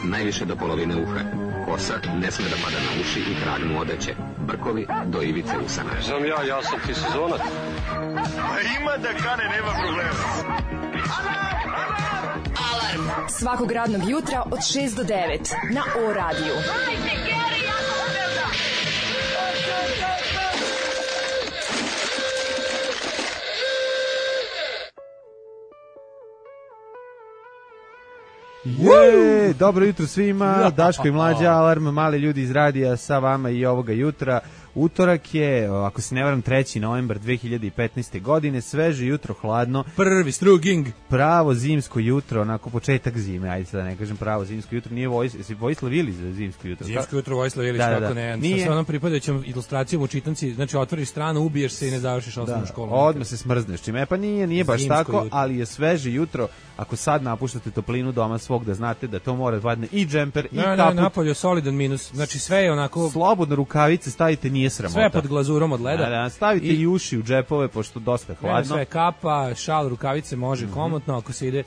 najviše do polovine uha. Kosa ne sme da pada na uši i krag mu odeće. Brkovi do ivice usana. Znam ja sam ti sezonac. Ima da kane, nema problema. Alarm svakog radnog jutra od 6 do 9 na O-radiju. Dobro jutro svima, Daško i Mlađa, Alarm, mali ljudi iz radija sa vama i ovoga jutra. Utorak je, ako se ne varam, 3. novembar 2015. godine, sveže jutro, hladno. Prvi struging. Pravo zimsko jutro, onako početak zime, ajde sad da ne kažem pravo zimsko jutro, nije Vojislav Ilić za zimsko jutro. Zimsko jutro Vojislav Ilić, kako ne, nije... sa onom pripadajućom ilustracijom u čitanci, znači otvoriš stranu, ubiješ se i ne završiš osnovnu školu. Odmah se smrzneš, čime, pa nije baš zimsko tako, jutro. Ali je sveže jutro, ako sad napuštate toplinu doma svog, da znate da to mora vadne i džemper i kaput. Ne, napolje solidan minus, znači sve je onako... Slobodno rukavice stavite, nije sramota. Sve pod glazurom od leda. Da, stavite i uši u džepove, pošto dosta hladno. Sve kapa, šal, rukavice može komotno, ako se ide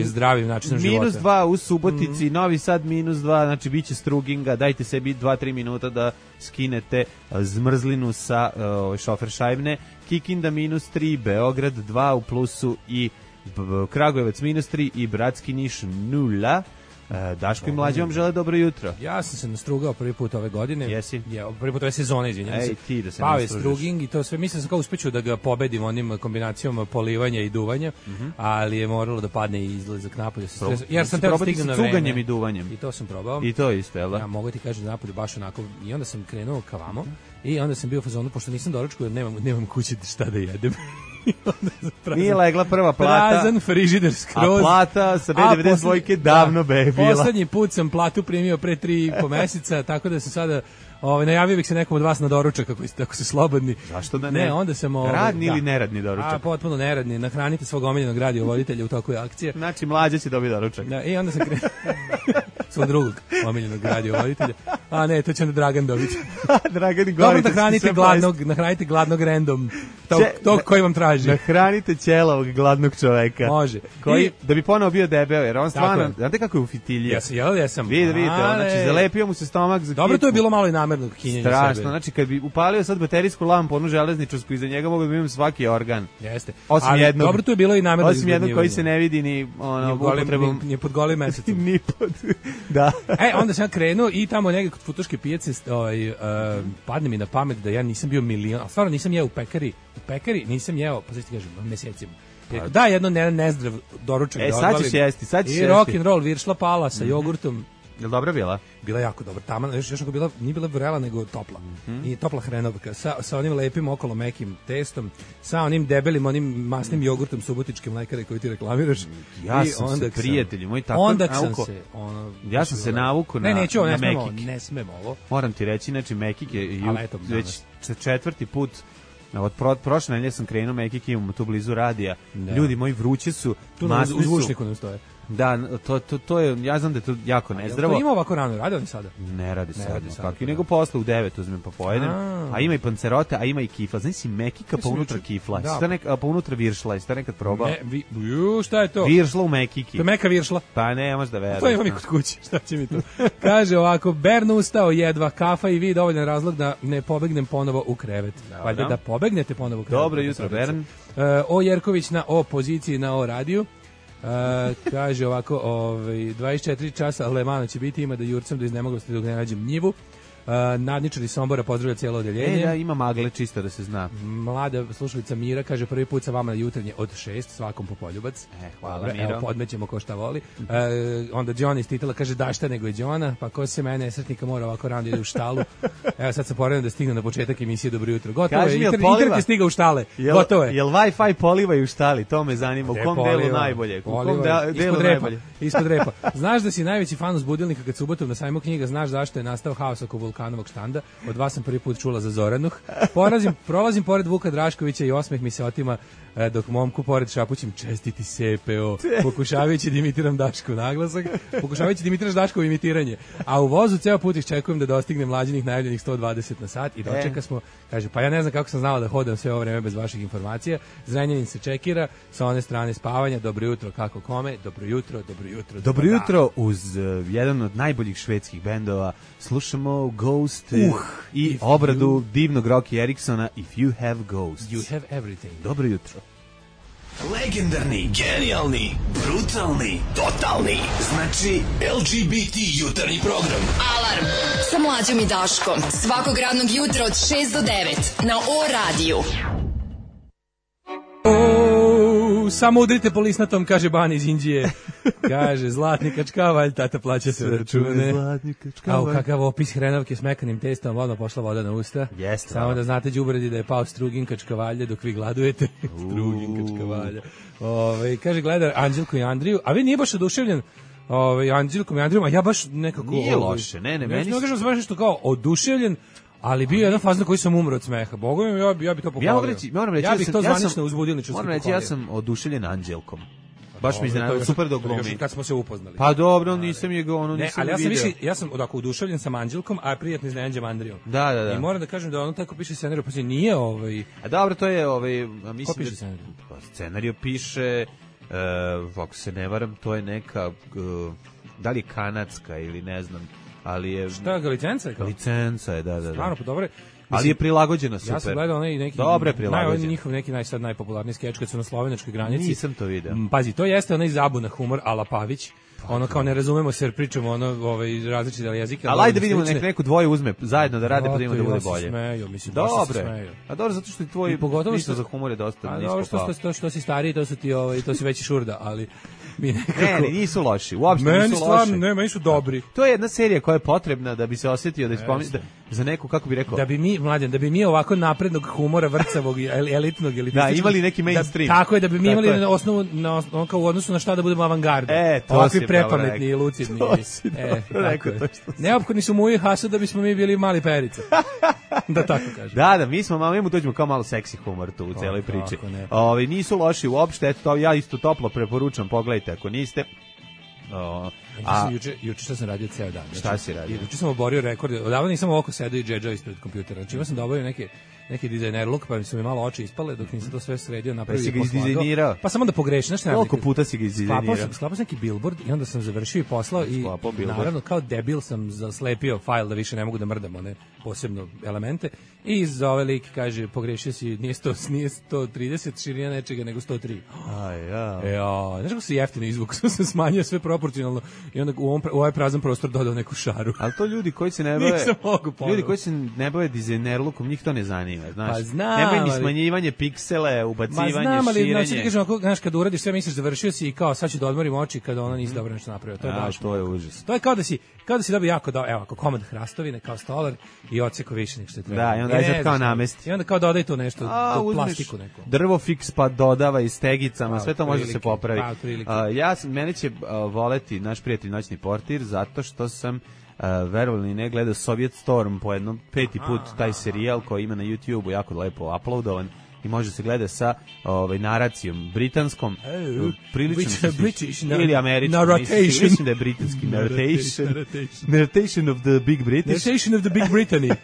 zdravim načinom života. -2 u Subotici, Novi Sad -2, znači bit će struginga, dajte sebi 2-3 minuta da skinete zmrzlinu sa šoferšajbne. Kikinda -3, Beograd 2 u plusu i Kragujevac -3 i Bratski Niš 0. Daško i Mlađe vam žele dobro jutro. Ja sam se nastrugao prvi put ove godine. Jesi? Prvi put ove sezone, izvinjam se. Ti da se Pao je struging i to sve. Mislim sam kao uspeću da ga pobedim onim kombinacijom polivanja i duvanja, ali je moralo da padne i izlazak napolje. Jer sam teo stignem na vreme. Cuganjem i duvanjem. I to sam probao. I to isto, jel da? Ja mogu ti kažem napolje baš onako. I onda sam krenuo ka vamo i onda sam bio u fazonu, pošto nisam doručkao jer nemam kući šta da jedem. Nije legla prva plata. Prazan frižider skroz. A plata sa B92 davno bila. Poslednji put sam platu primio pre 3,5 meseca, tako da se sada najavio bih se nekom od vas na doručak ako ste slobodni. Zašto da ne? Onda sam radni ili neradni doručak? Potpuno neradni. Nahranite svog omiljenog radiovoditelja u toku akcije. Znači Mlađa će dobiti doručak. Da, i onda sam svog drugog omiljenog radiovoditelja. A ne, to će onda Dragan dobiti. Dragan i Dobro, nahranite gladnog random. Tog koji vam traži. Nahranite ćelavog gladnog čoveka. Može. Koji, da bi ponovo bio debeo, jer on stvarno, znate kako je u fitilje? Jesam. Vidite, znači zalepio mu se stomak za Dobro, to je bilo malo i namernog kinjenja sebe. Strašno, znači kad bi upalio sad baterijsku lampu, onu železničarsku, iza njega mogu da imam svaki organ. Jeste. Osim jednog. Dobro, to je bilo i namerno. Osim jednog koji se ne vidi ni upotrebom. Ni pod golim mesecom. Ni pod, da. Onda sam ja krenuo i tamo negdje kod Futoške pijace padne mi na pamet da ja nisam bio milion, a stvarno nisam jeo u pekari nisam jeo, pa sad ti kažem, mesecima. Da, jedno nezdrav doručak da odvalim. Sad ćeš jesti. I rock'n'roll viršla pala sa jogurtom. Je li dobra bila? Bila jako dobra. Taman, još ako bila, nije bila vrela, nego topla. I topla hrenovka. Sa onim lepim okolo mekim testom, sa onim debelim, onim masnim jogurtom subotičke mlekare koji ti reklamiraš. Ja sam se, prijatelji moji, tako onda sam se... ja sam se navukao na mekike. Ne smemo ovo. Moram ti reći, znači mekike već 4. put. Od prošle nedelje sam krenuo mekike, imamo tu blizu radija. Ljudi moji, vruće su, masni su. U zvučniku nam stoje. Da, to je, ja znam da je to jako nezdravo. To ima ovako rano, radi oni sada? Ne radi sada, kako i nego posle u 9 uzmem pa pojedem. A ima i pancerote, a ima i kifla. Znaš si mekika pa unutra kifla. Pa unutra viršla, jeste nekad probao? Šta je to? Viršla u mekiki. To je meka viršla? Pa ne, možda veruješ. To imam i kod kuće, šta će mi to? Kaže ovako, Bern ustao, jedva kafa i vi dovoljan razlog da ne pobegnem ponovo u krevet. Valjda da pobegnete ponovo u krevet. Dobro jutro, Bern. O Jerković na O poziciji na O radiju. Kaže ovako, 24 časa Lemana će biti, ima da jurcam do iznemoglosti dok ne nađem njivu. Nadničari Sombora pozdravlja cijelo odeljenje. Da, ima magle čisto da se zna. Mlada slušalica Mira kaže prvi put sa vama na jutarnje od 6, svakom po poljubac. Hvala Miro. Evo, podmećemo ko šta voli. Onda John iz titula kaže da šta nego je Johna, pa ko se mene nesretnika mora ovako rano ide u štalu. Evo sad sam poredan da stignem na početak emisije Dobro jutro. Gotovo je, internet je stigao u štale. Gotovo je. Jel Wi-Fi polivaju u štali? To me zanima. U kom delu najbolje? U kom delu najbolje? Ispod repa. Znaš da si najveći fan uz budilnika kad subotom na sajmu knjiga, znaš zašto je nastao haos oko vulkana Vukanovog štanda. Od vas sam prvi put čula za Zoranuh. Prolazim pored Vuka Draškovića i osmeh mi se otima dok momku pored šapućim čestiti CPO, pokušavajući da imitiram Daškov naglasak, pokušavajući da imitiraš Daškovo imitiranje. A u vozu ceo put iščekujem da dostigne mlađinih najavljenih 120 na sat i dočeka smo, kaže, pa ja ne znam kako sam znala da hodam sve ovo vreme bez vaših informacija. Zrenjanin se čekira, sa one strane spavanja, dobro jutro, kako kome, dobro jutro. Dobro jutro uz jedan od najboljih švedskih bendova. Slušamo Ghost i obradu divnog Rocky Eriksona If You Have Ghosts. You have everything. Dobro jutro. Legendarni, genijalni, brutalni, totalni. Znači LGBT jutarnji program. Alarm sa Mlađom i Daškom. Svakog radnog jutra od 6 do 9 na O-radiju. Samo udrite po lisnatom, kaže Bani iz Indije. Kaže, zlatni kačkavalj, tata plaća sve račune. Kao kakav opis hrenovke s mekanim testom, vodno pošla voda na usta. Jeste. Samo da znate, đubredi, da je pao Strugin kačkavalja dok vi gladujete. Strugin kačkavalja. Kaže, gleda Anđelko i Andriju, a vi nije baš oduševljen Anđelkom i Andrijom, a ja baš nekako... Nije loše, ne, meni... Ne kažem baš nešto kao oduševljen, ali bio je jedan fazon koji sam umro od smeha. Bogu mi, ja bi to pohvalio. Moram reći, ja bih to zvanično uzbudilničarski pohvalio. Moram reći, ja sam oduševljen Anđelkom. Baš mi iznenadio, super dok glumi. Kad smo se upoznali. Pa dobro, nisam je ga nisam ali vidio. Ja sam oduševljen sam Anđelkom, a prijatno iznenađen Andrijom. Da. I moram da kažem da ono tako piše scenariju, pa nije A dobro, to je mislim. Ko piše scenariju? Scenariju piše, ako se ne varam, to je neka, da li je kanadska ili ne znam, ali je... Šta, licenca je kao? Licenca je, da. Stvarno, pa dobro. Ali je prilagođena super. Ja sam gledao onaj neki dobre prilagođen. Njihov neki najpopularniji skeč kad su na slovenačkoj granici. Nisam to video. Pazi, to jeste onaj zabuna humor ala Pavić. Ono kao ne razumemo se jer pričamo različite jezike. Ali ajde vidimo neku dvoje uzme zajedno da rade pa da ima da bude bolje. Smeju, mislim, dobre. A dobro zato što tvoj ništa za humor je dosta nisko. A dobro što si stariji, to su ti to si veći šurda, ali mi nekako... Ne, nisu loši, uopšte nisu loši. Meni stvarno, meni su dobri. To je jedna serija koja je potrebna da bi se osjetio da za neku, kako bi rekao... Da bi mi ovako naprednog humora, vrcavog, elitnog, da, imali neki mainstream. Tako je, da bi mi imali na osnovu, u odnosu na šta da budemo avangarda. Ovakvi prepametni i lucidni. Neophodni su Muji Hasu da bismo mi bili mali Perica. Da tako kažem. Da, mi smo malo, dođemo kao malo seksi humor tu u celoj priči. Nisu loši uopšte, eto, ja isto toplo preporučam, pogledajte ako niste. Juče što sam radio ceo dan. Šta si radio? Juče sam oborio rekord. Odavno nisam ovako sedao i džedžao ispred kompjutera. Znači imao sam da oborio neki dizajner look, pa mi su mi malo oči ispale dok nisam to sve sredio, napravio i poslagao. Pa samo da pogrešim. Koliko puta si ga izdizajnirao? Sklapao sam neki billboard i onda sam završio i poslao i naravno kao debil sam zaslepio fajl da više ne mogu da mrdam one posebno elemente i za ovaj lik kaže pogrešio si, nije 130 širina nečega nego 103. Znaš kako se jeftino izvuk, sam smanjio sve proporcionalno i onda u ovaj prazan prostor dodao neku šaru. Ali to ljudi koji se ne bave dizajnerlukom, njih to ne zanima. Znaš, pa znam, nemoj ni smanjivanje piksele, ubacivanje, širenje. Znači ti kažem, znaš, kad uradiš sve, misliš završio si i kao sad ću da odmorim oči kada ona nisi dobro nešto napravio. To je baš. To je užas. To je kao da si dobio jako evo, ako komad hrastovine kao stolar i odseko više nek što je treba. Da, i onda je kao namesti. I onda kao dodaj to nešto, plastiku neku. Drvo fiks pa dodava i stegicama, sve to može da se popravi. Mene će voleti naš prijatelj Noćni portir zato što sam verovali ne gledao Soviet Storm po jednom 5. put taj serijal koji ima na YouTubeu jako lepo uploadovan i može se gleda sa naracijom britanskom, prilično ili američkom, mislim da je britanski narration of the Big British, narration of the Big Brittany.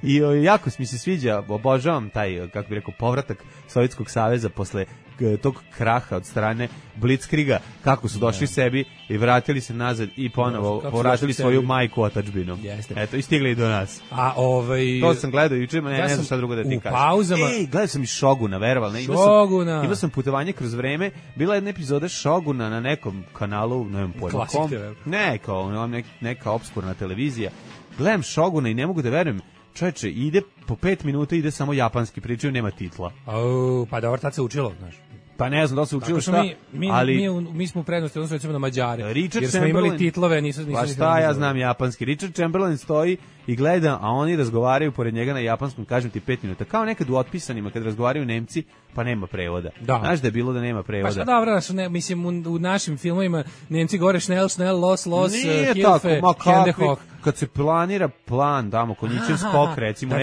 I jako mi se sviđa, obožavam taj, kako bih rekao, povratak Sovjetskog saveza posle tog kraha od strane Blitzkriga, kako su došli sebi i vratili se nazad i ponovo povratili svoju majku otadžbinu. Eto, i stigli i do nas. To sam gledao juče, ne znam šta drugo da ti kažem. Gledao sam i Šoguna, verovali. Imao sam putovanje kroz vreme, bila je jedna epizoda Šoguna na nekom kanalu, ne znam pojma kom. Neka obskurna televizija. Gledam Šoguna i ne mogu da verujem. Čoveče, ide po 5 minuta, ide samo japanski, pričaju, nema titla. Pa dobro, tad se učilo, znaš. Pa ne znam da se učilo šta, ali... Mi smo u prednosti, odnosno recimo na Mađare, jer smo imali titlove, nisu pa šta ja znam japanski. Richard Chamberlain stoji i gleda, a oni razgovaraju pored njega na japanskom, kažem ti 5 minuta. Kao nekad u Otpisanima, kad razgovaraju Nemci, pa nema prevoda. Znaš da je bilo da nema prevoda. Pa šta dobro, mislim, u našim filmovima Nemci gore šnel, los, Hilfe, Hende, Hoch. kad se planira plan, tamo, konjićev skok, recimo,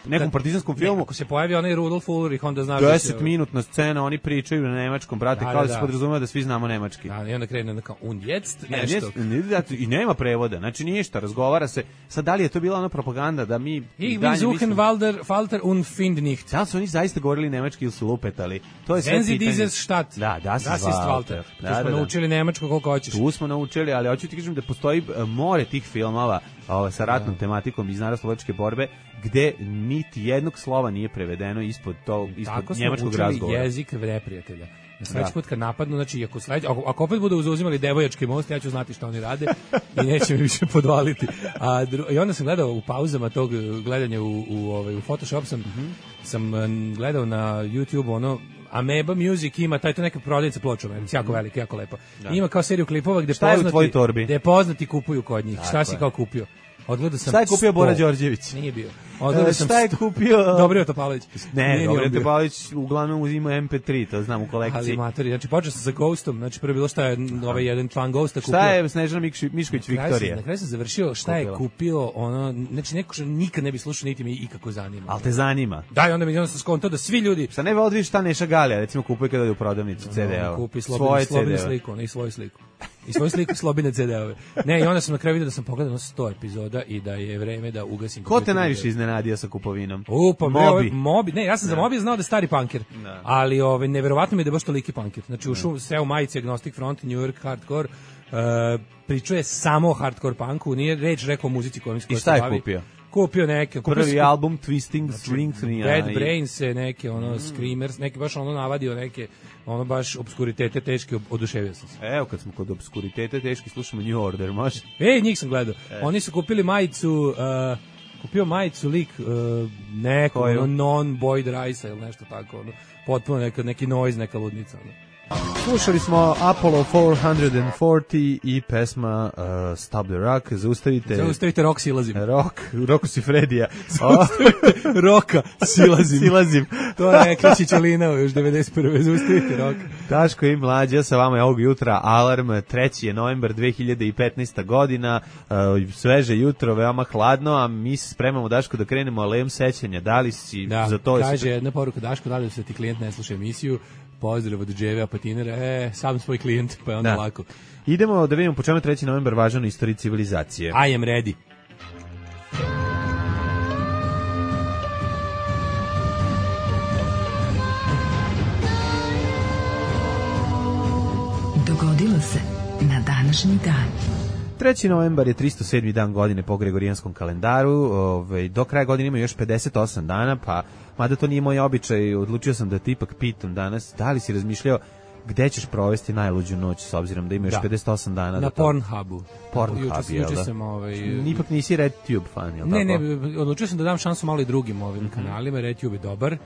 nekom partizanskom filmu, ako se pojavi onaj Rudolf Ulrich, onda znaš 10-minutna scena, oni pričaju na nemačkom, brate, kao da se podrazumeva da svi znamo nemački. Da, i onda krene kao und jetzt, nešto. I nema prevoda, znači ništa, razgovara se. Sad, da li je to bila ona propaganda da mi... Ich will suchen Walter und find nicht. Da li su oni zaista govorili nemački ili su lupetali? To je sve pitanje. Wenn Sie dieses Stadt. Da, das ist Walter. Tu smo naučili nemačko koliko hoćeš. Tu smo naučili, ali hoću ti kažem da postoji more tih filmova sa ratnom tematikom iz narodnooslobodilačke borbe, gde niti jednog slova nije prevedeno ispod njemačkog razgovora. Tako smo učili jezik neprijatelja. Na sledeći put kad napadnu, znači ako opet budu zauzimali Devojački most, ja ću znati šta oni rade i neće mi više podvaliti. I onda sam gledao u pauzama tog gledanja u Photoshop sam gledao na YouTube ono Ameba Music ima to neka prodavnica ploča, jako velika, jako lepa. Ima kao seriju klipova gde poznati kupuju kod njih. Šta si kao kupio? Odgledao sam. Šta je kupio Bora Đorđević? Nije bio. Šta je kupio Dobrio Topalović? Ne, Dobrio Topalović uglavnom uzima MP3, to znam u kolekciji. Ali matori, znači počeo sam sa Ghostom, znači prvo bilo šta je ovaj jedan član Ghosta kupio. Šta je Snežana Mišković Viktorija? Na kraju sam završio šta je kupio, ono, znači neko što nikad ne bi slušao niti me ikako zanima. Al te zanima? Da, i onda mi sam skontao da svi ljudi. Šta ne odviš šta Neša Galija, recimo kupuje kada ide u prodavnicu CD-ova. Kupi slobodnu sliku, ne svoju sliku. I svoju sliku slobine CD-ove. Ne, i onda sam na kraju vidio da sam pogledao 100 epizoda i da je vreme da ugasim. Ko te najviše iznenadio sa kupovinom? Mobi. Ne, ja sam za Mobi znao da je stari punker. Ali neverovatno mi je da je baš toliki punker. Znači ušao sve u majici Agnostic Front, New York Hardcore. Pričuje samo o hardcore punku, nije reč rekao o muzici kojom se bavi. I šta je kupio? Kupio neke. Prvi album Twisting Strings. Bad Brains, neke Screamers, neki baš navadio neke baš obskuritete teške, oduševio sam se. Evo kad smo kod obskuritete teški slušamo New Order, može? Njih sam gledao. Oni su kupili majicu, kupio majicu lik neko, non-Boyd Rice ili nešto tako, potpuno neki noise, neka ludnica. Slušali smo Apollo 440 i pesma Stop the Rock. Zaustavite Rock silazim. Roku si Fredija. Zaustavite Roka silazim. To je Kličićolina još 91. Zaustavite Roka. Daško i Mlađa sa vama je ovog jutra. Alarm, 3. je novembar 2015. godina. Sveže jutro, veoma hladno, a mi se spremamo, Daško, da krenemo alejom sećanja. Da li si za to? Kaže jedna poruka, Daško, da li se ti klijent ne sluša emisiju? Pozdrav od Dževe Apatinera, sam svoj klijent, pa je onda lako. Idemo da vidimo po čemu 3. novembar važan u istoriji civilizacije. I am ready. Dogodilo se na današnji dan. 3. novembar je 307. dan godine po gregorijanskom kalendaru, do kraja godine ima još 58 dana, pa mada to nije moj običaj, odlučio sam da te ipak pitam danas, da li si razmišljao gde ćeš provesti najluđu noć, s obzirom da ima još 58 dana? Na Pornhubu. Pornhub, jel da? Ipak nisi RedTube fan, jel tako? Ne, odlučio sam da dam šansu malo i drugim ovim kanalima, RedTube je dobar,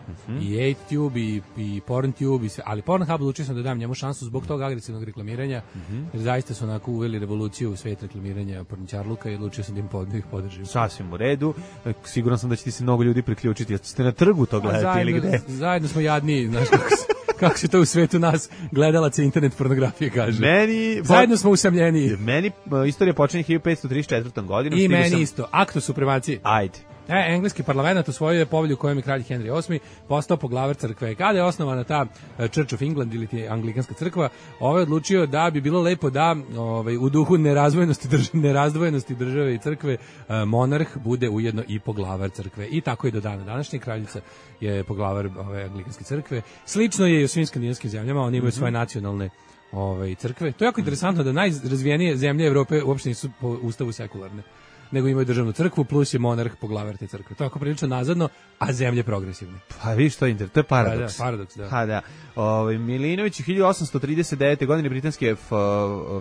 i 8Tube, i PornTube, ali Pornhub odlučio sam da dam njemu šansu zbog tog agresivnog reklamiranja, jer zaista su onako uveli revoluciju u svet reklamiranja porničarluka i odlučio sam da ih podržim. Sasvim u redu, siguran sam da će ti se mnogo ljudi priključiti, ste na trgu to gledati ili gde? Zajedno smo jadniji, znaš kako se to u svetu nas gledalaca internet pornografije kaže. Zajedno smo usamljeniji. Meni istorija počinje 1534. godinom. I meni isto. Akto supremacije. Ajde. Engleski parlament usvojio je povelju kojom je kralj Henry VIII postao poglavar crkve. Kada je osnovana ta Church of England ili ti anglikanska crkva, je odlučio da bi bilo lepo da u duhu nerazdvojenosti države i crkve monarh bude ujedno i poglavar crkve. I tako je do dana današnje, kraljica je poglavar anglikanske crkve. Slično je i u svim skandinavskim zemljama, oni imaju svoje nacionalne crkve. To je jako interesantno da najrazvijenije zemlje Evrope uopšte nisu po ustavu sekularne, nego imaju državnu crkvu, plus je monarh poglavar te crkve. To je ako prilično nazadno, a zemlje progresivne. Pa vidiš to je paradoks. Paradoks, da. Ha, da. Milinović 1839. godine britanske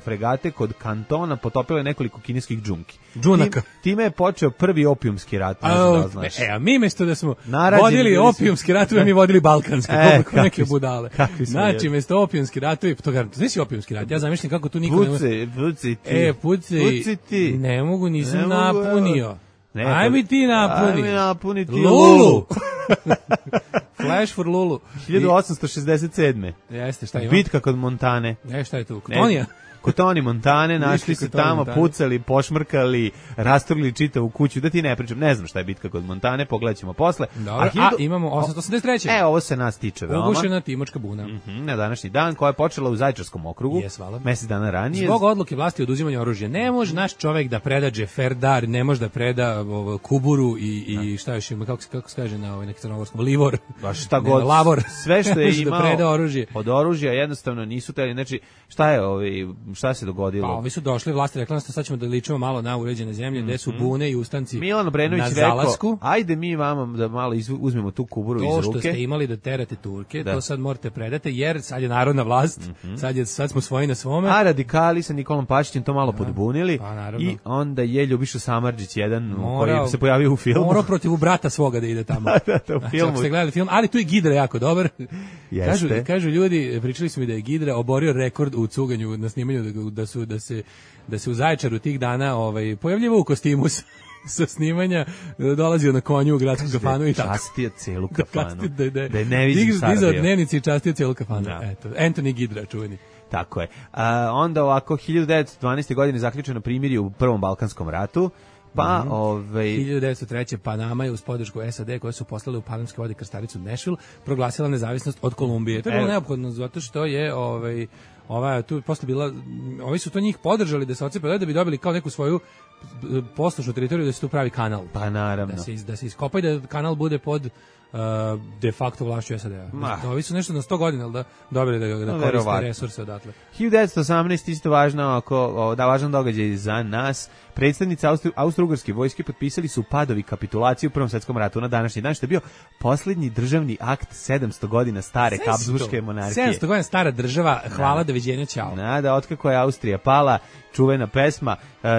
fregate kod Kantona potopile nekoliko kineskih džunki. Džunaka. Time je počeo prvi opijumski rat. A mi mesto da smo vodili opijumski ratovi, mi vodili balkanski, koliko neke budale. Znači, mesto opijumski ratovi, to si opijumski rat, ja zamišljam kako tu niko ne puci ti. Ne mogu, nisam napunio. Aj mi ti napuni. Aj mi napuni ti Lulu. Flash for Lulu. 1867. Jeste, šta ima? Bitka kod Montane. Šta je tu? Kotonija? kod Tony Montane, našli se kod Tony tamo, Montane. pucali, pošmrkali, rasturili čitavu kuću, da ti ne pričam, ne znam šta je bitka kod Montane, pogledat ćemo posle. Dobro, imamo 883. Ovo se nas tiče veoma. Ugušena Timočka buna. Na današnji dan, koja je počela u Zaječarskom okrugu, mesec dana ranije. Zbog odluke vlasti oduzimanja oružja. Ne može naš čovek da preda džeferdar, ne može da preda kuburu i šta još ima, kako se kaže na neki crnogorskom, livor. Baš šta god, lavor. sve što je da imao preda oružje. od oružja jednostavno nisu teli, znači šta se dogodilo? Pa ovi su došli, vlasti rekla nas sad ćemo da ličimo malo na uređene zemlje, gde su bune i ustanci Milan Obrenović na rekao, zalasku. ajde mi vama da malo uzmemo tu kuburu iz ruke. To što ste imali da terate Turke, to sad morate predate, jer sad je narodna vlast, sad smo svoji na svome. A radikali sa Nikolom Pašićem to malo podbunili naravno. I onda je Ljubiša Samardžić jedan koji se pojavio u filmu. Morao protiv brata svoga da ide tamo. da, u filmu. Ako ste gledali film, ali tu je Gidra jako dobar. Jeste. Kažu ljudi, pričali su mi da je Gidra oborio rekord u cuganju na snimanju, da se u Zaječaru tih dana pojavljivao u kostimu sa snimanja, dolazio na konju u gradsku kafanu i tako. Častio celu kafanu. Da je ne vidim Sara bio. Dizao dnevnici i častio celu kafanu. Eto, Anthony Gidra, čuveni. Tako je. Onda ovako, 1912. godine zaključeno primirje u Prvom Balkanskom ratu, pa 1903. Panama je uz podršku SAD koje su poslale u panamske vode krstaricu Nashville proglasila nezavisnost od Kolumbije. To je bilo neophodno zato što je tu posle bila, ovi su to njih podržali da se otcepe, da bi dobili kao neku svoju poslušnu teritoriju, da se tu pravi kanal. Pa naravno. Da se iskopa i da kanal bude pod de facto vlašću SAD-a. Ovi su nešto na 100 godina da dobili da koriste resurse odatle. 1918. isto važan događaj za nas. Predstavnici Austro-Ugarske vojske potpisali su padovi kapitulaciju u Prvom svetskom ratu na današnji dan, što je bio posljednji državni akt 700 godina stare Habsburške monarhije. 700 godina stara država, hvala, doviđenja, ćao. Da, otkako je Austrija pala, čuvena pesma,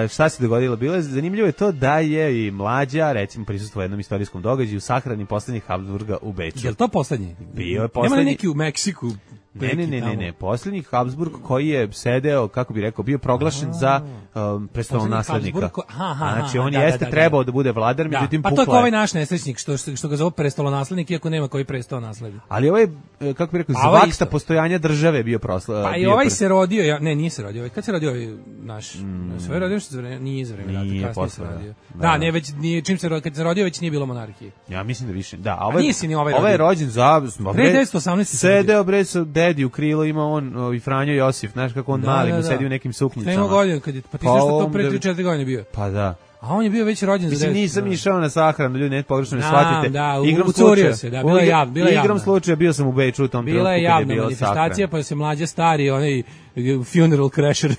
šta se dogodilo? Bilo je zanimljivo je to da je i Mlađa, recimo, prisustvovao jednom istorijskom događaju, sahrani posljednjih Habsburga u Beču. Je li to posljednji? Bio je posljednji. Nema neki u Meksiku? Ne, posljednji Habsburg koji je sedeo, kako bi rekao, bio proglašen za prestolonaslednika. Znači, on jeste trebao da bude vladar, međutim pukla je. Pa to je ovaj naš nesrećnik, što ga zove prestolonaslednik, iako nema koji prestolonaslednik. Ali ovaj, kako bi rekao, zvaksta postojanja države bio proslavljen. Pa i ovaj se rodio, nije se rodio, kad se rodio ovaj naš? Sve rodio što nije za vreme rata, kasnije se rodio. Da, ne, već kad se rodio, već nije bilo monarhije. Ja mislim da više. Da, ovaj je rođen za 1918. sedeo bre sa dedi u krilo, ima on i Franjo Josif, znaš kako on mali, mu sedi u nekim suknjicama. Nema godina, pa ti znaš što to pre 3-4 godine bio. Pa da. A on je bio već rođen za 10. Nisam išao na sahranu, ljudi ne pogrešno ne shvatite. Da, ucurio se, bila je javna. Igrom slučaja bio sam u Beču u tom trenutku. Bila je javna manifestacija, pa se Mlađa stari, onaj funeral crasher,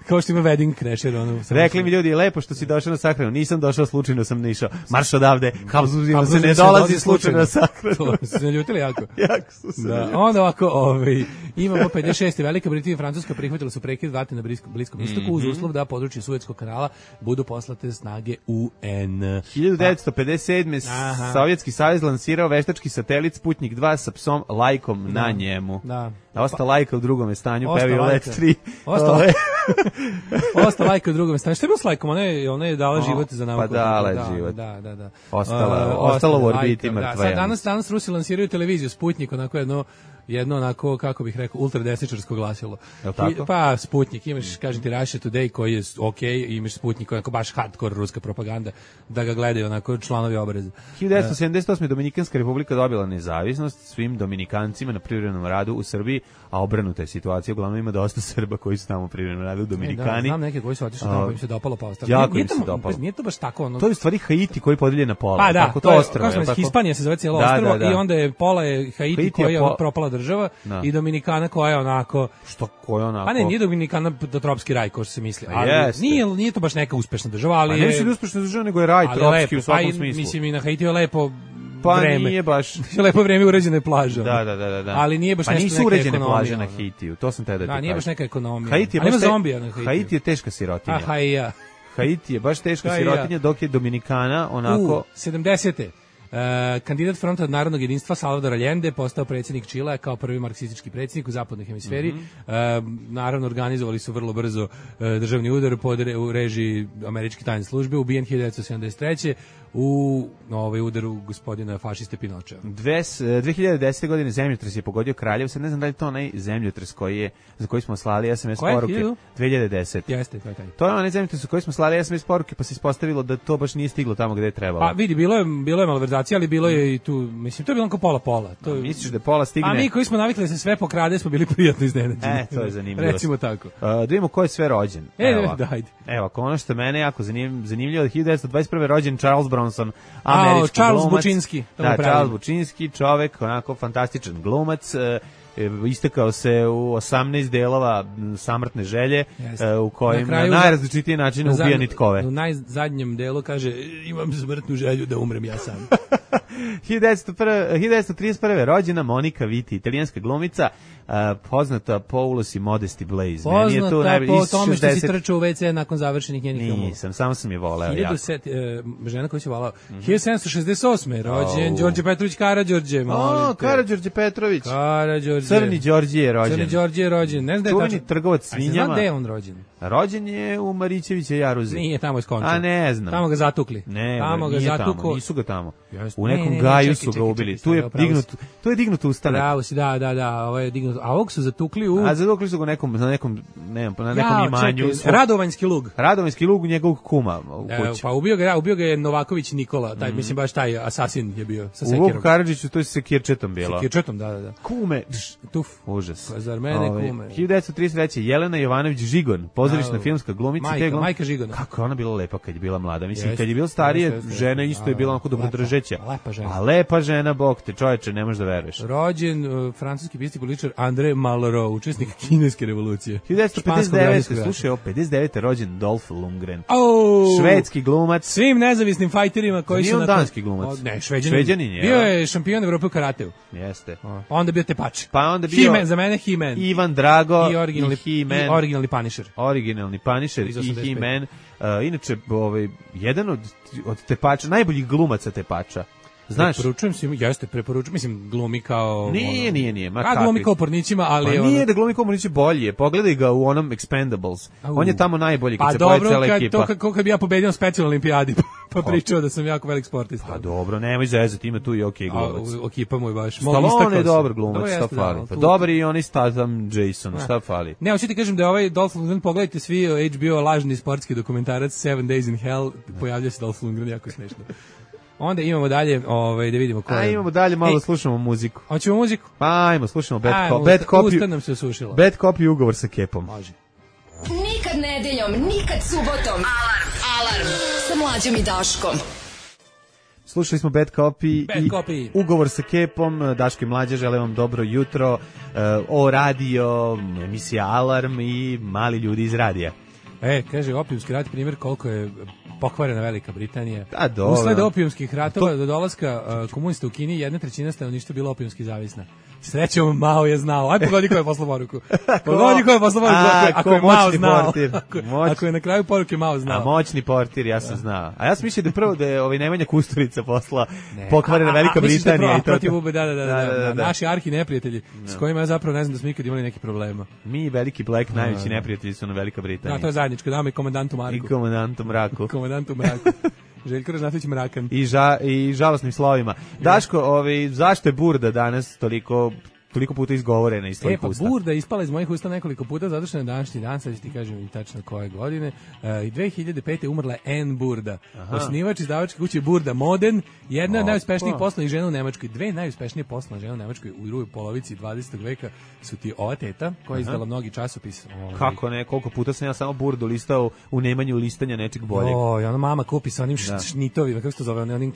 kao što ima wedding crasher. Rekli mi ljudi, lepo što si došao na sahranu, nisam došao slučajno, sam išao. Marš odavde, Habsburgima se ne dolazi slučajno na sahranu. To su se naljutili jako. Jako su se naljutili. Onda ovako, imamo 56. Velika Britanija i Francuska prihvatili su prekid vatre na Bliskom istoku uz uslov da područje Suetskog kanala budu poslate snage UN. 1957. Sovjetski savez lansirao veštački satelit Sputnik 2 sa psom Lajkom na njemu. Da. Osta Lajka u drugom stanju, pevio Let 3. Osta Lajka u drugom stanju. Što je bilo s Lajkom? Ona je dala život za nauku. Pa dala je život. Da. Ostala u orbiti mrtva. Danas Rusi lansiraju televiziju Sputnik, onako jedno onako, kako bih rekao, ultradesničarsko glasilo. Pa Sputnik, imaš, kažem ti, Russia Today koji je okej, imaš Sputnik, onako baš hardcore ruska propaganda, da ga gledaju onako članovi obreza. 1978. Dominikanska republika dobila nezavisnost svim Dominikancima na privremenom radu u Srbiji, a obrnuta je situacija, uglavnom ima dosta Srba koji su tamo privremenom radu, Dominikani. Znam neke koji su otišli tamo, pa im se dopalo, pa ostalo. Jako im se dopalo. Nije to baš tako. To je u stvari Haiti koji podelje na pola. Pa da, to je ostrvo. Hispanija se zove cijelo ostrvo i onda je pola je Haiti koja je propala država i Dominikana koja je onako... Što koja onako? Pa ne, nije Dominikana tropski raj, kao što se misli. Ali nije to baš neka uspešna država, ali je... A ne uspešna država, nego je raj tropski u svakom smislu. Mislim, i na Haitiju je lepo pa vreme. Nije baš... lepo vreme uređene plaže. Da. Ali nije baš nešto neka ekonomija. Pa nisu uređene plaže na Haitiju, to sam te da ti kažem. Da, nije baš neka ekonomija. Haiti je zombija na Haitiju. Haiti je teška sirotinja. Aha, i ja. Haiti je baš teška sirotinja, dok je Dominikana onako... 70. Kandidat Fronta narodnog jedinstva Salvador Allende postao predsjednik Čilea kao prvi marksistički predsjednik u zapadnoj hemisferi. Naravno, organizovali su vrlo brzo državni udar u režiji američke tajne službe, ubijen 1973. u udaru gospodina fašiste Pinočea. 2010. godine zemljotres je pogodio Kraljevo, sad ne znam da li je to onaj zemljotres za koji smo slali SMS poruke. 2010. Jeste, to je taj. To je onaj zemljotres za koji smo slali SMS poruke, pa se ispostavilo da to baš nije stiglo tamo gde je trebalo. Pa vidi, bilo je malverzacija, ali bilo je i tu, mislim, to je bilo kao pola-pola. Misliš da pola stigne? A mi koji smo navikli da se sve pokrade, smo bili prijatno iznenađeni. To je zanimljivo. Recimo tako. Da vidimo ko je sve rođen. Dajde. Evo, ono što mene jako zanimljivo, 1921. rođen Charles Bronson, američki glumac. Bučinski. Da, Charles Bučinski, čovek, onako fantastičan glumac, istekao se u 18 delova Samrtne želje, u kojim na najrazličitiji način ubija nitkove. U najzadnjem delu kaže, imam smrtnu želju da umrem ja sam. 1931. rođena Monika Vitti, italijanska glumica, poznata po ulozi Modesty Blaze. Poznata po tome što si trčao u WC nakon završenih njenih filmova. Nisam, samo sam je voleo jako. Žena koju si volao. 1768. rođen Đorđe Petrović Karađorđe. Karađorđe Petrović. Karađorđe. Crni Đorđe je rođen. Crni Đorđe je rođen. Ne znam da je tačno. Čuveni trgovac svinjama. A se zna gde je on rođen? Rođen je u Marićevića Jaruzi. Nije, tamo je skončao. A ne znam. Tamo ga zatukli. Ne, tamo ga nije zatukao. tamo, nisu ga tamo. U nekom gaju su ga ubili. Tu je dignut ustanak. Pravo si, da, ovo je dignut. A ovog su zatukli u... A zatukli su ga na nekom imanju. Radovanjski lug. Radovanjski lug njegovog kuma u kući. Pa ubio ga je Novaković Nikola, mislim baš taj asasin je bio sa sekirom. U Vuku Karadžiću to je sekirčetom bilo. Sekirčetom, da. Kume. Tuf. Užas. Pa zar mene kume. 1933. Jelena Jovanović Žigon, pozorišna filmska glumica. Majka Žigona. Kako je ona bila lepa kad je bila mlada. Mislim, kad je bila starije, žena isto je bila onako dobrodržeća. Lepa žena. A lepa žena, bog te, čoveče, ne možeš da veruješ. Rođen francuski pisatelj i političar André Malraux, učesnik kineske revolucije. 1959. Slušaj, 59. rođen Dolph Lundgren. Švedski glumac. Svim nezavisnim fajterima koji su... Nije on danski glumac. Ne, Šveđanin je. Bio je šampion Evrope u karateu. Jeste. Onda bio Tepač. Pa onda bio... Za mene He-Man. Ivan Drago i originalni Punisher. Originalni Punisher i He-Man. Inače, jedan od Tepača, najboljih glumaca Tepača. Znaš? Preporučujem, mislim, glumi kao... Nije. Glumi kao pornićima, ali... Pa nije da glumi kao pornići bolje, pogledaj ga u onom Expendables. On je tamo najbolji kad se pojavi cela ekipa. Pa dobro, kad bi ja pobedio na specijalnoj olimpijadi, pa pričao da sam jako velik sportista. Pa dobro, nemoj zezati, ima tu i okej glumac. Ekipa mu je baš... Stallone je dobar glumac, šta fali? Pa dobar i onaj Statham Jason, šta fali? Ne, hoću ti kažem da je ovaj Dolph Lundgren, pogledajte svi HBO lažni sportski dokumentarac 7 Days in Hell, pojavlja se Dolph Lundgren, jako smešno. Onda imamo dalje, da vidimo ko je. Imamo dalje, malo slušamo muziku. Hoćemo muziku? Pa ajmo, slušamo Bad Copy. Usta nam se osušila. Bad Copy i ugovor sa Kepom. Može. Nikad nedeljom, nikad subotom. Alarm sa Mlađom i Daškom. Slušali smo Bad Copy i ugovor sa Kepom. Daško i Mlađa, želim vam dobro jutro. O radio, emisija Alarm i mali ljudi iz radija. Kaže, opijumski rat, primjer koliko je pokvarena Velika Britanija. Dobro. Usled opijumskih ratova do dolaska komunista u Kini 1/3 stanovništva bila opijumski zavisna. Srećom, Mao je znao. Aj, pogodi ko je poslao poruku. Ako je Mao znao. Ako je na kraju poruke Mao znao. A moćni portir, ja sam znao. A ja sam mislio da prvo da je Nemanja Kusturica posla pokvarena Velika Britanija. Protiv UB, da. Naši arhi neprijatelji, s kojima ja zapravo ne znam da smo ikad imali neki problema. Mi, Veliki Black, najveći neprijatelji su na Velika Britanija. Da, to je zajedničko, dame i komandantu Marku. I komandantu Mraku. Željko Ražnatović Mrakan. I žalosnim slovima. Daško, zašto je Burda danas toliko puta izgovorena iz tvojih usta? Burda je ispala iz mojih usta nekoliko puta, zato što je današnji dan, sad ću ti kažem i tačno koje godine, i 2005. umrla Anne Burda, osnivač izdavačke kuće Burda Modern, jedna od najuspešnijih poslovnih žena u Nemačkoj. Dve najuspešnije poslovne žene u Nemačkoj u drugoj polovici 20. veka su ti ova teta, koja je izdala mnogi časopis. Kako ne, koliko puta sam ja samo Burdu listao u nemanju listanja nečeg boljeg. I ona mama kupi sa onim šnitovima, kako se to zove, onim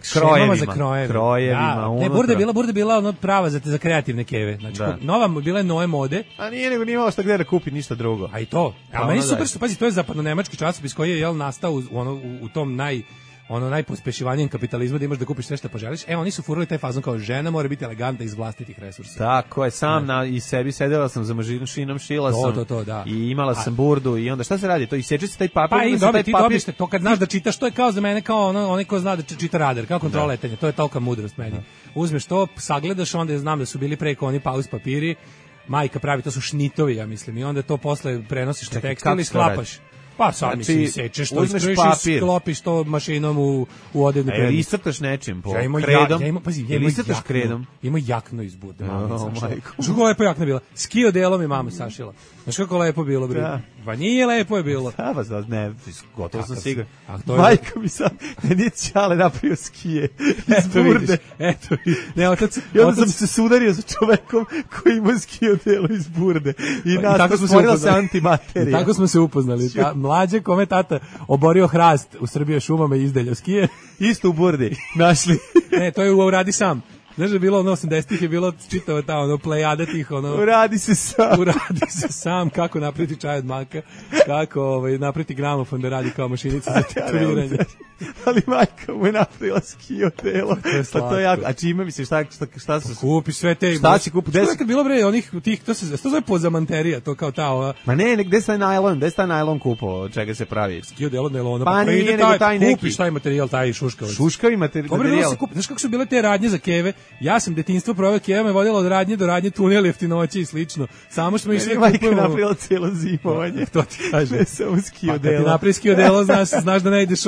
šemama za krojevima. Ne, Burda bila ono prava za kreativne keve. Znači, nova bila je nove mode. A nije nego nije imala šta gde da kupi ništa drugo. A i to. A meni super što, pazi, to je zapadno-nemački časopis koji je nastao u tom ono najpospešivanijem kapitalizmu da imaš da kupiš sve što poželiš. Oni su furali taj fazon kao žena mora biti elegantna iz vlastitih resursa. Tako je, i sebi sedela sam za mašinom, šila sam da. i imala sam burdu i onda šta se radi? To iseče se taj papir. Pa i dobiš to kad znaš da čitaš, to je kao za mene kao onaj ko zna da čita radar, kao kontrola letenja, to je tolika mudrost meni. Uzmeš to, sagledaš, onda znam da su bili preko oni pauz papiri, majka pravi, to su šnitovi, ja mislim, i onda to posle prenosiš na tekstil i sklapaš. Pa sad mi sečeš to, iskrojiš i sklopiš to mašinom u odevni predmet. Ili iscrtaš nečim po kredom? Ili iscrtaš kredom? Ima jakno iz bude, mama sašila. Znaš kako lepo jakna bila? Skio delom je mama sašila. Znaš kako lepo bilo, bre? Pa nije lepo je bilo. Da, ne, gotovo sam siguran. Majka mi sad, nije Ćale napravio skije iz burde. Eto, ne, otac... I onda sam se sudario sa čovekom koji ima skio delo iz burde. I nas stvorila se antimaterija. Tako smo se upoznali. Mlađe kome tata oborio hrast u Srbije šumama i izdeljao skije. Isto u burdi našli. Ne, to je uradi sam. Znaš da je bilo 80-ih je bilo čitava ta plejada tih uradi se sam kako napraviti čaj od maka, kako napraviti gramofon da radi kao mašinica za tetoviranje. Ali majka mu je napravila skio delo. Pa to je jako. A čime misliš šta su? Kupiš sve te. Šta si kupio? Što je kad bilo bre onih tih to se zove pozamanterija, to kao ta ova. Ma ne, gde se najlon kupovao, od čega se pravi? Skio delo najlona. Pa nije nego taj neki. Kupiš taj materijal, taj šuškavac. Šuškavi materijal. Znaš kako su bile te radnje za keve? Ja sam detinjstvo proveo, Keva me vodila od radnje do radnje, tunel jeftinoće i slično. Samo što mi išli kupujemo. Majka napravila cijelo zimovanje. To ti kaže. Ne samo skio delo. Kad ti napravi skio delo, znaš da ne ideš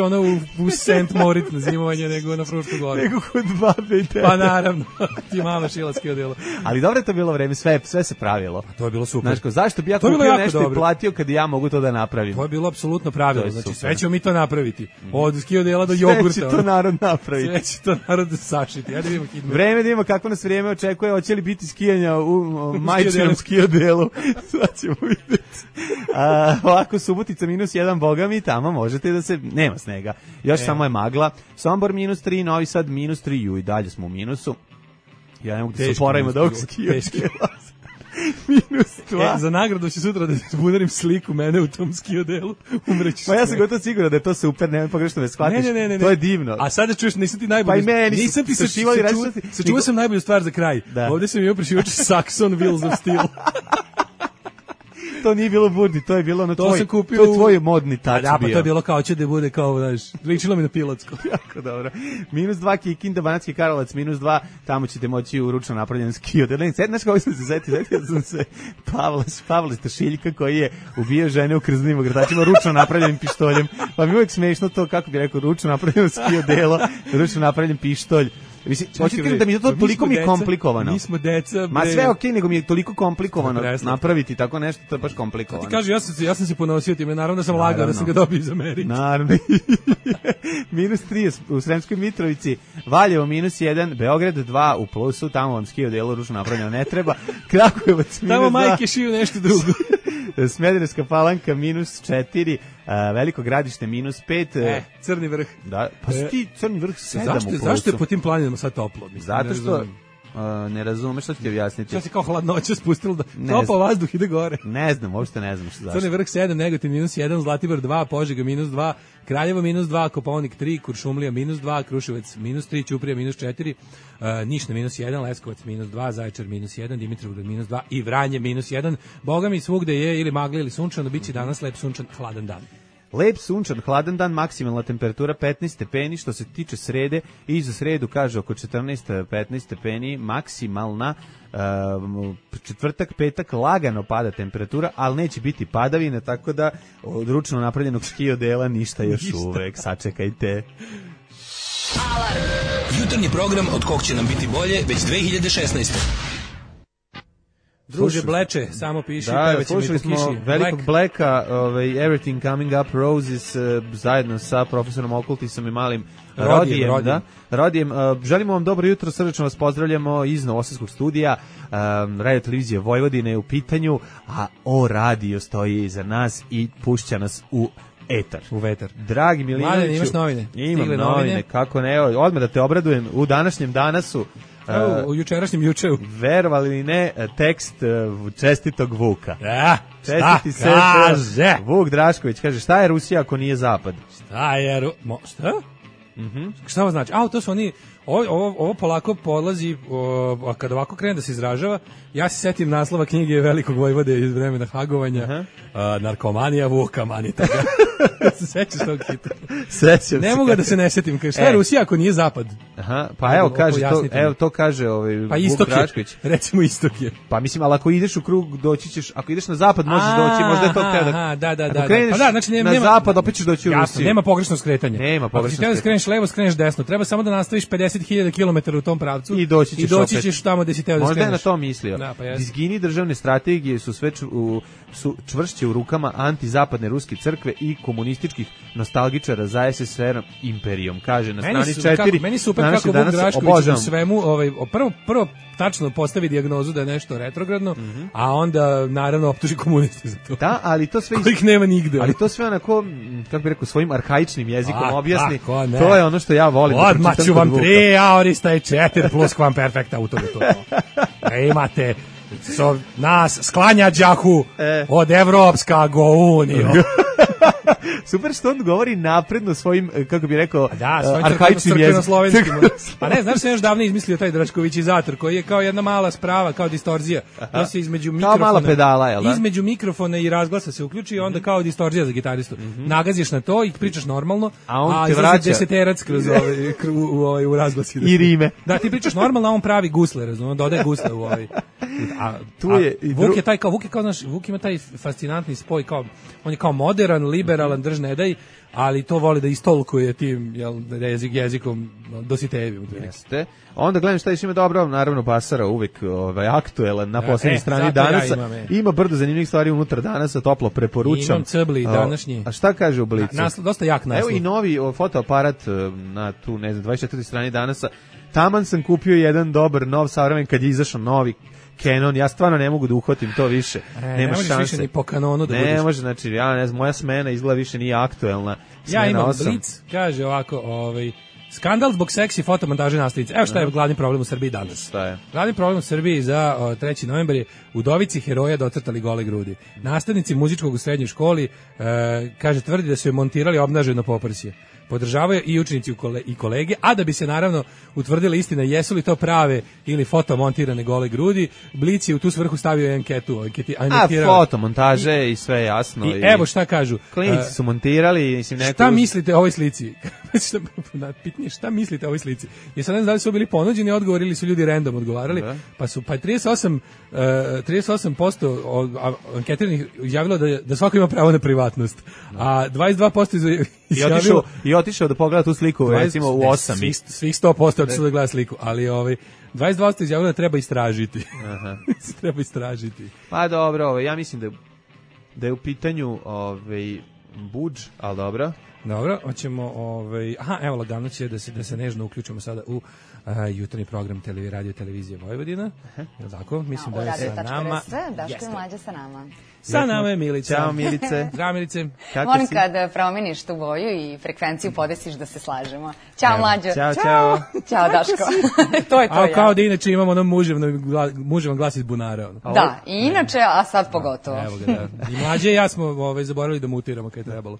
u St. Moritz na zimovanje, nego na Frušku goru. Nego kod babe i tebe. Pa naravno, ti mama šila skio delo. Ali dobro je to bilo vreme, sve se pravilo. To je bilo super. Znaš, zašto bi ja kupio nešto i platio kad ja mogu to da napravim? To je bilo apsolutno pravilo. Znači, sve ćemo mi to napraviti. Od skio dela do jogurta. Sve će to narod napraviti. Sve će to narod sašiti. Ja da vidimo hitno. Vreme da vidimo kako nas vrijeme očekuje, hoće li biti skijanja u majčinom skio delu. Sad ćemo vidjeti. Ovako, Subotica -1, boga mi, tamo možete da se... Nema snega. Još samo je magla. Sombor -3, Novi Sad -3, i dalje smo u minusu. Ja ne mogu da se oporavimo da ovog skio dela. -2. Za nagradu ću sutra da budarim sliku mene u tom skio delu. Umreću. Pa ja sam gotovo siguran da je to super, nemoj pogrešno me shvatiš. Ne. To je divno. A sada čuješ, nisam ti najbolji. Pa i meni. Nisam ti sačuvao sam najbolju stvar za kraj. Ovdje sam imao prešivač Saxon Wheels of Steel. To nije bilo burdi, to je bilo na tvoj, to je tvoj modni tač bio. Pa to je bilo kao će da bude kao, znaš, ličilo mi na pilotsko. Jako dobro. -2 Kikinda, Banatski Karlovac, -2, tamo ćete moći u ručno napravljen skio. Znaš kako sam se zetio sam se Pavla Stašiljka koji je ubio žene u krznim ogrtačima ručno napravljenim pištoljem. Pa mi uvijek smešno to, kako bi rekao, ručno napravljeno skio delo, ručno napravljen pištolj. Mislim, hoćete da mi je to toliko mi komplikovano. Mi smo deca. Ma sve okej, nego mi je toliko komplikovano napraviti tako nešto, to je baš komplikovano. Ti kaže, ja sam se ponosio time, naravno da sam lagao da sam ga dobio za Ameriku. Naravno. -3 u Sremskoj Mitrovici, Valjevo -1, Beograd 2 u plusu, tamo vam skio delo ručno napravljeno ne treba. Kragujevac -2. Tamo majke šiju nešto drugo. Smederevska Palanka -4, Veliko Gradište -5. Crni vrh. Da, pa ti Crni vrh 7 u plusu. Zašto je po tim planinama sad toplo? Zato što ne razumeš, što ću ti objasniti. Što se kao hladnoća spustilo da topao vazduh ide gore. Ne znam, uopšte ne znam što zašto. Crni vrh 7, Negotin -1, Zlatibor 2, Požega -2, Kraljevo -2, Kopaonik 3, Kuršumlija -2, Kruševac -3, Ćuprija -4, Niš na -1, Leskovac -2, Zaječar -1, Dimitrovgrad -2 i Vranje -1. Boga mi svugde je ili magla ili sunčano, biće danas lep sunčan hladan dan. Lep sunčan, hladan dan, maksimalna temperatura 15 stepeni, što se tiče srede, i za sredu kaže oko 14-15 stepeni, maksimalna, četvrtak, petak, lagano pada temperatura, ali neće biti padavine, tako da od ručno napravljenog skio dela ništa još uvek, sačekajte. Alarm! Jutarnji program od kog će nam biti bolje već 2016. Druže Bleče, samo piši, da, slušali smo velikog Blacka, Everything Coming Up Roses, zajedno sa profesorom Okultisom i malim Rodijem. Želimo vam dobro jutro, srdečno vas pozdravljamo iz Novosadskog studija, Radio Televizije Vojvodine je u pitanju, a O Radio stoji iza nas i pušća nas u etar. U vetar. Dragi Milinoviću. Mladen, imaš novine? Imam novine, kako ne, odmah da te obradujem, u današnjem danasu u jučerašnjem jučeu. Verovali li ne, tekst čestitog Vuka. Čestiti se Vuk Drašković kaže, šta je Rusija ako nije Zapad? Šta? Šta ovo znači? To su oni, ovo polako polazi, a kad ovako krene da se izražava, ja se setim naslova knjige Velikog vojvode iz vremena Hagovanja, Narkomanija Vuka Manitaga. Se sećaš tog hita? Sećam ne mogu da se ne setim. Šta je Rusija ako nije zapad? Pa evo kaže to, to kaže pa Vuk Drašković. Recimo istok je. Pa mislim, ali ako ideš u krug, doći ćeš, ako ideš na zapad možeš doći, možda je to teo da. Ako kreneš znači, na zapad, opet ćeš doći u Rusiju. Jasno, nema pogrešno skretanje. Nema pogrešno skretanje. Ako ti skreneš levo, skreneš desno. Treba samo da nastaviš 50.000 km u tom pravcu i doći ćeš tamo gde si teo da skreneš. Možda je na to mislio. Dizgini državne strategije su sve čvršće u rukama antizapadne ruske crkve i komunističkih nostalgičara za SSR imperijom, kaže na strani 4. Meni super kako Vuk Drašković u svemu prvo tačno postavi dijagnozu da je nešto retrogradno, a onda naravno optuži komuniste za to. Da, ali to sve kojih nema nigde. Ali to sve onako, kako bih rekao, svojim arhaičnim jezikom objasni. To je ono što ja volim. Odmah ću vam 3 aorista i 4 plus kvam perfekta u to. Imate nas sklanja đahu od Evropska unija. Super što on govori napredno svojim, kako bi rekao, arhaičnim jezikom. Pa ne, znaš se još davno izmislio taj Draškovićizator, koji je kao jedna mala sprava, kao distorzija. To se između mikrofona, kao mala pedala, jel da? Između mikrofona i razglasa se uključi i onda kao distorzija za gitaristu. Nagaziš na to i pričaš normalno, a izlazi deseterac kroz u razglasi. I rime. Da, ti pričaš normalno, a on pravi gusle, razumno, dodaje gusle u ovaj. Vuk ima taj fascinantni spoj, kao on je kao modern, liberalan, drž ne daj, ali to voli da istolkuje tim jezikom Dositejevim. Jeste. Onda gledam šta ima dobro, naravno Basara uvek aktuelan na poslednjoj strani Danasa. Ima brdo zanimljivih stvari unutar Danasa, toplo preporučam. Imam cebli današnji. A šta kaže u Blicu? Dosta jak naslov. Evo i novi fotoaparat na tu, 24. strani Danasa. Taman sam kupio jedan dobar, nov, savremen, kad je izašao novi Canon, ja stvarno ne mogu da uhvatim to više. Nema šanse. Više ni po kanonu da ne može, znači, ja ne znam, moja smena izgleda više nije aktuelna. Ja imam Blic, kaže ovako, skandal zbog seksi fotomontaže nastavnice. Evo šta je glavni problem u Srbiji danas. Šta je? Glavni problem u Srbiji za 3. novembar je udovici heroja docrtali gole grudi. Nastavnici muzičkog u srednjoj školi, kaže, tvrdi da su je montirali obnaženo poprsje. Podržavaju i učenici i kolege, a da bi se naravno utvrdila istina jesu li to prave ili fotomontirane gole grudi, Blic je u tu svrhu stavio anketu. Fotomontaže i sve jasno. I evo šta kažu. Klinici su montirali. Mislim, šta mislite o ovoj slici? Pitanje, šta mislite o ovoj slici? I sad ne znam da li su bili ponuđeni odgovor ili su ljudi random odgovarali, pa su 38% anketiranih izjavilo da svako ima pravo na privatnost, a 22% izjavilo i otišao da pogleda tu sliku, recimo u 8. Svih 100% otišao da gleda sliku, ali 22% izjavilo da treba istražiti. Treba istražiti. Pa dobro, ja mislim da je u pitanju budž, ali dobro. Dobro, hoćemo evo lagano će da se nežno uključimo sada u jutarnji program Radio Televizije Vojvodina. Je tako? Mislim da je sa nama. Daško i Mlađa sa nama. Sa nama je Milica. Ćao Milice. Zdravo Milice. Molim kad promeniš tu boju i frekvenciju podesiš da se slažemo. Ćao Mlađo. Ćao. Ćao Daško. To je to. Kao da inače imamo ono muževan glas iz bunara. Da, i inače, a sad pogotovo. Evo ga, da. I Mlađe i ja smo zaboravili da mutiramo kad je trebalo.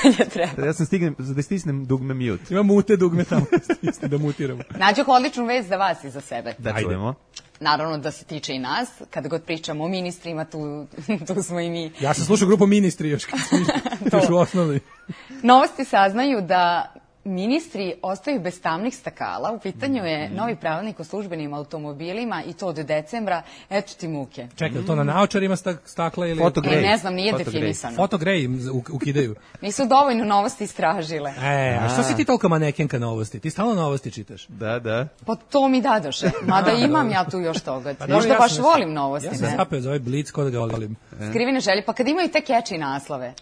Kad je trebalo. Ja sam da stisnem dugme mute. Ima mute dugme tamo da mutiramo. Nađu odličnu vest za vas i za sebe. Da čujemo. Naravno da se tiče i nas, kada god pričamo o ministrima, tu smo i mi. Ja sam slušao grupu Ministri još u osnovnoj. Novosti saznaju da ministri ostaju bez tamnih stakala. U pitanju je novi pravilnik o službenim automobilima i to od decembra. Eto ti muke. Čekaj, to na naočarima stakla ili... Ne znam, nije definisano. Fotogrej ukidaju. Nisu dovoljno novosti istražile. A što si ti toliko manekenka novosti? Ti stalno novosti čitaš? Da. Pa to mi dadoše. Mada imam ja tu još toga. Možda baš volim novosti. Ja sam zapeo za ovaj Blic kod da ga volim. Skrivene želje, pa kad imaju te catchy naslove.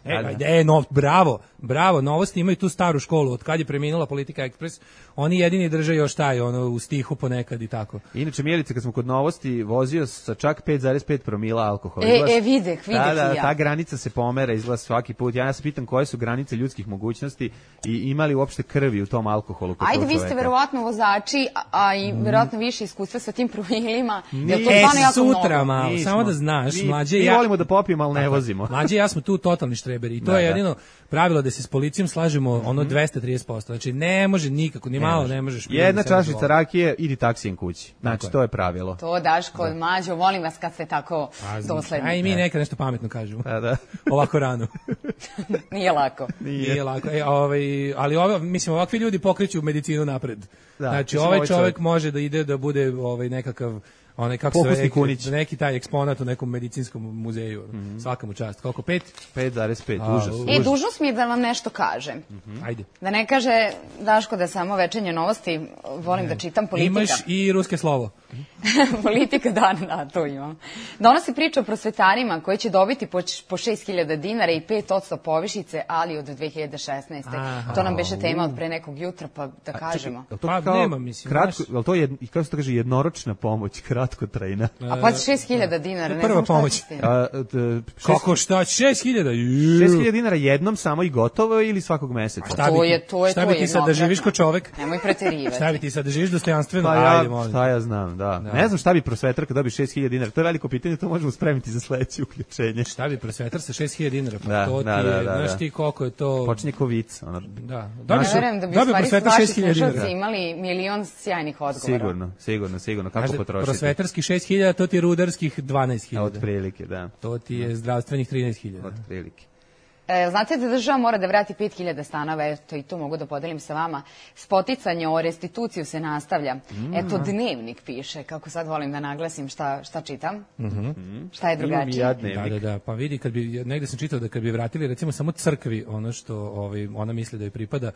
Bravo, novosti imaju tu staru školu. Od kad je preminula Politika Ekspres, oni jedini drže još taj, u stihu ponekad i tako. Inače, Mijelice, kad smo kod novosti, vozio sa čak 5,5 promila alkohola. Videh ja. Ta granica se pomera, izgleda svaki put. Ja se pitam koje su granice ljudskih mogućnosti i imali uopšte krvi u tom alkoholu. Ajde, vi ste verovatno vozači, a i verovatno više iskustva sa tim promilima. Sutra malo, samo da znaš, Mlađe i ja... Mi volimo da popijemo, ali ne vozimo. Mlađe i ja smo tu totalni štreberi i to je jedino pravilo da se s policijom slažemo 230%. 100%. Znači, ne može nikako, ni malo ne možeš. Jedna čašica rakije, idi taksijem kući. Znači, to je pravilo. To, Daško, Mađo, molim vas kad ste tako dosledni. A i mi nekad nešto pametno kažemo. Da. Ovako rano. Nije lako. Nije lako. Ali mislim, ovakvi ljudi pokreću medicinu napred. Da, znači, ovaj čovjek može da ide da bude nekakav kako se neki taj eksponat u nekom medicinskom muzeju. Svaka mu čast. Koliko? 5? 5,5, užas. Dužnost mi je da vam nešto kažem. Ajde. Da ne kaže Daško da samo večernje novosti, volim da čitam Politika. Imaš i ruske slovo. Politika, da, to imam. Donosi priča o prosvetarima koji će dobiti po 6.000 dinara i 5% povišice, ali od 2016. To nam beše tema od pre nekog jutra, pa da kažemo. Nema, mislim. Ali to je, kako se to kaže, jednoročna pomoć, kratkotrajna. A pa 6.000 dinara, ne prva znam šta pomoć. ćete. Kako šta? 6.000? 6.000 dinara jednom samo i gotovo ili svakog meseca? Šta bi ti sad da živiš ko čovek? Nemoj preterivati. Šta bi ti sad da živiš dostojanstveno? Šta ja znam, da. Ne znam šta bi prosvetar kad dobi 6.000 dinara. To je veliko pitanje, to možemo spremiti za sledeće uključenje. Šta bi prosvetar sa 6.000 dinara? Da, to ti je, znaš ti koliko je to... Počinje ko vic. Da. Ne verujem da bi u stvari vaši slušalci imali milion sjajnih odgovora. Sigurno. Kako potrošiti? Prosvetarski 6.000, to ti je rudarskih 12.000. Otprilike, da. To ti je zdravstvenih 13.000. Otprilike. Znate da država mora da vrati 5.000 stanova, eto i to mogu da podelim sa vama. Spoticanje o restituciju se nastavlja. Eto, Dnevnik piše, kako sad volim da naglasim šta čitam. Šta je drugačije? Da, pa vidi, negde sam čitao da kad bi vratili recimo samo crkvi ono što ona misli da joj pripada,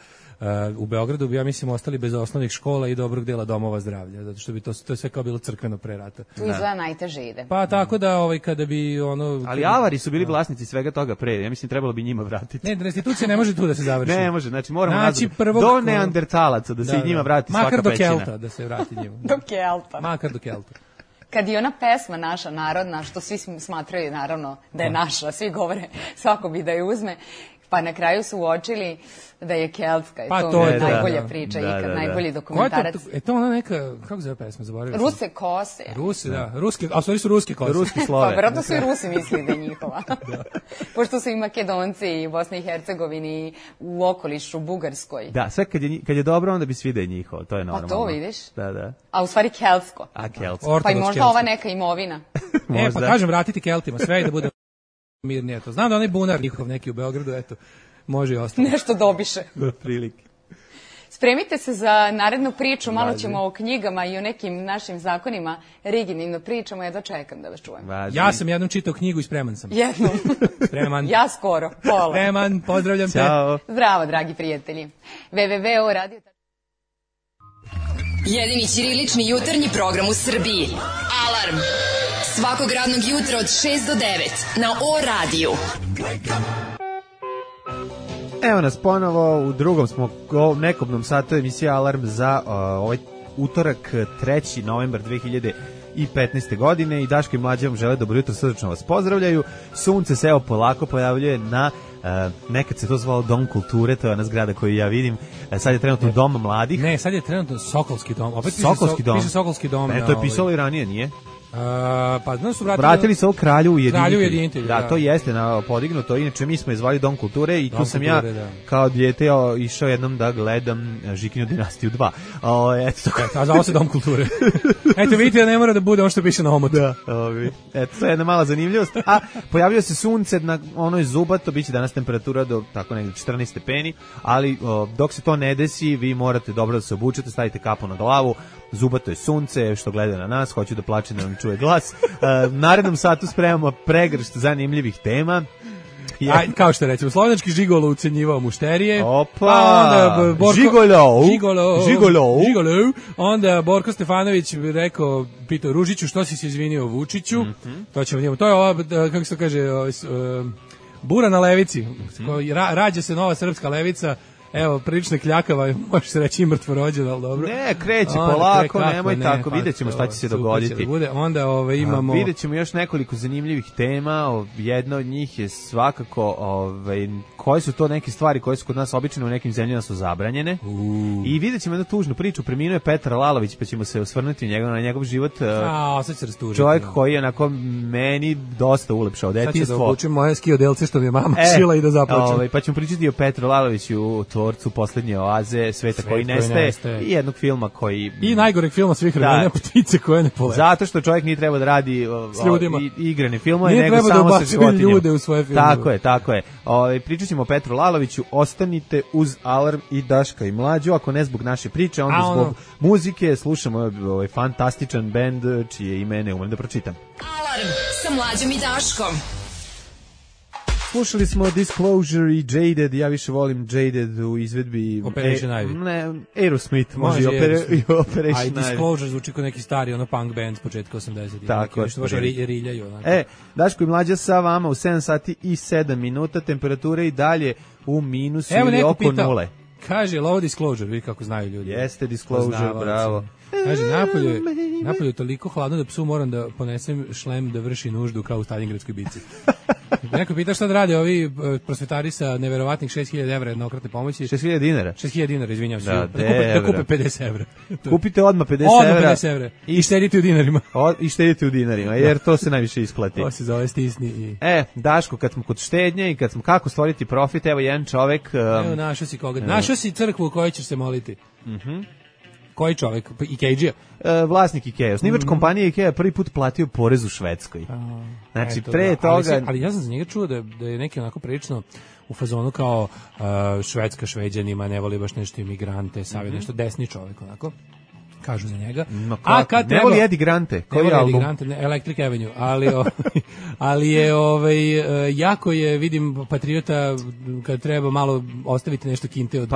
u Beogradu bi, ja mislim, ostali bez osnovnih škola i dobrog dela domova zdravlja, zato što bi to je sve kao bilo crkveno pre rata. Tu izgleda najteže ide. Pa tako da kada bi Ali avari su bili vlasnici svega toga pre, ja mislim trebalo bi njima vratiti. Ne, restitucija ne može tu da se završi. Ne može, znači moramo do neandertalaca da se njima vrati svaka pećina. Makar do Kelta da se vrati njima. Do Kelta. Makar do Kelta. Kad je ona pesma naša narodna, što svi smatraju naravno da je naša, svi govore svako bi da je uzme, pa na kraju su uočili da je keltska i to je najbolja priča ikad, najbolji dokumentarac. To ona neka, kako zove pesma, zaboravio sam. Ruse kose. Rusi, da, ruske, a stvari su ruske kose. Ruski slove. Pa vjerojatno su i Rusi mislili da je njihova. Pošto su i Makedonci i u Bosni i Hercegovini u okolišu, Bugarskoj. Da, sve kad je dobro, onda bi svi da je njihovo, to je normalno. Pa to vidiš. Da. A u stvari keltsko. Keltsko. Pa i možda ova neka imovina. Pa kažem, vratiti Keltima, sve i da bude mirnije to. Znam da onaj bunar njihov neki u Beogradu, eto, može i ostalo. Nešto dobiše. Prilike. Spremite se za narednu priču, malo ćemo o knjigama i o nekim našim zakonima rigidnim pričamo, ja dočekam da vas čujem. Ja sam jednom čitao knjigu i spreman sam. Jednom. Spreman. Ja skoro, pola. Spreman, pozdravljam te. Ćao. Zdravo, dragi prijatelji. www.radio. Jedini ćirilični jutarnji program u Srbiji. Alarm. Svakog radnog jutra od 6 do 9 na O-radiju. Evo nas ponovo, u drugom smo nekobnom satu emisije Alarm za ovaj utorak 3. novembar 2015. godine i Daško i Mlađa vam žele dobro jutro, srdačno vas pozdravljaju. Sunce se evo polako pojavljuje na nekad se to zvalo Dom kulture, to je ona zgrada koju ja vidim. Sad je trenutno Dom mladih. Ne, sad je trenutno Sokolski dom. Opet Sokolski dom. Piše Sokolski dom. Ne, to je pisalo i ranije, nije? Pa znaš su vratili se ovo Kralju ujedinitelj. Da, to jeste podignuto. Inače mi smo je zvali Dom kulture i tu sam ja kao dijete išao jednom da gledam Žikinju dinastiju 2. A zvao se Dom kulture. Eto vidite da ne mora da bude ono što piše na omotu. Da, eto, to je jedna mala zanimljivost. A pojavio se sunce na onoj zubato, biće danas temperatura do tako negdje 14 stepeni, ali dok se to ne desi, vi morate dobro da se obučete, stavite kapu na glavu. Zubato je sunce, što gleda na nas, hoću da plače da nam čuje glas. Narednom satu spremamo pregršt zanimljivih tema. Kao što recimo, slovenački žigolo ucenjivao mušterije. Opa, žigolo. Onda Borko Stefanović rekao, pitao Ružiću, što si se izvinio Vučiću? To ćemo njemu. To je ova, kako se to kaže, bura na levici. Rađa se nova srpska levica. Evo, prilično kljakava, može se reći i mrtvo rođena, ali dobro. Ne, kreće polako, nemoj tako, vidjet ćemo šta će se dogoditi. Onda imamo... Vidjet ćemo još nekoliko zanimljivih tema, jedna od njih je svakako koje su to neke stvari koje su kod nas obično u nekim zemljama su zabranjene. I vidjet ćemo jednu tužnu priču, preminuo je Petar Lalović, pa ćemo se osvrnuti na njegov život. Čovjek koji je onako meni dosta ulepšao detinjstvo. Sad ću da obučem moje ski odelce što mi je mama šila i da zaplačem. Pa ćemo pričati o Petru Laloviću, tvorcu Poslednje oaze, Sveta koji nestaje i jednog filma koji... I najgoreg filma svih vremena, Ptice koje ne polete. Zato što čovjek nije trebao da radi igrane filmove, nego samo sa životinjama. Ljude u svoje filmove. Tako je. Pričat ćemo o Petru Laloviću, ostanite uz Alarm i Daška i Mlađu, ako ne zbog naše priče, onda zbog muzike, slušamo ovaj fantastičan bend čije ime ne umem da pročitam. Alarm sa Mlađom i Daškom. Slušali smo Disclosure i Jaded, ja više volim Jaded u izvedbi Operation Ivy. Ne, Aerosmith, može i Operation Ivy. A Disclosure zvuči kao neki stari punk band s početka 80-ih. Tako je. Što baš riljaju. Daško i Mlađa sa vama u 7 sati i 7 minuta, temperature i dalje u minusu ili oko nule. Kaže, ovo Disclosure, vidi kako znaju ljudi. Jeste Disclosure, bravo. Kaže, napolje je toliko hladno da psu moram da ponesem šlem da vrši nuždu kao u Stalingradskoj bici. Neko pita šta da rade ovi prosvetari sa neverovatnih 6.000 evra jednokratne pomoći. 6.000 dinara? 6.000 dinara, izvinjam se. Da kupe 50 evra. Kupite odmah 50 evra. 50 evra. I štedite u dinarima. I štedite u dinarima, jer to se najviše isplati. To se zove stisni. I... Daško, kad smo kod štednje i kad smo kako stvoriti profit, evo jedan čovek... Evo, našao si koga. Našao si crkvu u kojoj ćeš se moliti. Koji čovjek? Ikejdžija? Vlasnik Ikea. Osnivač kompanije Ikea prvi put platio porez u Švedskoj. Znači, pre toga... Ali ja sam za njega čuo da je neki onako prilično u fazonu kao Švedska Šveđanima, ne voli baš nešto imigrante, savjet nešto desni čovjek onako. Kažu za njega. A kad ne voli Eddie Grante, koji album? Electric Avenue, ali je jako je, vidim, patriota kad treba malo ostaviti nešto kinte od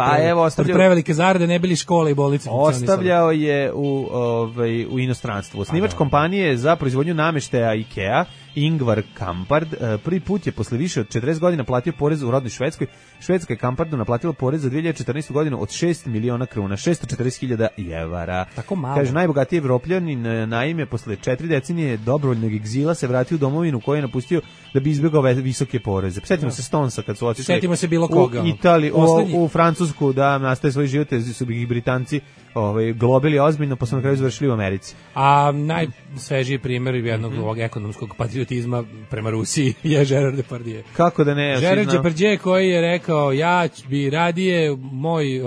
prevelike zarade, ne bili škole i bolnice. Ostavljao je u inostranstvu. Osnivač kompanije za proizvodnju nameštaja Ikea, Ingvar Kamprad, prvi put je posle više od 40 godina platio porez u rodnoj Švedskoj. Švedska je Kampradu naplatila porez za 2014. godinu od 6 miliona kruna, 640.000 evara. Tako malo. Kaže, najbogatiji Evropljanin naime posle 4 decenije dobrovoljnog egzila se vratio u domovinu koju je napustio da bi izbjegao visoke poreze. Sjetimo se Stonesa kad su otišli. Sjetimo se bilo koga. U Italiji, u Francusku da nastaje svoj život, su ih Britanci globili ozbiljno, pa su na kraju završili u Americi. A najsvežiji primjer jednog ovog ekonomskog patriotizma prema Rusiji je Gerard Depardieu. Kako da ne? Gerard Depardieu koji je rekao, ja bi radije moj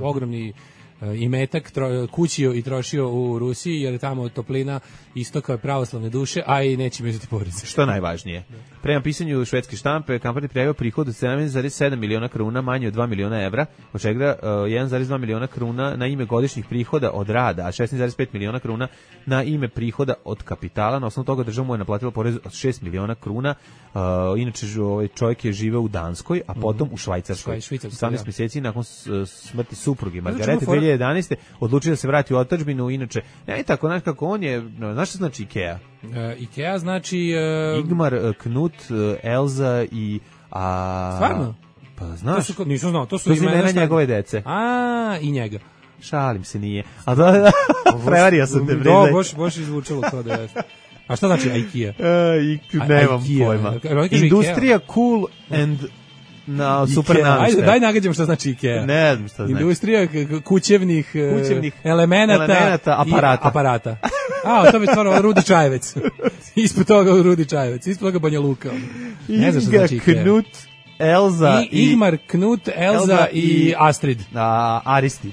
ogromni imetak kućio i trošio u Rusiji, jer je tamo toplina istoka pravoslavne duše, a i neće mi uzeti porez. Što najvažnije. Prema pisanju švedske štampe, Kamprad je prijavio prihod od 7,7 miliona kruna, manje od 2 miliona evra, od čega 1,2 miliona kruna na ime godišnjih prihoda od rada, a 16,5 miliona kruna na ime prihoda od kapitala. Na osnovu toga država mu je naplatila porez od 6 miliona kruna. Inače, čovjek je živeo u Danskoj, a potom u Švajcarskoj. 18 mjeseci nakon smrti supruge Margarete 2011. odlučio da se vrati u otadžbinu. Inače, ne tako, znaš kako on je, znaš što znači Ikea? Ikea znači... Igmar, Knut, Elza i... Stvarno? Pa znaš. Nisam znao, to su imena njegove dece. I njega. Šalim se, nije. A da, prevario sam te, priznaj. Baš izvučilo to da je... A šta znači Ikea? Nemam pojma. Industrija cool and... super namještaj. Daj nagađam šta znači Ikea. Ne znam šta znači. Industrija kućevnih elemenata aparata. To bi stvarno Rudi Čajevec. Ispod toga Rudi Čajevec. Ispod toga Banja Luka. Ne znam šta znači Ikea. Knut, Elza i... Igmar, Knut, Elza i Astrid. Aristid.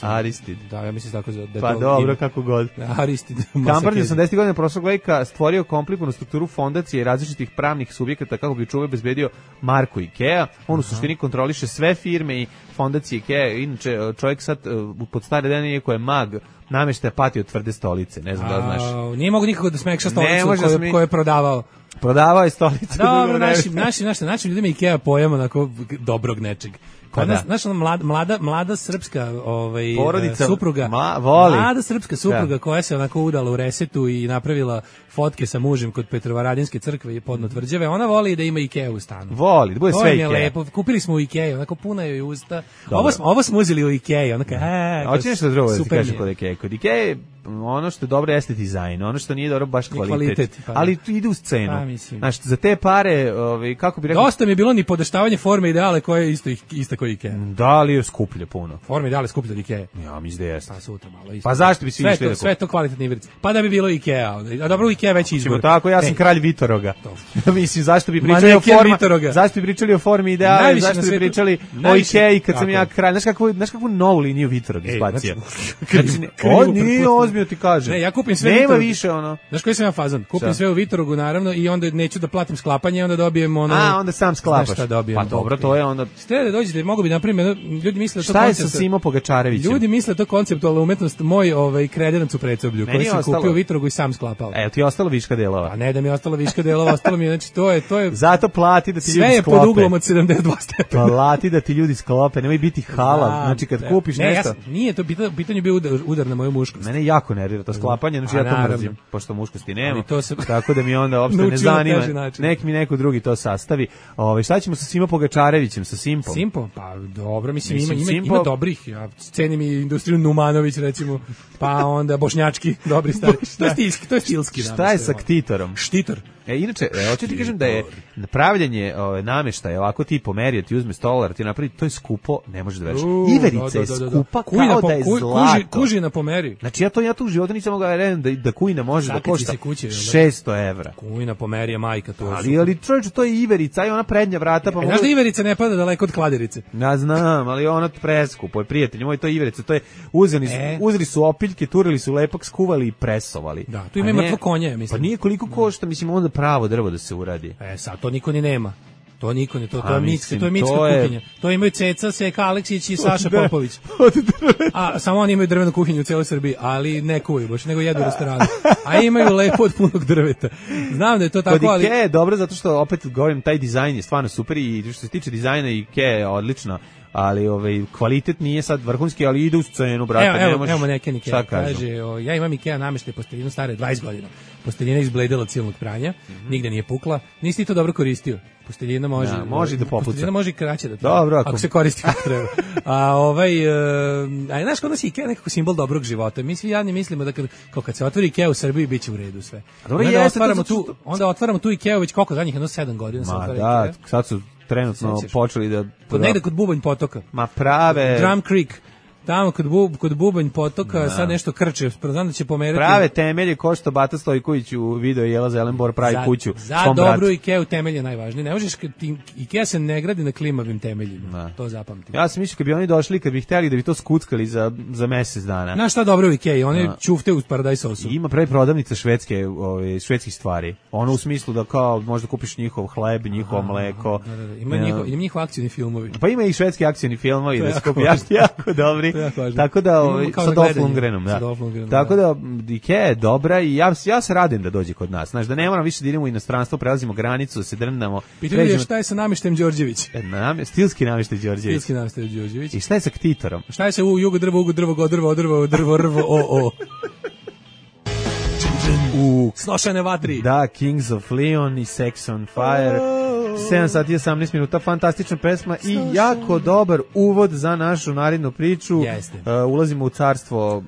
Aristid. Da, ja mislim tako da je pa to... dobro, kako god. Aristid. Kamprad je 80. godina prošlog veka stvorio komplikovanu strukturu fondacije i različitih pravnih subjekata kako bi čuvao bezbedio marku Ikea. On u suštini kontroliše sve firme i fondacije Ikea. Inače, čovjek sad pod stare dane je koji je mag namještaja pati od tvrde stolice. Ne znam da znaš. Nije mogu nikako da smekša stolicu koju je prodavao. Prodavao je stolicu. Dobro, našim ljudima Ikea pojam onako dobrog nečeg. Znaš, mlada srpska porodica, supruga, mlada srpska supruga koja se onako udala u resetu i napravila fotke sa mužem kod Petrovaradinske crkve i podno Tvrđave, ona voli da ima Ikea u stanu. Voli, da bude sve Ikea. Lepo. Kupili smo u Ikea, onako puna joj usta. Ovo smo uzeli u Ikea, onako, hoće nešto drugo da ti kažem kod Ikea. Kod Ikea ono što je dobro jeste dizajn, ono što nije dobro baš kvalitet. Pa, ali tu ide u scenu. Pa, znaš, za te pare, kako bi rekao... Dosta mi je bilo ni podaštavanje forme ideale koje je ista koji Ikea. Da, li je skuplje puno. Forme ideale skuplje od Ikea. Ja, mislim da jeste. Pa sutra malo isto. Pa zašto bi svi išli da sve to kvalitetne iverice. Pa da bi bilo Ikea. A dobro, Ikea već izbor. Tako, ja sam kralj Vitoroga. Mislim, zašto bi pričali o formi? Zašto bi pričali o formi ideale? Zašto bi pričali o Ikei kad sam ja kralj? Znaš kakvu novu liniju Vitorog izbacio? On nije ozbiljno ti kaže. Ne, ja kupim sve Nema više ono. Znaš koji sam ja fazon? Kupim sve u Vitorogu naravno i onda neću da platim sklapanje, onda dobijem ono. A, onda sam sklapaš. Pa dobro, to je onda. Ste da dođete, mogu bi na primjer, ljudi misle da to koncept. Šta je sa Simo Pogačarevićem? Ljudi misle da to konceptualna umetnost moj kredenac u Predsoblju, koji sam kupio u Vitorogu i sam sklapao. Evo ti je ostalo viška delova. A ne da mi je ostalo viška delova, ostalo mi je, znači to je. Zato plati da ti ljudi sklope. Sve je pod uglom od 72 stepena. Plati da ti ljudi sklope, nemoj biti halal. Znači kad kupiš nešto. Nije to pitanje bio udar na moju muškost. Mene jako nervira to sklapanje, znači ja to mrzim, pošto muškosti nema. Tako da mi onda uopšte ne zanima. Nek mi neko drugi to sastavi. Šta ćemo sa Simo Pogačarevićem, sa Simpom? Simpom? Pa dobro, mislim ima dobrih. Ja cenim i industriju Numanović recimo, pa onda bošnjački, dobri stari. To je stilski. Šta je sa Ktitorom? Štitor. Inače, hoću ti kažem da je napravljanje nameštaja, ovako ti pomeri, ti uzme stolar, ti napravi, to je skupo, ne možeš da veriš. Iverica je skupa kao da je zlato. Kužina pomeri. Znači ja to u životu nisam mogao reći da kujina može da košta 600 evra. Kujina pomeri je majka to. Ali čovječe, to je iverica i ona prednja vrata. Pa znaš da iverica ne pada daleko od kladerice? Ja znam, ali ona preskupo je, prijatelji moji, to je iverica, to je uzeli su opiljke, turili su lepak, skuvali i presovali. Da, tu ima mrtvo konje, mislim. Pa nije koliko košta, mislim, onda pravo drvo da se uradi. Sad to niko ni nema. To niko ne, to je mitska kuhinja. To imaju Ceca, Seka Aleksić i Saša Popović. A samo oni imaju drvenu kuhinju u celoj Srbiji, ali ne kuju baš, nego jedu u restoranu. A imaju lepo od punog drveta. Znam da je to tako, ali Ikea je dobro zato što opet govorim, taj dizajn je stvarno super i što se tiče dizajna Ikea je odlično. Ali kvalitet nije sad vrhunski, ali ide u scenu, brate. Evo neke Ikea. Kaže, ja imam Ikea nameštaj posteljinu stare 20 godina. Posteljina izbledela od silnog pranja, nigde nije pukla. Nisi ti to dobro koristio? Posteljina može da popuca. Posteljina može i kraće da treba. Dobro, ako se koristi kako treba. A znaš, kod nas je Ikea nekako simbol dobrog života. Mi svi jadni mislimo da kad se otvori Ikea u Srbiji, bit će u redu sve. Onda otvaramo tu Ikea već koliko zadnjih 7 godina se otvara Ikea. Da, sad su trenutno počeli da... Negde kod Bubanj potoka. Ma prave... Drum Creek. Tamo kod Bubanj potoka sad nešto krče, znam da će pomerati. Prave temelje ko što Bata Stojković u video Jela Zelenbor pravi kuću. Za dobru Ikeu temelj je najvažniji. Ne možeš, Ikea se ne gradi na klimavim temeljima. To zapamti. Ja sam mislio kad bi oni došli, kad bi hteli da bi to skuckali za mesec dana. Znaš šta dobro u Ikei? Oni čufte uz paradajz sosu. Ima pravi prodavnica švedskih stvari. Ono u smislu da kao možda kupiš njihov hleb, njihovo mleko. Ima njihov akcioni filmovi. Pa ima i švedski akcioni filmovi da se kupiš jako dobri. Tako da sa Dolph Lundgrenom, da. Tako da Ikea je dobra i ja se radim da dođe kod nas. Znaš, da ne moram više da idemo u inostranstvo, prelazimo granicu, da se drndamo. Pitanje je šta je sa namještajem Đorđević? Stilski namještaj Đorđević. I šta je sa Ktitorom? Šta je sa jugo drvo, Snošene vatri. Da, Kings of Leon i Sex on Fire. 7 sati i 18 minuta, fantastična pesma i jako dobar uvod za našu narednu priču. Ulazimo u carstvo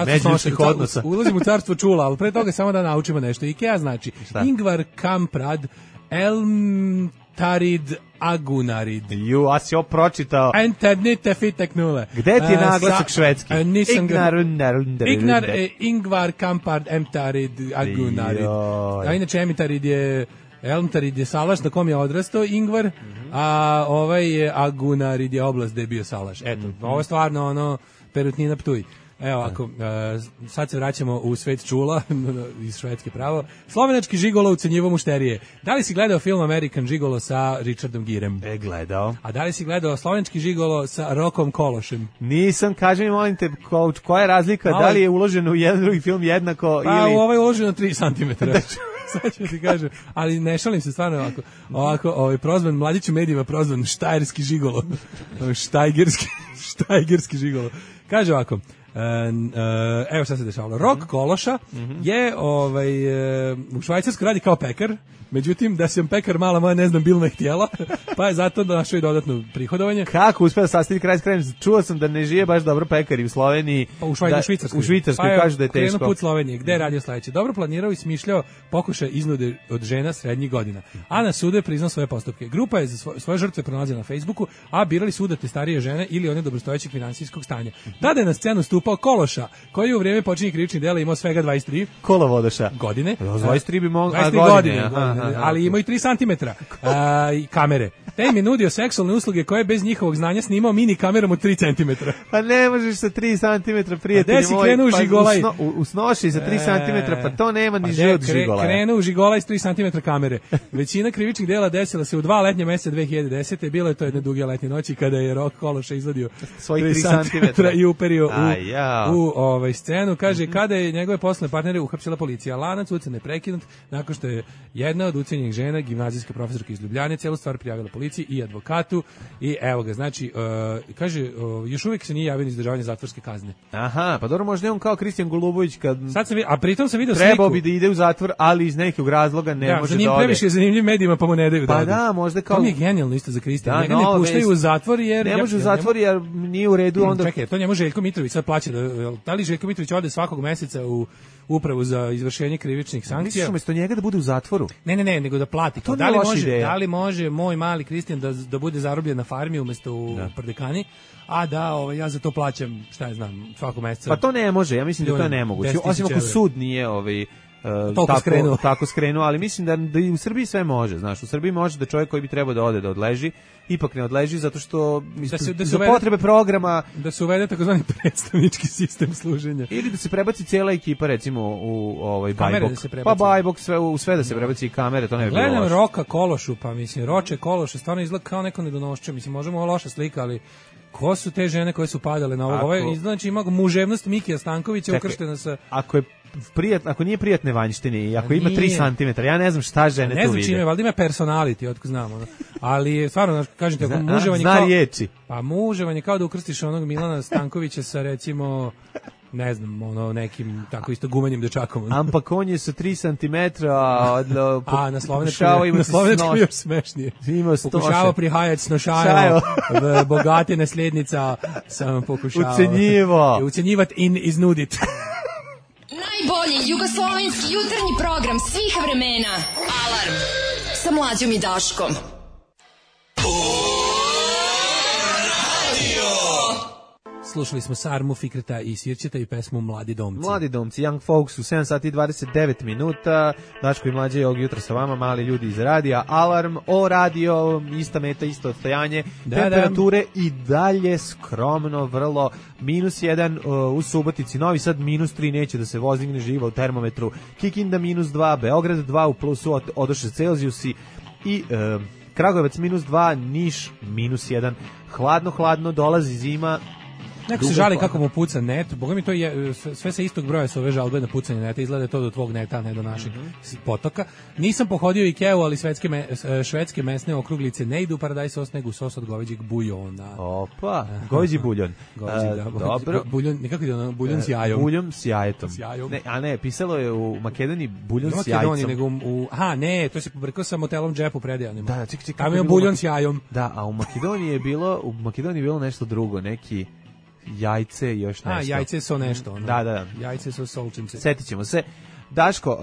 međuljudskih odnosa. Ulazimo u carstvo čula, ali pre toga samo da naučimo nešto. Ikea znači Ingvar Kamprad Elmtarid Agunarid. A si ovo pročitao. Enternite fitek nule. Gde ti je naglasak švedski? Ingvar Kamprad Elmtarid Agunarid. A inače Elmtarid je Elmtarid je salaš na kom je odrastao Ingvar, a ovaj je Agunarid je oblast gde je bio salaš. Eto, ovo je stvarno perutnina Ptuj. Evo, ako sad se vraćamo u svet čula iz Švedske pravo. Slovenački žigolo ucenjivo mušterije. Da li si gledao film American Gigolo sa Richardom Girem? Gledao. A da li si gledao slovenački žigolo sa Rokom Kološem? Nisam, kaži mi molim te, koja je razlika, da li je uloženo u jedan drugi film jednako ili... Pa u ovaj je uloženo 3 cm. Sad ću ti kažem, ali ne šalim se stvarno ovako prozvan, mladić u medijima prozvan štajerski žigolo, štajgerski žigolo. Kaže ovako, Evo šta se dešavalo. Rok Kološa je u Švajcarskoj radi kao pekar, međutim da sam pekar mala moja ne znam bil ne htjela, pa je zato našao i dodatno prihodovanje. Kako uspeo da sastavi kraj s krajem? Čuo sam da ne žive baš dobro pekari u Sloveniji. Pa u Švicarskoj. U Švicarskoj kažu da je teško. Krenuo put Slovenije, gde je radio sledeće. Dobro planirao i smišljao pokušaj iznude od žena srednjih godina. A na sudu je priznao svoje postupke. Grupa je za svoje žrtve pronalazila na Facebooku, a birali su udate starije žene ili one dobrostojećeg finansijskog stanja. Tada je na scenu stupao Kološa, koji je u vrijeme počinjenja krivičnih dela imao svega 23 kolovodoša godine. 23 bi mogao 23 godine, ali imao i 3 cm i kamere. Te im je nudio seksualne usluge koje bez njihovog znanja snimao mini kamerom od 3 cm. Pa ne možeš sa 3 cm, prijatelji moji. Krenuo pa žigolaj. U snoši sa 3 cm, pa to nema ni život žigolaja. Krenuo žigolaj s 3 cm kamere. Većina krivičnih dela desila se u 2 letnja meseca 2010. Bilo je to jedne duge letnje noći kada je Rok Kološa izvadio svojih 3 cm i uperio u scenu. Kaže, kada je njegove poslovne partnere uhapsila policija. Lanac ucene prekinut nakon što je jedna od ucenjenih žena, gimnazijska profesorka iz Ljubljane, celu stvar prijavila policiji i advokatu i evo ga, znači, kaže, još uvijek se nije javio izdržavanje zatvorske kazne. Aha, pa dobro, možda je on kao Kristijan Golubović kad... Sad sam, a pritom sam video trebao bi da ide u zatvor, ali iz nekog razloga ne može da ode. Previše zanimljiv medijima, pa mu ne daju da ode. Pa da, možda kao... To mi je genijalno isto za Kristijana. Njega ne puštaju u zatvor jer... Ne može u zatvor jer nije u redu onda... Čekaj, to njemu Željko Mitrović sad plaća. Da li Željko Mitrović ode svakog meseca u upravu za izvršenje krivičnih sankcija? Misliš umjesto njega da bude u zatvoru? Ne, nego da plati. Da li može moj mali Kristijan da bude zarobljen na farmi umjesto u Prdekani, a da ja za to plaćam, šta ja znam, svakog meseca. Pa to ne može, ja mislim da to je nemoguće. Osim ako sud nije tako skrenuo, ali mislim da i u Srbiji sve može, znaš, u Srbiji može da čovjek koji bi trebao da ode da odleži, ipak ne odleži zato što za potrebe programa da se uvede takozvani predstavnički sistem služenja. Ili da se prebaci cijela ekipa recimo u Bajbok. Pa Bajbok sve da se prebaci i kamere, to ne bi bilo loše. Gledam Roka Kološu, pa mislim, Roče Kološa stvarno izgleda kao neko nedonošće, mislim, možemo ovo loša slika, ali ko su te žene koje su padale na ovo? Znači ima muževnost Mikija Stankovića ukrštena sa... Ako nije prijatne vanjštine i ako ima 3 cm, ja ne znam šta žene tu vide. Ne znam čime, valjda ima personality, otko znamo. Ali stvarno, kažete, muževanje zna riječi. Pa muževanje kao da ukrstiš onog Milana Stankovića sa recimo... ne znam, nekim tako isto gumanjem dečakom. Ampak on je sa 3 cm a na slovenačkom još smešnije. Pokušavao prihajati snošajo, bogate nasljednica sam pokušao ucenjivati in iznudit. Najbolji jugoslovenski jutarnji program svih vremena. Alarm sa Mlađom i Daškom. Slušali smo Sarmu, Fikreta i Sirćeta i pesmu Mladi domci. Mladi domci, Young Folks u 7 sati i 29 minuta. Daško i Mlađe je ovog jutra sa vama, mali ljudi iz radija. Alarm o radio, ista meta, isto odstajanje. Temperature i dalje skromno, vrlo. -1 u Subotici, Novi Sad -3, neće da se vozigne živa u termometru. Kikinda -2, Beograd 2 u plusu, odoše Celzijusi i... Kragujevac -2, Niš -1. Hladno, dolazi zima. Neko se žali kako mu puca net, boga mi to je, sve sa istog broja su ove žalbe na pucanje neta, izgleda to do tvog neta, ne do naših potoka. Nisam pohodio Ikeu, ali švedske mesne okruglice ne idu paradajz sos, nego sos od goveđeg buljona. Opa, goveđi buljon. Dobro. Buljon, nekako ide ono, buljon s jajom. Buljon s jajetom. Ne, pisalo je u Makedoniji buljon s jajcom. Nego ne, to se pobrkao sa motelom Džep u Predijanima. Da, čekaj. Tamo je buljon s jajom. Da, a u Makedoniji je bilo nešto drugo, neki jajce i još nešto. Jajce su nešto. Da. Jajce su solčince. Setit ćemo se. Daško,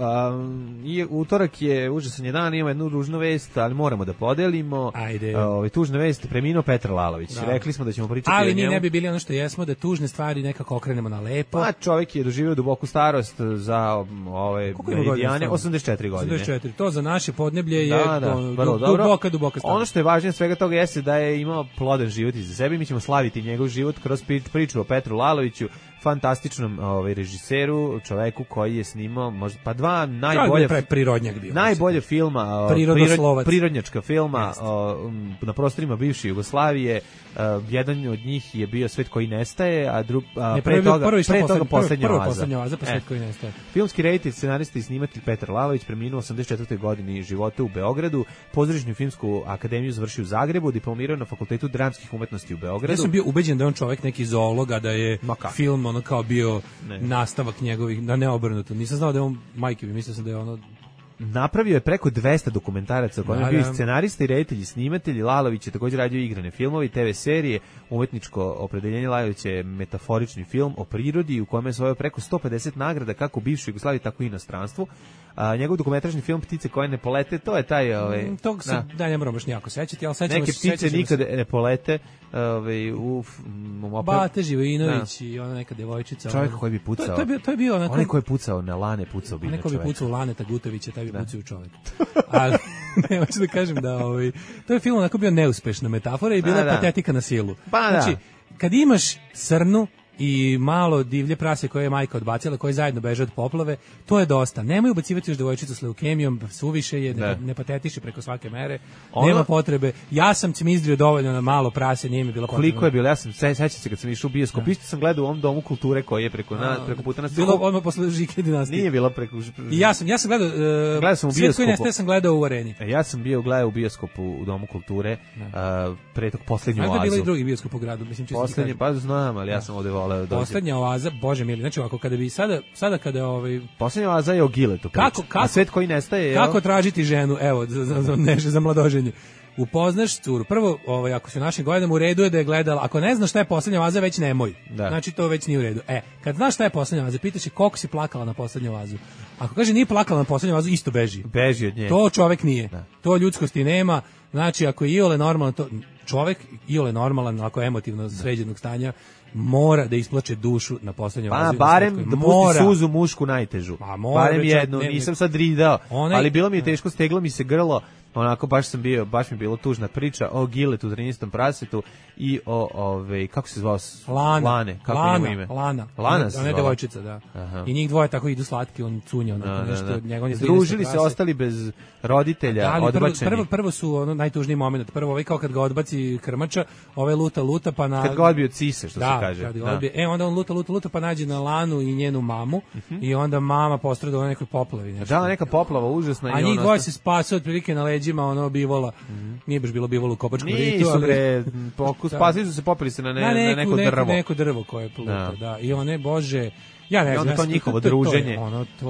utorak je užasan je dan, imamo jednu ružnu vest, ali moramo da podelimo. Ajde. Tužna vest, preminuo Petar Lalović. Da. Rekli smo da ćemo pričati ali o njemu. Ali ne bi bili ono što jesmo, da tužne stvari nekako okrenemo na lepo. Pa čovjek je doživio duboku starost za ove meridijane, 84 godine. 84, to za naše podneblje je duboka starost. Ono što je važnije svega toga jeste da je imao plodan život iza sebe. Mi ćemo slaviti njegov život kroz priču o Petru Laloviću, fantastičnom režiseru, čoveku koji je snimao možda, pa dva najbolja... Prirodnjak bio. Najbolje filma, prirodnjačka filma na prostorima bivše Jugoslavije. Jedan od njih je bio Svet koji nestaje, a pre toga Poslednja oaza, pa Svet koji nestaje. Filmski reditelj, scenarista i snimatelj Petar Lalović preminuo 84. godini života u Beogradu, pozorišnu filmsku akademiju završio u Zagrebu, diplomirao na Fakultetu dramskih umetnosti u Beogradu. Ja sam bio ubeđen da je on čovjek neki zoolog, a da je film ono kao bio nastavak njegovih, da ne obrnuto. Nisam znao da je on majke, mislio sam da je ono... Napravio je preko 200 dokumentaraca u kojem je bio i scenarista i reditelj i snimatelj. Lalović je također radio igrane filmove i TV serije. Umetničko opredeljenje Lalovića je metaforični film o prirodi u kojem je osvojio preko 150 nagrada kako u bivšoj Jugoslaviji, tako i inostranstvu. Njegov dokumentarni film Ptice koje ne polete, to je taj... Tog se, ne moram baš nijako sećati, ali sećamo neke ptice nikad ne polete. Bate Živojinović i ona neka devojčica. Čovjek koji bi pucao. To je bio onako... Onaj koji je pucao na Lane, pucao bi na čovjeka. Neko bi pucao u Laneta Gutovića, taj bi pucao u čovjeka. Ali, ne, hoću da kažem da to je film onako bio neuspešna metafora i bila je patetika na silu. Znači, kad imaš srnu i malo divlje prase koje je majka odbacila, koje zajedno beže od poplave, to je dosta. Nemoj ubacivati još devojčicu s leukemijom, suviše je, ne patetiše preko svake mere, nema potrebe. Ja sam cimizdrio dovoljno na malo prase, nije mi bilo potrebno. Koliko je bilo? Ja sam, sećam se kad sam išao u bioskop, isto sam gledao u ovom domu kulture koji je preko puta nas. Bilo odmah posle Žike dinastije. Nije bilo preko... I ja sam gledao sam u Svet koji nestaje sam gledao u Areni. Ja sam gledao u bioskopu u domu kulture, pre tog Poslednju oazu. Da bilo i drugi bioskop u gradu, mislim čisto. Poslednji, pa znam, ali ja sam ovde voleo dođe. Poslednja oaza, bože mili, znači ovako kada bi sada kada Poslednja oaza je o Giletu. A Svet koji nestaje, kako tražiti ženu, evo, za mladoženje. Upoznaš curu. Prvo, ako se u našim godinama, u redu je da je gledala. Ako ne znaš šta je Poslednja oaza, već nemoj. Znači to već nije u redu. Kad znaš šta je Poslednja oaza, pitaš je koliko si plakala na Poslednju oazu. Ako kaže nije plakala na Poslednju oazu, isto beži. Beži od nje. To čovek nije. To ljudskosti nema. Znači ako je iole normalno, to čovek iole normalan, ako je emotivno sređenog stanja, mora da isplače dušu na Poslednjoj oazi. Pa barem da pusti suzu mušku najtežu. Barem jednu, nisam sad ridao, ali bilo mi je teško, steglo mi se grlo. Onako baš mi je bilo tužna priča o Giletu, 13. prasetu i o kako se zvao? Lane, kako je ime? Lana se zvala. Devojčica, da. Aha. I njih dvoje tako idu slatki, on cunja, onako nešto od njega. Združili se, ostali bez roditelja, odbačeni. Prvo su najtužniji moment. Prvo kao kad ga odbaci krmača, luta pa na... Kad ga odbije od sise, što se kaže. Onda on luta pa nađe na Lanu i njenu mamu i onda mama postrada u nekoj poplavi. Da, neka poplava užasna. A njih dvoje se spase otprilike na leđima bivola. Nije baš bilo bivolo u Kopačkom ritu. Nisu bre, spasili su se, popili se na neko drvo. Neko drvo koje je pluta, da. I one, bože... Ja ne znam, onda to njihovo druženje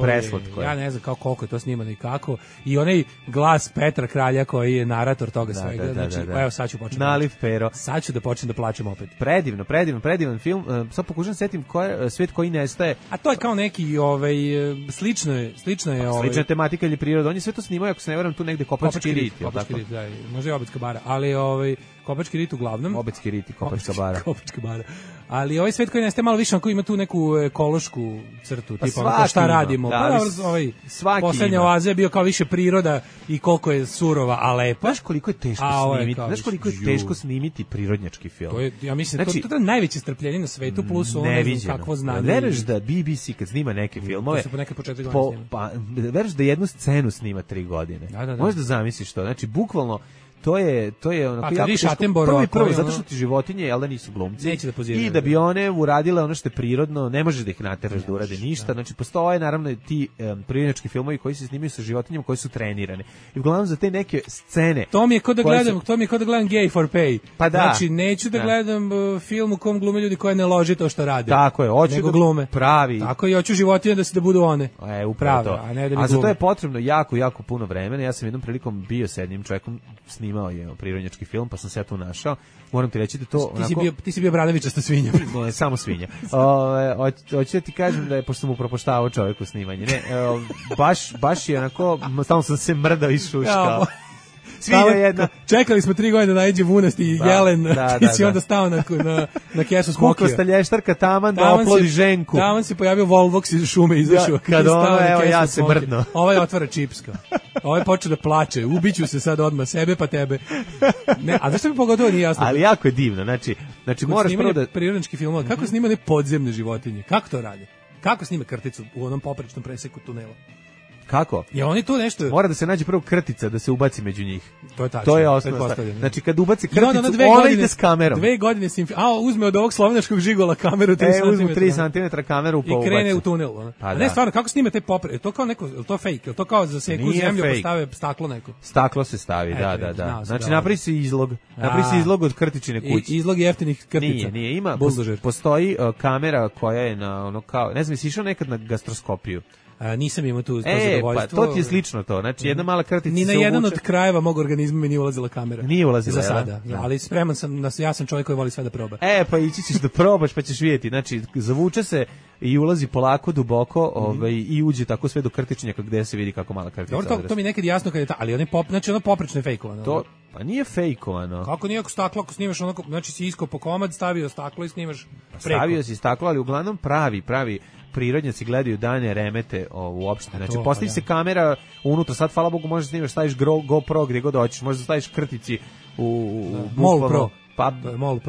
preslatko je. Ja ne znam koliko je to snimano i kako. I onaj glas Petra Kralja koji je narator toga svega. Znači, evo sad ću početi. Naliv pero. Sad ću da počnem da plačem opet. Predivan film. Sad pokušam setim Svet koji nestaje. A to je kao neki slično je slična tematika ili priroda. On je sve to snimao, ako se ne varam, tu negde Kopački rit, da, može i Obedska bara, ali Kopački rit uglavnom. Obedski rit i Kopačka bara. Kopačka bara. Ali ovaj Svet koji nestaje malo više, onako ima tu neku ekološku crtu, tipa ono šta radimo. Poslednja oaza je bio kao više priroda i koliko je surova, a lepa. Znaš koliko je teško snimiti prirodnjački film? To je, ja mislim, to je najveće strpljenje na svetu, plus ono ne znam kakvo znanje. Veruješ da BBC kad snima neke filmove, to su po neke po 4 godine veruješ da jednu scenu snima 3 godine. Možeš da zamisliš to, znači bukvalno to je onako jako teško. Prvo, zato što ti životinje, jel da nisu glumci, i da bi one uradile ono što je prirodno, ne možeš da ih nateraš da urade ništa. Znači, postoje naravno ti prirodnjački filmovi koji se snimaju sa životinjama koji su trenirane. I uglavnom za te neke scene... To mi je kod da gledam Gay for Pay. Pa da. Znači, neću da gledam film u kom glume ljudi koji ne lože to što rade. Tako je, hoću da glume. Pravi. Tako i hoću životinje da budu one. Upravo to. A ne da mi a za to je potrebno jako puno vremena. Ja sam jednom prilikom bio s jednim čovjekom, snimao je prirodnjački film, pa sam se ja tu našao. Moram ti reći da to... Ti si bio Bradovićasta svinja. Ne, samo svinja. Hoću da ti kažem da je, pošto sam mu propoštavao čovjeku snimanje, ne, baš je onako, stalno sam se mrdao i šuškao. Svinja jedna. Čekali smo 3 godine da nađe vunasti i jelen, ti si onda stao na kesu smokija. Kukasta lještarka taman da oplodi ženku. Taman se pojavio Volvox iz šume izašao. Kad ono, evo ja se mrdno. Ovaj otvara čipska. Ovaj počeo da plače, ubiću se sad odmah sebe pa tebe. Ne, a zašto mi pogotovo nije jasno? Ali jako je divno, znači moraš prvo da... Prirodnički film, kako snimane podzemne životinje, kako to rade? Kako snime krticu u onom poprečnom preseku tunela? Kako? Je oni tu nešto... Mora da se nađe prvo krtica da se ubaci među njih. To je tačno. To je osnovno. Znači kad ubaci krticu, ona ide s kamerom. 2 godine se uzme od ovog slovenačkog žigola kameru 3 cm. Uzmu 3 cm kameru pa i krene u tunel. Pa ne, stvarno, kako snime te popre? To kao neko, to fake, je to kao za seku zemlju postave staklo neko. Staklo se stavi, da. Znači napravi se izlog od krtičine kuće. Izlog jeftinih krtica. Nije, ima postoji kamera koja je na ono kao, ne znam, jesi išao nekad na gastroskopiju? Nisam imao tu zadovoljstvo. Pa to ti je slično to. Znači jedna mala krtica ni na jedan od krajeva mog organizma mi nije ulazila kamera. Nije ulazila za sada, ali spreman sam, ja sam čovjek koji voli sve da proba. Pa ići ćeš da probaš pa ćeš vidjeti. Znači zavuče se i ulazi polako duboko, i uđe tako sve do krtičnjaka gde se vidi kako mala krtica. Dobro, to mi nekad jasno kad je ali oni znači ono poprečno je fejkovano. To pa nije fejkovano. Kako nije ako staklo, ako snimaš onako, znači si iskao po komad, stavio staklo i snimaš preko. Stavio si staklo, ali uglavnom pravi prirodnjaci gledaju dane remete uopšte. Znači, postavi se kamera unutra, sad, hvala Bogu, možeš snimaš, staviš GoPro gdje god hoćeš, možeš da staviš krtici u Mol Pro. Pa, Mol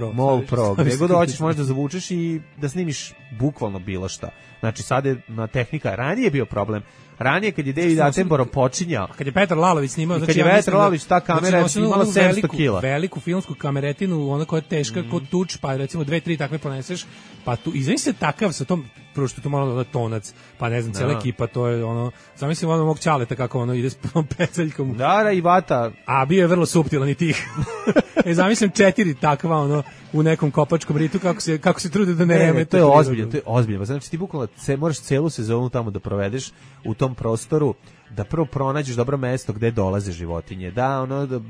Pro, gdje god hoćeš možeš da zavučeš i da snimiš bukvalno bilo šta. Znači, sad je tehnika, ranije je bio problem. Ranije kad je David Attenborough počinjao, kad je Petar Lalović snimao, znači kad je Petar Lalović, ta kamera je imala 700 kila. Veliku filmsku kameretinu, ona koja je teška kod tuč, pa recimo 2-3 takve poneseš, pa tu izveni se takav sa tom, prvo što tu malo da tonac, pa ne znam, cela ekipa, to je ono, zamislim ono mog ćaleta kako ono ide s peceljkom. Da, i vata. A bio je vrlo suptilan i tih. Zamislim 4 takva ono u nekom kopačkom ritu kako se trude da ne remete. To je ozbiljno. Znači ti bukvalno moraš celu sezonu tamo da provedeš u tom prostoru, da prvo pronađeš dobro mesto gde dolaze životinje. Da, ono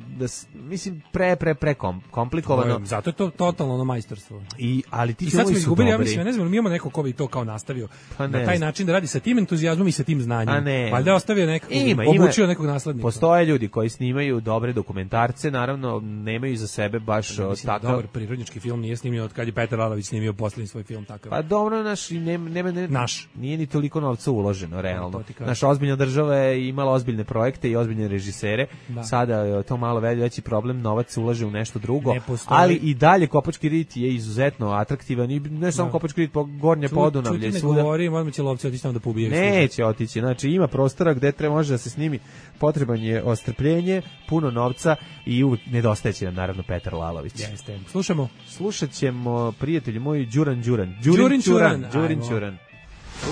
mislim pre komplikovano. Zato je to totalno ono majstorstvo. Ali ti sad smo izgubili, ja mislim, ne znam, mi imamo neko ko bi to kao nastavio na taj način da radi sa tim entuzijazmom i sa tim znanjem. Valjda ostavio nekog, obučio nekog naslednika. Postoje ljudi koji snimaju dobre dokumentarce, naravno nemaju iza sebe baš takav dobar prirodnjački film, nije snimio od kad je Petar Lalović snimio poslednji svoj film takav. Pa dobro, nije ni toliko novca uloženo realno. Naša ozbiljna država je imala ozbiljne projekte i ozbiljne režisere. Sada je to malo veći problem, novac se ulaže u nešto drugo, ali i dalje Kopački rit je izuzetno atraktivan i ne samo Kopački rit, Gornje Podunavlje. Čuti ne govori, možemo će lovci otići tamo da pobijaju. Neće otići, znači ima prostora gde može da se snimi, potreban je ostrpljenje, puno novca i uvijek nedostajeće nam naravno Petar Lalović. Jeste. Slušat ćemo prijatelji moji Đuran.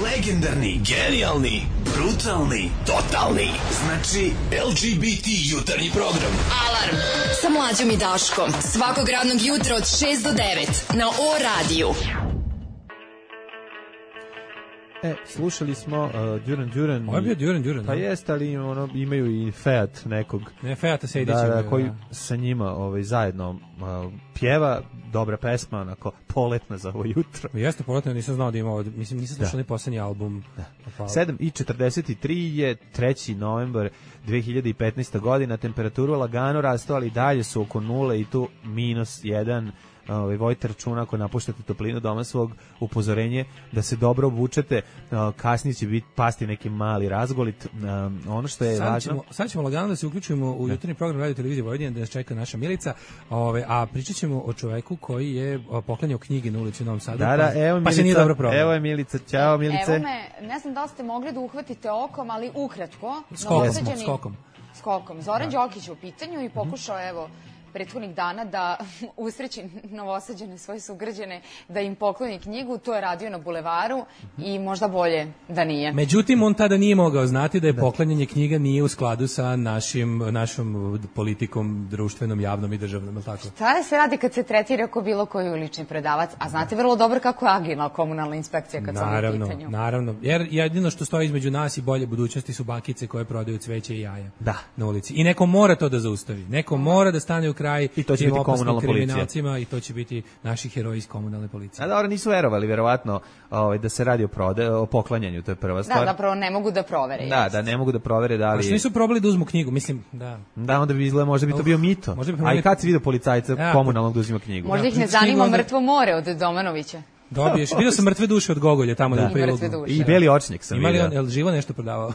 Legendarni, genijalni, brutalni, totalni. Znači LGBT jutarnji program. Alarm sa Mlađom i Daškom. Svakog radnog jutra od 6 do 9 na O-radiju. Slušali smo Đuran. Ovo je bio Đuran. Pa jeste, ali imaju i Fiat nekog. Ne, Fiata se idiće. Koji sa njima zajedno pjeva, dobra pesma, onako poletna za ovo jutro. Jeste poletna, nisam znao da ima ovo, mislim nisam slušao ni posljednji album. 7:43 je 3. novembar 2015. godina, temperaturu lagano rastu, ali dalje su oko nule i tu -1. Vojte računa ako napuštate toplinu doma svog, upozorenje da se dobro obučete, kasnije će pasti neki mali razgolit. Ono što je važno, sad ćemo lagano da se uključimo u jutarnji program Radio Televizije Vojvodine, da nas čeka naša Milica, a pričat ćemo o čoveku koji je poklanjao knjige na ulici u Novom Sadu, pa se nije dobro probao. Evo je Milica, ćao Milice. Evo me, ne znam da li ste mogli da uhvatite okom, ali ukratko. Skokom. Zoran Đokić u pitanju i pokušao, prethodnih dana da usreći Novosađane, svoje sugrađane, da im pokloni knjigu. To je radio na Bulevaru i možda bolje da nije. Međutim, on tada nije mogao znati da je poklanjanje knjiga nije u skladu sa našom politikom društvenom, javnom i državnom. Šta se radi kad se tretira ako bilo koji ulični predavac? A znate vrlo dobro kako je agilna komunalna inspekcija kad su u pitanju. Naravno, jer jedino što stoji između nas i bolje budućnosti su bakice koje prodaju cveće i jaja na ulici. I neko mora to da zaustavi. Neko mora da stane u kraj i to će biti komunalna policija i to će biti naši heroji iz komunalne policije. A dobro, nisu verovali verovatno da se radi o poklanjanju, to je prva stvar. Da, zapravo ne mogu da provere. Da, ne mogu da provere da li... A što nisu probali da uzmu knjigu, mislim, da. Da, onda bi izgledalo, možda bi to bio mito. A i kad si vidio policajca komunalnog da uzima knjigu? Možda ih ne zanima mrtvo more od Domanovića. Dobiješ. Vidio sam mrtve duše od Gogolja tamo na prilogu. I beli očnjak sam Imali vidio. on, jel živo nešto prodavao?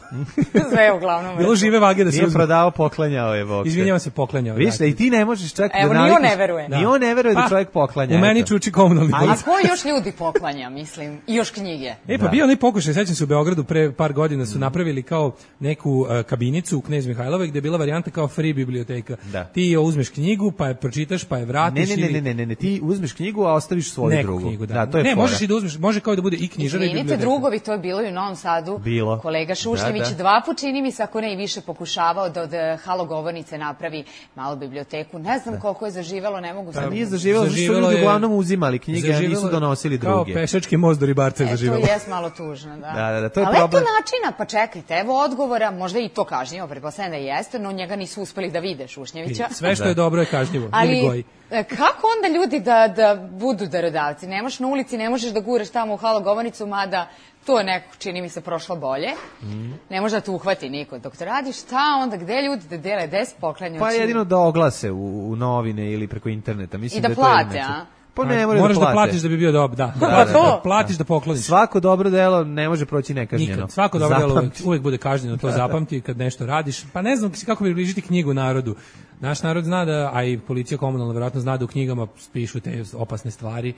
Sve uglavnom. Bilo žive vage da se Nije uzme. prodavao, poklanjao je Vokter. Izvinjavam se, poklanjao. Vidiš da i ti ne možeš čak Evo, da ni on navikneš. ne veruje. Ni on ne veruje da Pa, čovjek poklanja. U meni eto. čuči komunalni A polis. ko još ljudi poklanja, mislim? I još knjige. Pa bio onaj pokušaj, sećam se u Beogradu pre par godina su napravili kao neku kabinicu u Knez Mihajlove gde je bila varijanta kao free biblioteka. Da. Ti uzmeš knjigu, pa je pročitaš, pa je vratiš Ne, ti uzmeš knjigu, a ostaviš svoju neku drugu. knjigu, da. To je ne, fora. možeš i da uzmeš, može kao da bude i knjižara i Izvinite, biblioteka. drugovi, to je bilo i u Novom Sadu. Bilo. Kolega Šušljević Da. 2 put, čini mi se, ako ne i više, pokušavao da od halogovornice napravi malu biblioteku. Ne znam koliko je zaživelo, ne mogu Pa sad. nije zaživjelo, zato što Zaživelo ljudi je- uglavnom uzimali knjige, a Zaživelo nisu je donosili kao druge. pešački most do ribarca je To zaživelo. jes malo tužno, da. Da, to je ali problem. eto načina, pa čekajte, evo odgovora, možda i to kažnjivo, pretpostavljam da jeste, no njega nisu uspeli da vide Šušnjevića. Sve što je dobro je kažnjivo. Ili Ali goji. kako onda ljudi da budu darodavci? Nemaš na ulici, ne možeš da guraš tamo u halogovornicu, mada to je neko, čini mi se, prošlo bolje. Ne može da te uhvati niko. Dok to radiš, šta onda, gde ljudi da dele, gde se poklanju? Pa jedino da oglase u novine ili preko interneta. Mislim I da je to plate, jedino a? način. Pa ne moraju Moraš da da plate. platiš da bi bio dobar, da. Pa to. Da platiš da pokloniš. Svako dobro delo ne može proći nekažnjeno. Nikad. Svako dobro delo Zapamti. uvek bude kažnjeno, to zapamti kad nešto radiš. Pa ne znam kako približiti knjigu narodu. Naš narod zna da, a i policija komunalna verovatno zna da u knjigama pišu te opasne stvari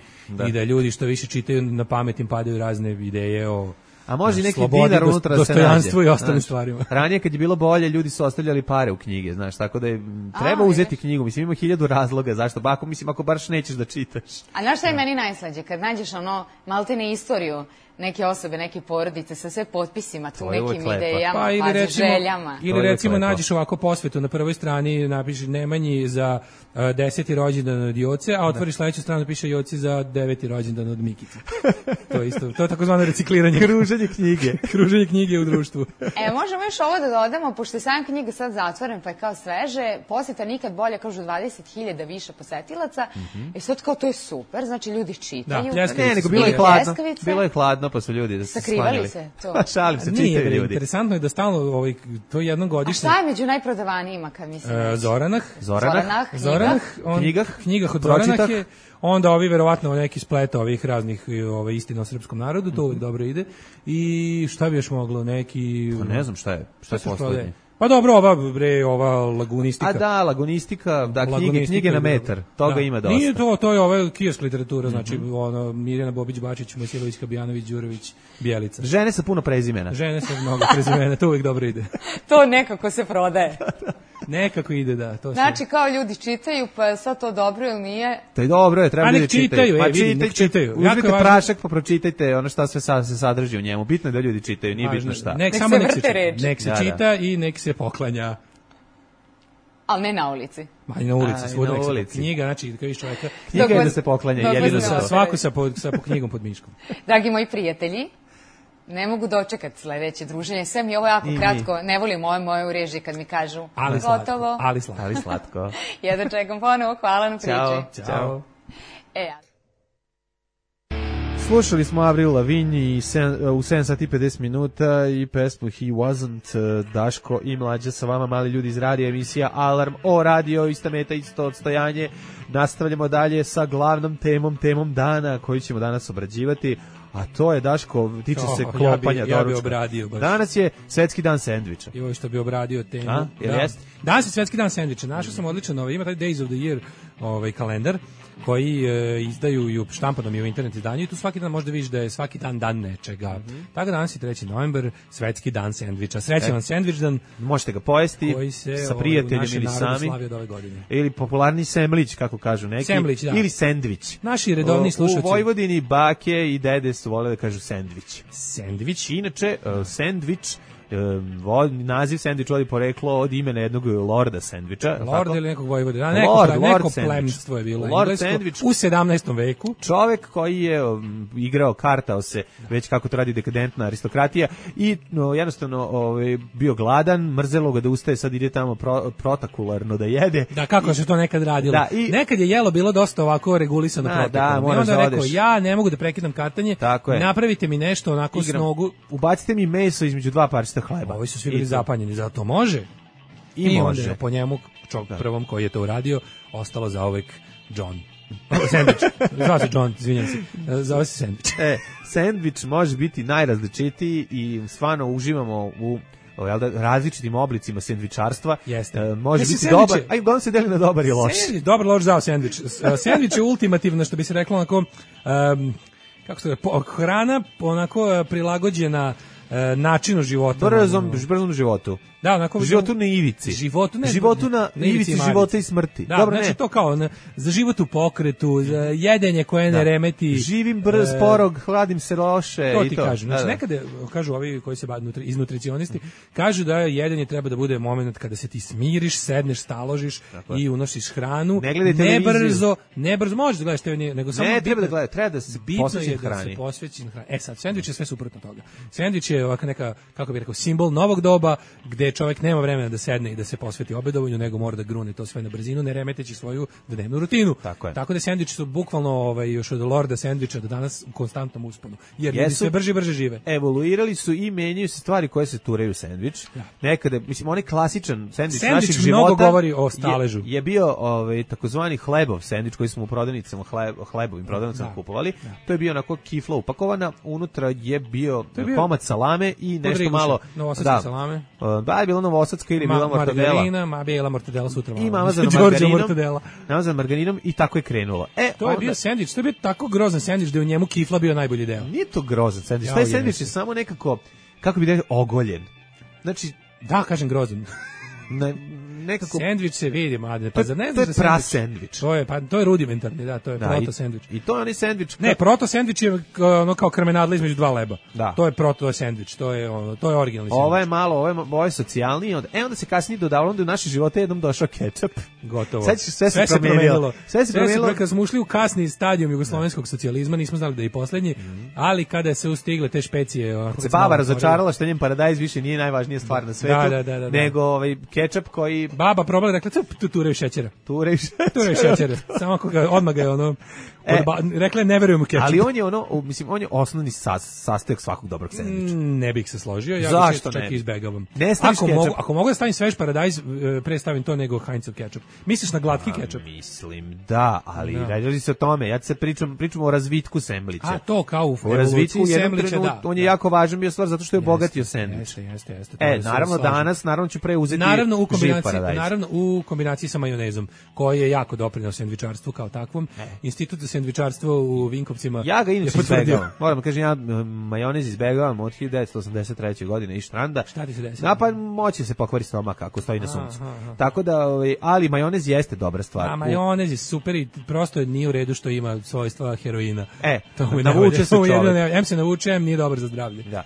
i da ljudi što više čitaju na pamet im padaju razne ideje o A može i neki slobodi, dinar unutra da se nađe. dostojanstvu i ostalim Znaš, stvarima. Ranije kad je bilo bolje, ljudi su ostavljali pare u knjige, znaš, tako da je, treba A, uzeti knjigu. Mislim, ima 1000 razloga zašto. Pa ako baš nećeš da čitaš. A znaš šta je meni najslađe? Kad nađeš maltene istoriju neke osobe, neke porodice sa sve potpisima, tu To je uvek nekim lepo. idejama, Pa ili pazi, recimo, željama. To ili je recimo lepo. nađeš ovako posvetu na prvoj strani, napišeš Nemanji za 10. rođendan od Joce, a otvoriš sledeću stranu, piše Joci za 9. rođendan od Mikice. To je isto, to je takozvano recikliranje. Kruženje knjige. Kruženje knjige u društvu. Možemo još ovo da dodamo, pošto je sam knjiga sad zatvoren, pa je kao sveže, posjeta nikad bolje, kažu 20.000 više posetilaca, i sad kao to je super, znači ljudi čitaju. Da, pljeskavice Ne, nego su bilo je bile. hladno. Pljeskavice. Bilo je hladno, pa su ljudi da se Sakrivali sklonili. se, to. Pa šalim se, Nije, čitaju ljudi. interesantno je da stalno to jednom A godišnje. šta je među najprodavanijima, kad mislim? Zoranah, Zoranah, knjigah od Pročitah. Zoranah je, onda ovi verovatno neki splet ovih raznih istina o srpskom narodu, to uvijek dobro ide. I šta bi još moglo, neki... Pa ne znam šta je se poslednje. prodaje? Pa dobro, ova lagunistika. A da, lagunistika, da, Lagunistika knjige na je metar, dobro. toga Da. ima dosta. Nije to je ova kiosk literatura, znači ono, Mirjana Bobić-Bačić, Mojsilović, Kabijanović, Đurović, Bjelica. Žene sa puno prezimena. Žene sa mnogo prezimena, to uvijek dobro ide. To nekako se prodaje. Nekako ide, da. To Znači, kao ljudi čitaju, pa je sad to dobro ili nije? To je dobro, treba A ljudi nek čitaju. čitaju, Pa vidi, nek čitaju. Jako je Uzmite važno- prašak pa pročitajte ono šta sve se sadrži u njemu. Bitno je da ljudi čitaju, nije bitno šta. Nek Nek samo se nek se vrte čita. reči. Nek se Da, čita i nek se poklanja. Ali ne na ulici. Ma i na ulici, A, i svuda na nek se ulici. knjiga, znači kad vidiš čoveka, Knjiga je Dok da se poklanja, dok jedino vas ne to. svako sa po knjigom pod miškom. Dragi moji prijatelji, ne mogu dočekati sledeće druženje. Sve mi je ovo jako I mi. kratko. Ne volim moje u režiji kad mi kažu Ali slatko, gotovo. ali slatko. Ali slatko. Jedno čekam ponovo. Hvala na priči. Ćao. Ćao. Slušali smo Avril Lavigne u 7 sati 50 minuta i pesmu He Wasn't, Daško i Mlađa sa vama, mali ljudi iz radija, emisija Alarm o radio, ista meta, isto odstojanje. Nastavljamo dalje sa glavnom temom dana koju ćemo danas obrađivati, a to je, Daško, tiče se klopanja ja bi doručka. obradio baš. Danas je Svetski dan sendviča. I ovo što bi obradio temu. A, jel jeste? Danas je Svetski dan sendviča. Našao sam odličan, ima taj Days of the Year kalendar koji izdaju i štampanom i u internet izdanju i tu svaki dan možda vidiš da je svaki dan nečega. Tako danas je 3. novembar, Svetski dan sendviča. Srećan vam sendvič dan Možete ga pojesti koji se sa prijateljem ili sami. slavi od ove godine. Ili popularni semlić, kako kažu neki. Semlić, da. Ili sendvič. Naši redovni slušaoci. U Vojvodini bake i dede su vole da kažu sendvič. Sendvič. Inače, sendvič, naziv sendvič vodi poreklo od imena jednog lorda sendviča. Lord ili nekog vojvoda. Lord Neko sandwich. plemstvo je bilo Lord englesko sandwich. u 17. veku. Čovek koji je igrao, kartao se, već kako to radi dekadentna aristokratija i jednostavno bio gladan, mrzelo ga da ustaje, sad ide tamo protokularno da jede. Da, kako se to nekad radilo. Da, nekad je jelo bilo dosta ovako regulisano Da, protokolom. I moraš onda da je rekao, odeš. ja ne mogu da prekidam kartanje, Tako je. napravite mi nešto onako s nogu. Ubacite mi meso između dva parčeta hleba. Ovi su svi bili I to. zapanjeni, zato može. I onda može. je po njemu, prvom koji je to uradio, ostalo zauvek John. Sandvič. Zvao se John, izvinjam se. Zove se sandvič. Sandvič može biti najrazličitiji i stvarno uživamo u različitim oblicima sendvičarstva. Može biti dobar, a i uglavnom se deli na dobar i loš. Dobar, loš, zao sendvič. Sendvič je ultimativno, što bi se reklo, onako, kako se da, hrana onako prilagođena načinu života. Brzom životu. Da, onako životu na ivici. Životu na ivici života i smrti. Da, dobro, znači to kao za život u pokretu, za jedenje koje ne remeti. Živim sporo, hladim se loše. To ti kažu. Znači nekada kažu ovi koji se bave iz nutricionisti, kažu da jedenje treba da bude moment kada se ti smiriš, sedneš, staložiš i unosiš hranu. Ne brzo možeš da gledaš TV, nego samo treba da se posvećen hrani. Sad sendvič je sve suprotno toga. Sendvič je ovako neka, kako bih rekao, simbol novog doba gde čovjek nema vremena da sedne i da se posveti obedovanju, nego mora da grune to sve na brzinu, ne remeteći svoju dnevnu rutinu. Tako da sendviči su bukvalno još od Lorda sendviča do danas u konstantnom usponu. Jer ljudi sve brže žive. Evoluirali su i menjaju se stvari koje se turaju u sendvič. Nekada, mislim, onaj klasičan sendvič našeg života mnogo govori o staležu. Je bio takozvani hlebov sendvič koji smo u prodavnicama, hlebovim prodavnicama kupovali. To je bio onako kifla upakovana, unutra je bio komad salame i nešto malo novosadske salame. Da, je bila novosadska ili bila mortadela. Margarina, bila mortadela sutra. I namazana margarinom i tako je krenulo. To je bio sendvič, to je bio tako grozan sendvič da je u njemu kifla bio najbolji deo. Nije to grozan sendvič, taj sendvič je samo nekako, kako bi rekao, ogoljen. Znači, da, kažem grozan. Nekako sendvič se vidi, mlade, pa za ne znaš to je prasendvič. To je rudimentarni, da, to je proto sendvič. I to je onaj sendvič. Ne, proto sendvič je ono kao krmenadla između dva leba. Da. To je proto sendvič, to je originalni sendvič. Ovo je malo, ovo je socijalniji, onda se kasnije dodavalo da u naše živote jednom došao kečap. Gotovo. Sve se promenilo. Sve se promenilo. Kad smo ušli u kasni stadijum jugoslovenskog socijalizma, nismo znali da je i poslednji, ali kada se ustigle te špecije, se baba razočarala što njen paradajz više nije najvažnija stvar na svetu, nego kečap koji baba probala, rekla, turaju šećera. Turaju šećera. Samo odmah ga je ono, rekla, ne verujem u kečap. Ali on je on je osnovni sastojak svakog dobrog sendviča. Ne bih se složio, ja zašto čak izbegavam. Ako mogu da stavim svež paradajz, pre stavim to nego Heinzov kečap. Misliš na glatki kečap? Mislim, da, ali radi se o tome. Ja se pričamo o razvitku semblića. A to kao u razvitku semblića, da. On je jako važan bio stvar zato što je obogatio sendvič. Jeste. Naravno danas, ću preuzeti Naravno u kombinaciji sa majonezom, koji je jako doprineo sendvičarstvu kao takvom. Institut za sendvičarstvo u Vinkovcima. Ja ga inače izbegavam. Moram kažem, ja majonez izbegavam od 1983. godine i štranda. Šta ti se desi? Pa moći se pokvari stomak ako stoji na suncu. Tako da, ali majonez jeste dobra stvar. A majonez je super i prosto nije u redu što ima svojstva heroina. Navuče se čovjek. Em se navuče, em nije dobar za zdravlje. Da.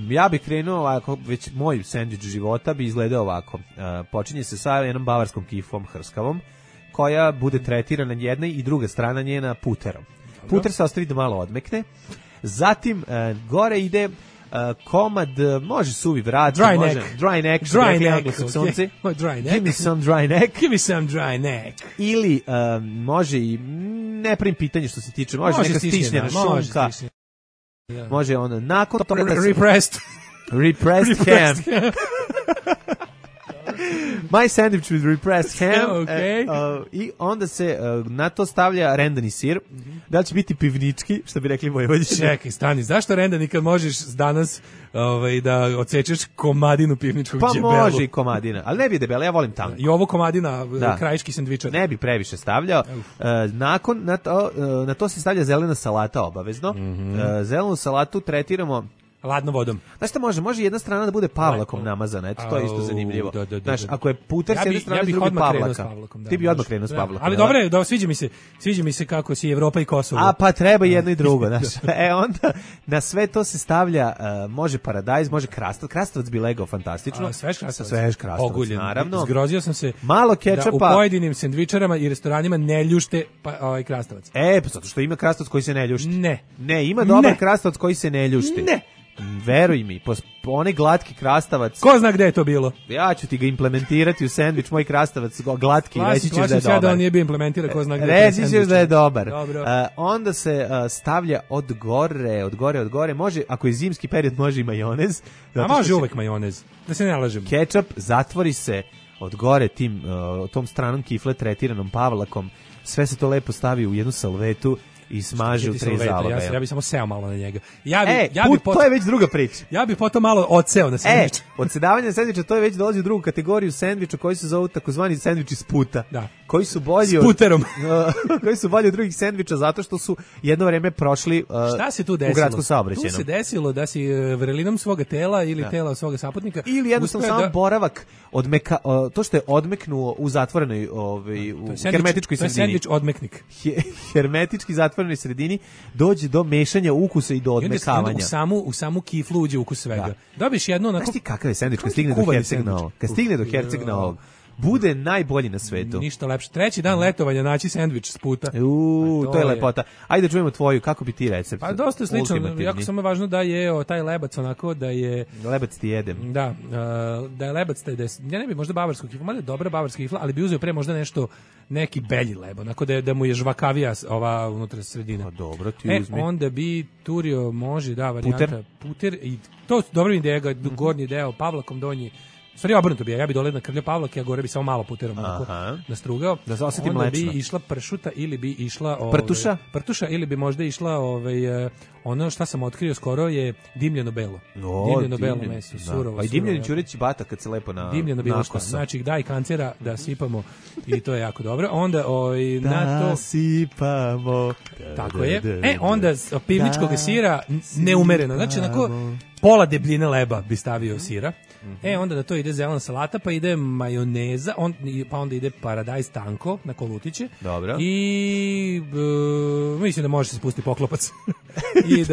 Ja bih krenuo ovako, već moj sendvič života bi izgledao ovako. Počinje se sa jednom bavarskom kifom hrskavom, koja bude tretirana jedna i druga strana njena puterom. Puter se ostavi da malo odmekne. Zatim gore ide komad, može suvi vrat, dry može neck. Dry neck. Dry neck. Give me some dry neck. Give me some dry neck. Ili može i ne pravim pitanje što se tiče, može neka stišnjena šunka. Može ono nakon toga repressed ham. My sandwich with repressed ham. Okay. I onda se na to stavlja rendani sir. Da li će biti pivnički, što bi rekli Vojvodini? Čekaj, stani, zašto rendani kad možeš danas da odsečeš komadinu pivničkog džebelu? Pa može i komadina, ali ne bi debela, ja volim tanko. I ovo komadina, krajiški sendvičar. Ne bi previše stavljao. Nakon, na to se stavlja zelena salata obavezno. Zelenu salatu tretiramo ladnom vodom. Znaš šta može jedna strana da bude pavlakom namazana, eto to je isto zanimljivo. Znaš, ako je puter s jedne strane, drugi pavlaka. Ti bi odmah krenuo s pavlakom. Ali dobro je, sviđa mi se kako si Evropa i Kosovo. A pa treba jedno i drugo, znaš. Onda na sve to se stavlja, može paradajz, može krastavac bi legao fantastično. Svež krastavac. Oguljen, naravno. Zgrozio sam se malo kečapa. Da u pojedinim sendvičarama i restoranima ne ljušte krastavac. Pa zato što ima krastavac koji se ne ljušti. Ne, ima dobar krastavac koji se ne ljušti. Ne. Veruj mi, onaj glatki krastavac. Ko zna gde je to bilo? Ja ću ti ga implementirati u sendvič, moj krastavac glatki, reći ćeš da je dobar. Plašim se da on nije bio implementira, ko zna gde je reći ćeš da je dobar. Onda se stavlja od gore, može, ako je zimski period, može i majonez. A može uvek majonez, da se ne lažemo. Kečap, zatvori se od gore tom stranom kifle tretiranom pavlakom. sve se to lepo stavi u jednu salvetu i smaži u 3 zaloga. Ja bih samo seo malo na njega. To je već druga priča. Ja bih potom malo odseo na sendvič. Odsedavanje na sendviča, to je već dolazi u drugu kategoriju sendviča koji se zovu takozvani sendviči s puta. Da. Koji su bolji s puterom. koji su bolji od drugih sendviča zato što su jedno vreme prošli šta se tu desilo? U gradskom saobraćaju. Tu se desilo da si vrelinom svoga tela ili tela svoga saputnika ili jednostavno sam boravak to što je odmeknuo u zatvorenoj u hermetičkoj sredini. To je sendvič odmeknik. Hermetički zatvorenoj sredini dođe do mešanja ukusa i do odmekavanja. U samu kiflu uđe ukus svega. Dobiš jedno onako. Znaš ti kakav je sendvič kad stigne do Herceg Novog? Kad stigne do Herceg Novog, bude najbolji na svetu. Ništa lepše. 3. dan letovanja naći sendvič s puta. To je lepota. Ajde da čujemo tvoju, kako bi ti recept? Pa dosta slično, jako samo važno da je taj lebac onako da je... Lebac ti jedem. Da, da je lebac, ja ne bi možda bavarskog kifla, možda je dobra bavarska kifla, ali bi uzeo pre možda neki belji leb, onako da mu je žvakavija ova unutra sredina. Pa dobro, ti uzmi. Onda bi turio, može, varijanta. Puter. I to dobra ideja, gornji deo Pavlakom, donji. Stvari obrnuto bi ja bi dole nakrljao Pavlak, ja gore bi samo malo puterom nastrugao. Da se osjeti mlečno. Onda bi išla pršuta ili bi išla... Prtuša ili bi možda išla ono šta sam otkrio skoro je dimljeno belo. Dimljeno belo meso, surovo. Pa i dimljeni ćureći bata kad se lepo na dimljeno bilo šta. Znači daj kancera da sipamo i to je jako dobro. Onda na to... Da sipamo. Tako je. Onda pivničkog sira neumereno. Znači onako pola debljine leba bi stavio sira. Onda da to ide zelena salata, pa ide majoneza, pa onda ide paradajz tanko na kolutiće. Dobro. I mislim da može se spustiti poklopac. I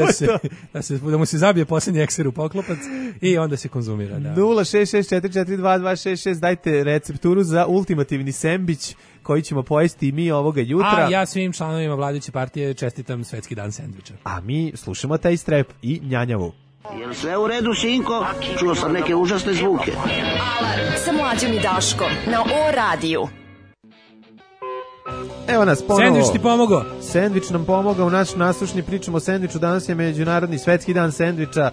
da mu se zabije posljednji ekser u poklopac i onda se konzumira. Da. 066442266, dajte recepturu za ultimativni sendvič koji ćemo pojesti i mi ovoga jutra. A ja svim članovima vladajuće partije čestitam Svetski dan sendviča. A mi slušamo taj strep i njanjavu. Jel sve u redu, sinko? Čuo sam neke užasne zvuke. Alarm sa Mlađom i Daškom na O-radiju. Evo nas ponovo. Sendvič ti pomogao. Sendvič nam pomogao u naš naslušni, pričamo o sendviču. Danas je Međunarodni svetski dan sendviča.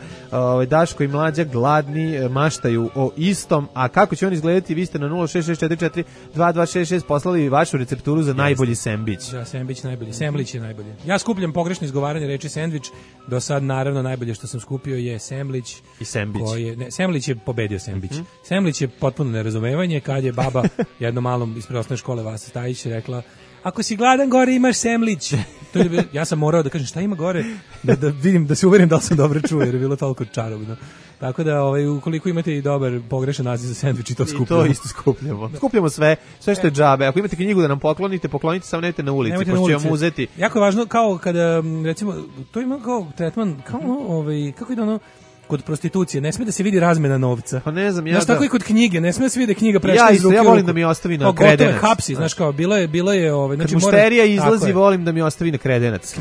Daško i Mlađa gladni maštaju o istom. A kako će on izgledati? Vi ste na 066442266 poslali vašu recepturu za najbolji sendvič. Da, sendvič najbolji. Semlić je najbolji. Ja skupljam pogrešno izgovaranje reči sendvič. Do sad naravno najbolje što sam skupio je semlić. I sembić. Semlić je pobedio sembić. Semlić je potpuno nerazumevanje kad je baba jednom malom iz preosnovne škole Vasa Stajić rekla: ako si gladan gore imaš semlić. Ja sam morao da kažem šta ima gore, da vidim, da se uverim da li sam dobro čuo, jer je bilo toliko čarobno. Tako da ukoliko imate i dobar pogrešan naziv za sendvič i to skupljamo. I to isto skupljamo. Skupljamo sve što je džabe. Ako imate knjigu da nam poklonite samo nemojte na ulici, pošto ćemo uzeti. Jako je važno, kao kada, recimo, to ima kao tretman, kao kako ide ono, kod prostitucije, ne sme da se vidi razmena novca. Pa ne znam, znaš, tako i kod knjige, ne sme da se vidi da knjiga prešla iz ruke. Ja volim da mi ostavi na kredenac. Hapsi, znaš kao, bilo je znači, kad mušterija izlazi, volim da mi ostavi na kredenac.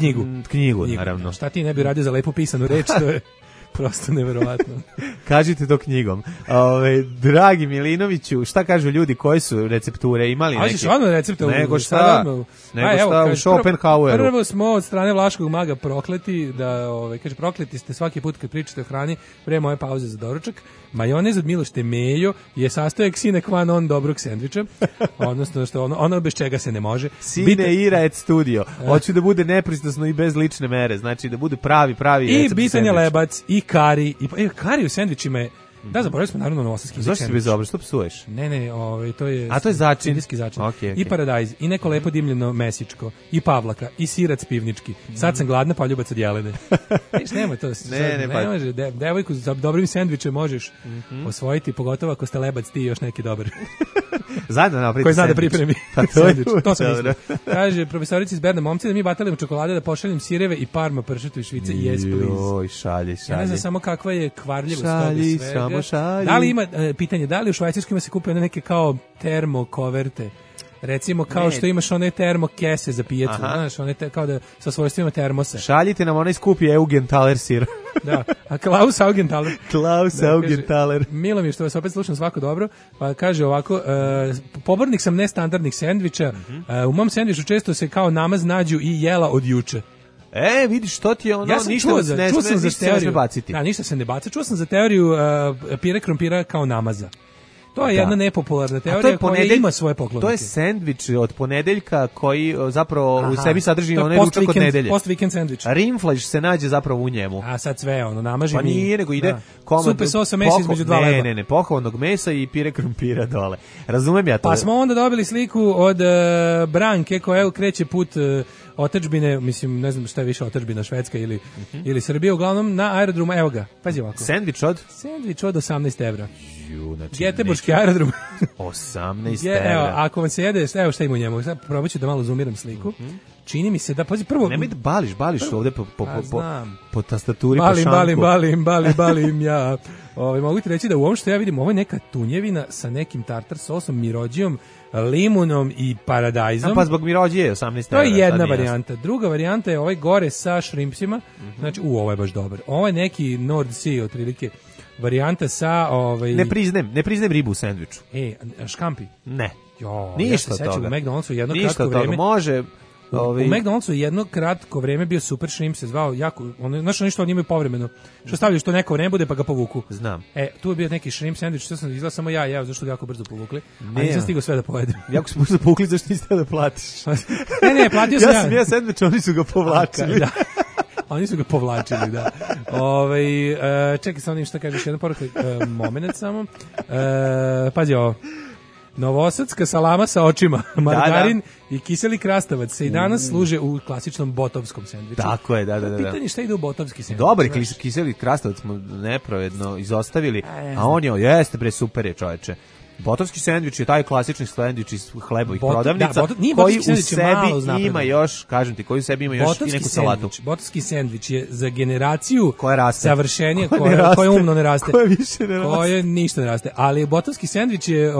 Knjigu, naravno. Šta ti ne bi radio za lepo pisanu reč, to je prosto neverovatno. Kažite to knjigom. Dragi Milinoviću, šta kažu ljudi, koje su recepture imali neke? A ćeš odmah recepte? Nego šta u Schopenhaueru. Prvo smo od strane Vlaškog maga prokleti, da kaže prokleti ste svaki put kad pričate o hrani, pre moje pauze za doručak. Majonez od Milošte Mejo je sastojak sine qua non dobrog sendviča, odnosno što ono bez čega se ne može. Sine ira et studio. Hoću da bude nepristrasno i bez lične mere, znači da bude pravi recept. I bitan je lebac, i kari, kari u sendvičima je. Da, zaboravili smo naravno novosadski sendvič. Zašto si bez dobro, što psuješ? Ne, to je... A to je začin? Indijski začin. Okay. I paradajz, i neko lepo dimljeno mesičko, i pavlaka, i sirac pivnički. Sad sam gladna, pa ljubac od jelene. Nemoj to. Ne može. Devojku za dobrim sendvičem možeš osvojiti, pogotovo ako ste lebac ti i još neki dobar. Zajedno napraviti koji zna da pripremi sendvič. To sam mislio. Kaže profesorica iz Berna, momci, da mi batalimo čokolade, da pošaljem sireve i parma pršutu i švice. Yes, please. Joj, šalji. Ja ne znam samo kakva je kvarljivost toga svega. Da li ima, pitanje, da li u Švajcarskoj ima se kupe neke kao termokoverte? Recimo kao što imaš one termokese za pijacu, znaš, one kao da sa svojstvima termosa. Šaljite nam onaj skupi Augenthaler sir. Da, a Klaus Augenthaler. Augenthaler. Milo mi je što vas opet slušam, svako dobro. Pa kaže ovako, pobornik sam nestandardnih sendviča, u mom sendviču često se kao namaz nađu i jela od juče. Vidiš, što ti je ono, ništa se ne baciti. Da, ništa se ne baca. Čuo sam za teoriju pire krompira kao namaza. To je jedna nepopularna teorija koja ima svoje poklonike. To je sendvič od ponedeljka koji zapravo u sebi sadrži onaj ručak od nedelje. Post-weekend sendvič. Rimflaš se nađe zapravo u njemu. A sad sve namaži pa mi. Pa nije, nego ide komad. Supe sosa mesa između dva leba. Ne, pohovanog mesa i pire krompira dole. Razumem ja to. Pa smo onda dobili sliku od Branke koja kreće put otadžbine, mislim, ne znam šta je više otadžbina, Švedska ili Srbija, uglavnom na aerodromu, evo ga, pazi ovako. Sendvič od 18 evra. Znači, Geteborški aerodrom. 18 evra. Evo, ako vam se jede, evo šta ima u njemu, sad probat ću da malo zoomiram sliku. Čini mi se da, pazi, prvo... Nemoj da bališ ovde po tastaturi, po šanku. Balim ja. Mogu ti reći da u ovom što ja vidim, ovo je neka tunjevina sa nekim tartar sosom, mirođijom, limunom i paradajzom. Pa zbog mirođije je 18 evra. To je jedna varijanta. Druga varijanta je ovaj gore sa šrimpsima. Znači, ovo je baš dobar. Ovo je neki Nord Sea, otprilike, varijanta sa... Ne priznajem ribu u sendviču. Škampi? Ne. Ništa ja se toga. U McDonald'su jedno kratko vreme... Može... U McDonald'su jedno kratko vreme bio super shrimp, se zvao jako, znaš ono što oni imaju povremeno, što stavljaš to neko vreme bude pa ga povuku. Znam. Tu je bio neki shrimp sandvič, što sam izgleda samo ja, zašto ga jako brzo povukli, a nisam stigao sve da pojedem. Jako su brzo povukli, zašto niste da platiš? Ne, platio sam ja. Ja sam ja sandvič, oni su ga povlačili. Da. Oni su ga povlačili, da. Čekaj, sam onim što kažeš, jedna poruka, moment samo. Pazi ovo. Novosadska salama sa očima, margarin i kiseli krastavac se i danas služe u klasičnom botovskom sendviču. Tako je, da. Pitanje šta ide u botovski sendvič. Dobar kiseli krastavac smo nepravedno izostavili, a on jeste bre, super je, čoveče. Botovski sendvič je taj klasični sendvič iz hlebovih prodavnica koji u sebi ima još, kažem ti, koji u sebi ima još i neku salatu. Botovski sendvič je za generaciju koja savršenije, koja umno ne raste. Koja više ne raste. Koja ništa ne raste. Ali botovski sendvič je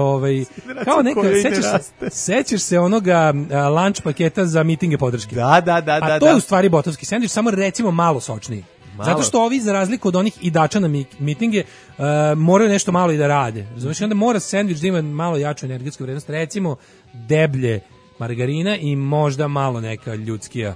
kao neka, sećaš se onoga lunch paketa za mitinge podrške. Da. A to je u stvari botovski sendvič, samo recimo malo sočniji. Zato što ovi, za razliku od onih idača na mitinge, moraju nešto malo i da rade. Znači, onda mora sendvič da ima malo jaču energetsku vrednost, recimo deblje margarina i možda malo neka ljudskija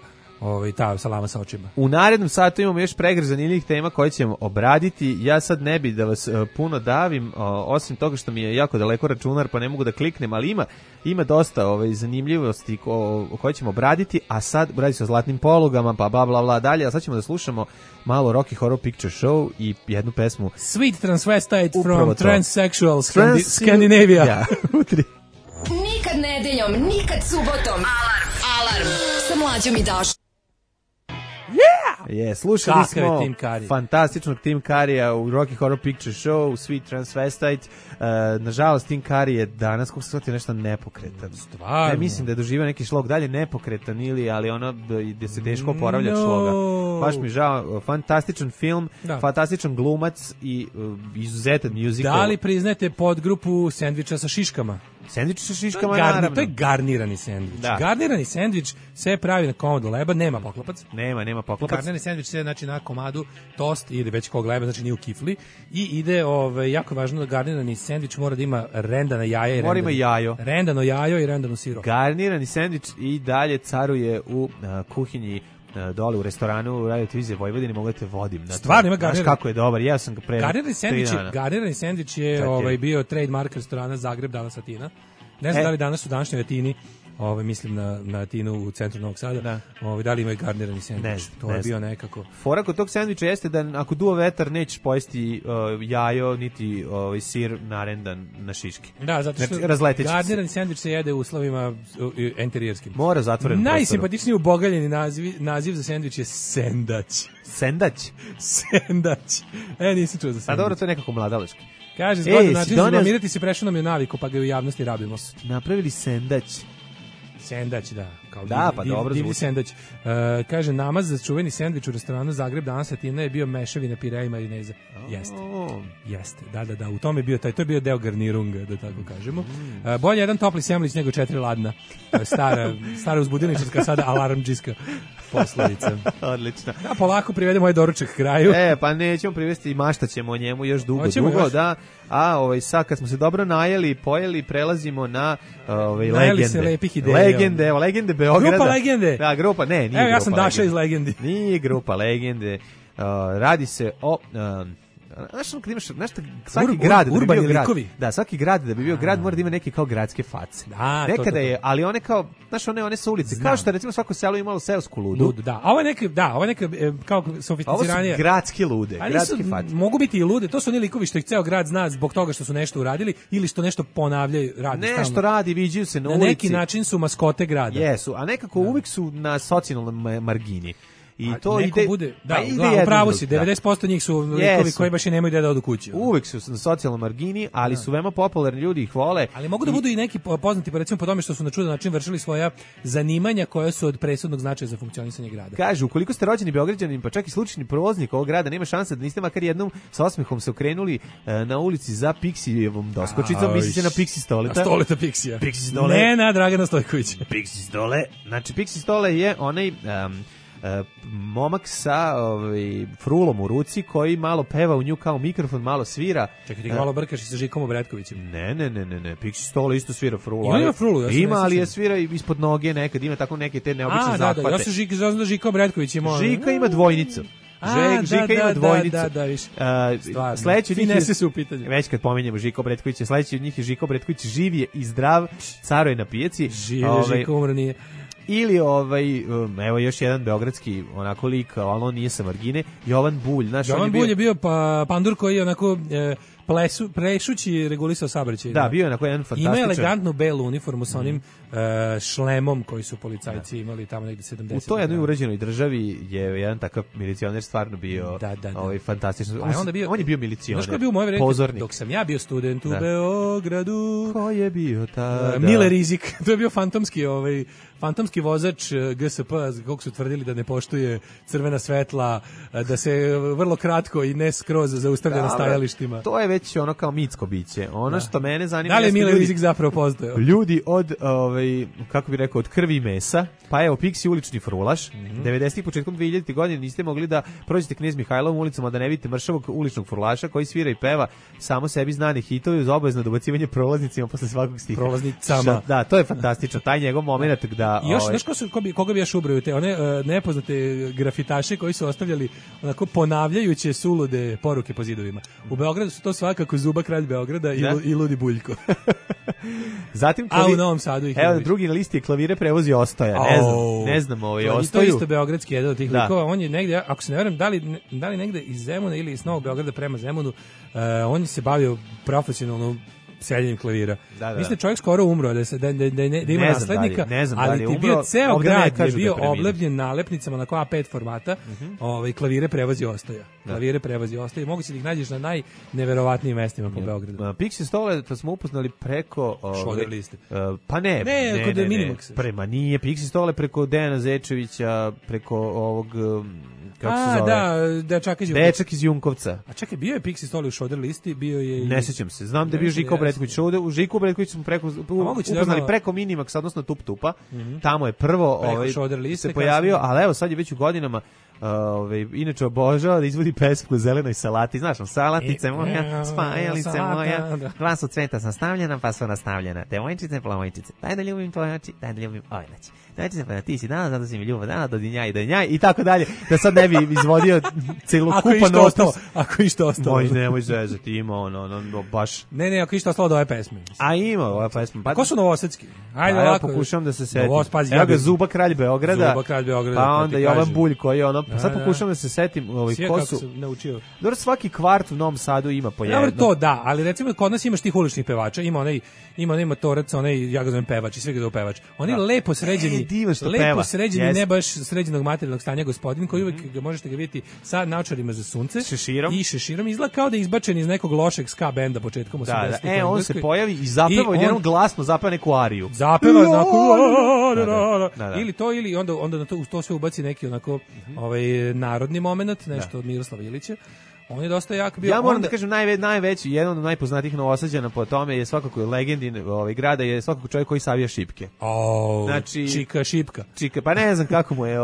ta salama sa očima. U narednom satu imamo još pregršt zanimljivih tema koje ćemo obraditi. Ja sad ne bi da vas puno davim, osim toga što mi je jako daleko računar pa ne mogu da kliknem, ali ima dosta zanimljivosti koje ćemo obraditi, a sad radi se o zlatnim polugama, pa bla bla bla dalje, a sad ćemo da slušamo malo Rocky Horror Picture Show i jednu pesmu Sweet Transvestite from Transsexual Scandinavia. Ja. Nikad nedeljom, nikad subotom. Alarm sa Mlađom i Daškom. Slušali smo fantastičnog Tim Currya u Rocky Horror Picture Show, Sweet Transvestite. Nažalost, Tim Curry je danas, kako se shvatio, nešto nepokretan. Stvarno? Ne, mislim da je doživio neki šlog, dalje nepokretan ali gde se teško oporavlja šloga. Baš mi žao, fantastičan film, fantastičan glumac i izuzetan musical. Da li priznajete podgrupu sendviča sa šiškama? Sendvič sa šiškama, naravno. To je garnirani sendvič. Garnirani sendvič se pravi na komadu leba, nema poklopac. Nema poklopac. Garnirani sendvič se znači na komadu tost ili već kog leba, znači nije u kifli. I ide, jako važno da garnirani sendvič mora da ima rendana jaja i rendano jajo i rendano siro. Garnirani sendvič i dalje caruje u kuhinji dole u restoranu u Radio Televizije Vojvodine, mogu da te vodim. Stvarno ima garnirani. Znaš kako je dobar, ja sam ga pre 3 dana. Garnirani sendvič je bio trademark restorana Zagreb, danas Atina. Ne znam da li danas u današnjoj Atini, mislim na Atinu u centru Novog Sada, da li imaju garnirani sendvič. To je bio nekako. Fora kod tog sendviča jeste da ako duva vetar nećeš pojesti jajo niti sir narendan na šiške. Da, zato što garnirani sendvič se jede u uslovima enterijerskim. Mora zatvoren prostor. Najsimpatičniji ubogaljeni naziv za sendvič je sendać. Sendać? Sendać. Nisam čuo za sendvič. A dobro, to je nekako mladalački. Kaže, zgodan način zblamirati se, prešao nam je naviku, pa ga u javnosti rabimo. Napravili sendać. Sendać, da. Kao dobro divni sendać. Kaže, namaz za čuveni sendvič u restoranu Zagreb danas Atina je bio mešavina pirea i marineza. Jeste. Da. U tome je bio to je bio deo garnirunga, da tako kažemo. Bolje jedan topli semlić nego 4 ladna. Stara uzbudilničarska, sada alarmdžijska poslovica. Odlično. Da, polako privedemo ovaj doručak kraju. Pa nećemo privesti i maštaćemo o njemu još dugo, da. A sad kad smo se dobro najeli, pojeli, prelazimo na legende. Se lepih ideja. Legende Beograda. Grupa Legende. Da, grupa, nije grupa. Ja sam Daša iz Legendi. Nije grupa Legende. Radi se o znaš kad imaš, svaki grad da bi bio grad, da, svaki grad da bi bio grad mora da ima neke kao gradske face. Da, nekada je, ali one kao, znaš, one su ulice, kao što recimo svako selo imalo seosku ludu. Da, a ovo je neke kao sofisticiranije. Ovo su gradske lude, gradske face. Mogu biti i lude, to su oni likovi što ih ceo grad zna zbog toga što su nešto uradili ili što nešto ponavljaju, radi stalno. Nešto radi, viđaju se na ulici. Na neki način su maskote grada. Jesu, a nekako uvijek su na socijalnoj margini. I to ide bude, upravo si, 90% njih su likovi koji baš i nemaju ideja da odu kući. Uvek su na socijalnoj margini, ali su veoma popularni, ljudi ih vole. Ali mogu da budu i neki poznati, pa recimo po tome što su na čudan način vršili svoja zanimanja koja su od presudnog značaja za funkcionisanje grada. Kažu, ukoliko ste rođeni Beograđanin, pa čak i slučajni prolaznik ovog grada, nema šanse da niste makar jednom sa osmehom se okrenuli na ulici za Pixijevom doskočicom, misli se na Pixi Stoleta. Stoleta Pixija. Pixi Stole. Ne na Dragana Stojkovića. Pixi Stole. Znači, Pixi Stole je onaj momak sa frulom u ruci koji malo peva u nju kao mikrofon, malo svira. Čekaj, ti malo brkaš i sa Žikom Obretkovićem. Ne. Pixi Stole isto svira frulu. Ima frulu, ima, ali je svira ispod noge nekad, ima tako neke te neobične zahvate. Da, ja sam Žika Obretković ima. Žika ima dvojnicu. Žika ima dvojnicu. Da, više. Sledeći od njih finese su u pitanju. Već kad pominjemo Žika Obretkovića, sledeći od njih je Žika Obretković, živ je i zdrav, caruje na pijaci. Živ je, Žika umro nije. Ili evo još jedan beogradski onako lik, ali on nije sa margine, Jovan Bulj. Jovan Bulj je bio pandur koji je onako prešući regulisao saobraćaj. Da, bio je onako jedan fantastičan. Ima elegantnu belu uniformu sa onim šlemom koji su policajci imali tamo negde 70. U toj jednoj uređenoj državi je jedan takav milicioner stvarno bio fantastičan. On je bio milicioner. Znaš ko je bio u moje vreme? Dok sam ja bio student u Beogradu. Ko je bio tada? Mile Rizik. To je bio fantomski vozač GSP, kako su tvrdili da ne poštuje crvena svetla, da se vrlo kratko i ne skroz zaustavlja na stajalištima. To je već ono kao mitsko biće. Ono što mene zanima... Da li je Mile Rizik zapravo postojao? Ljudi od, kako bih rekao, od krvi i mesa, pa evo, Pixi ulični frulaš, 90-ih početkom 2000. godine niste mogli da prođete Knez Mihajlovom ulicom, a da ne vidite mršavog uličnog frulaša koji svira i peva samo sebi znani hitovi uz obavezno dobacivanje prolaznicima posle svakog stiha. Prolaznicama. Da, to je fantastično. Taj njegov moment da... I još, znaš koga bi još ubraju? Te one nepoznate grafitaše koji su ostavljali onako ponavljajuće sulude poruke po zidovima. U Beogradu su to svakako Zuba, kralj Beograda i Ludi Buljko. Zatim a u Novom Sadu ih evo, drugi na listi je Klavire prevozi Ostoja. Ne znam Ostaju. To je isto beogradski jedan od tih likova. On je negde, ako se ne verujem, da li negde iz Zemuna ili iz Novog Beograda prema Zemunu, on se bavio profesionalno seljenjem klavira. Mislim da čovjek skoro umro, da ima naslednika, ali ti bio ceo grad je bio oblepljen nalepnicama na A5 formata, Klavire prevozi Ostoja. Klavire prevozi Ostoja. Mogu se da ih nađeš na najneverovatnijim mestima po Beogradu. Pixi Stole, to smo upoznali preko... Šoder liste. Pa ne. Kod Minimaxa. Prema nije. Pixi Stole preko Dejana Zečevića, preko ovog... kako se zove? Dečak iz Junkovca. A čekaj, bio je Pixi Stole u Šoder listi, bio je... Ne sećam se. Znam da je bio Žiko Obretković. U Žiku Obretković smo upoznali preko Minimaxa, odnosno Tup Tupa. Tamo je prvo se pojavio, ali evo sad je već u godinama inače obožava da izvodi pesmu o zelenoj salati. Znaš, salatice moja, spajalice moja, dva su cveta sastavljena, pa su nastavljena. Devojčice, plavojčice, daj da ljubim tvoje oči, daj da ljubim ove noći. Devojčice, pa ti si dana, zato si mi ljubav dana, do dinjaj, i tako dalje. Da sad ne bi izvodio celokupan opus. Ako išto ostalo. Nemoj zezati, ima ono, baš... Ne, ako išto ostalo do ove pesme. A ima ove pesme. Ko su novosadski? Ajde, ovako. Pokušam da se setim. Evo ga Zuba, kralj Beograda. Pa onda Jovan Bulj, koji je ono... Sad pokušam da se setim ko su... Dobro, svaki kvart u Novom Sadu ima po jedno. Dobro, to da, ali recimo kod nas imaš tih uličnih pevača, ima onaj motorac, ja ga zovem pevač i sve ga zove pevač. On je lepo sređeni, ne baš sređenog materijalnog stanja gospodin, koji uvek možete ga vidjeti sa naočarima za sunce. I šeširom izgleda kao da je izbačen iz nekog lošeg ska benda početkom 80-ih. On se pojavi i zapeva jednom glasno, zapeva neku ariju. Zapeva ili to, ili onda na to sve ubaci neki onako narodni moment, nešto od Miroslava Ilića. On je dosta jak bio. Ja moram da kažem najveći, jedan od najpoznatijih Novosađana po tome je svakako legendin grada, je svakako čovjek koji savija šipke. Znači Čika Šipka. Pa ne znam kako mu je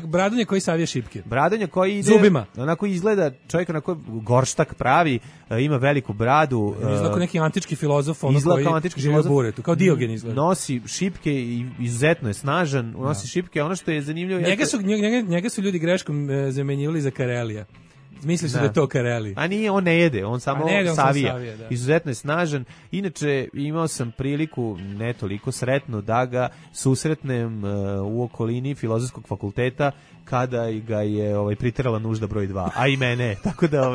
Bradonja koji savija šipke. Bradonja koji ide zubima. Onako izgleda čovjek onako gorštak pravi, ima veliku bradu. Izgleda kao neki antički filozof, koji živi u buretu, kao Diogen izgleda. Nosi šipke i izuzetno je snažan, nosi šipke, ono što je zanimljivo. Njega su ljudi greškom zamenjivali za Karelija. Misli su da je to Kareli. A nije, on ne jede, on samo savija. Da. Izuzetno je snažan. Inače, imao sam priliku, ne toliko sretno, da ga susretnem u okolini Filozofskog fakulteta kada ga je priterala nužda broj 2, a i mene. Tako da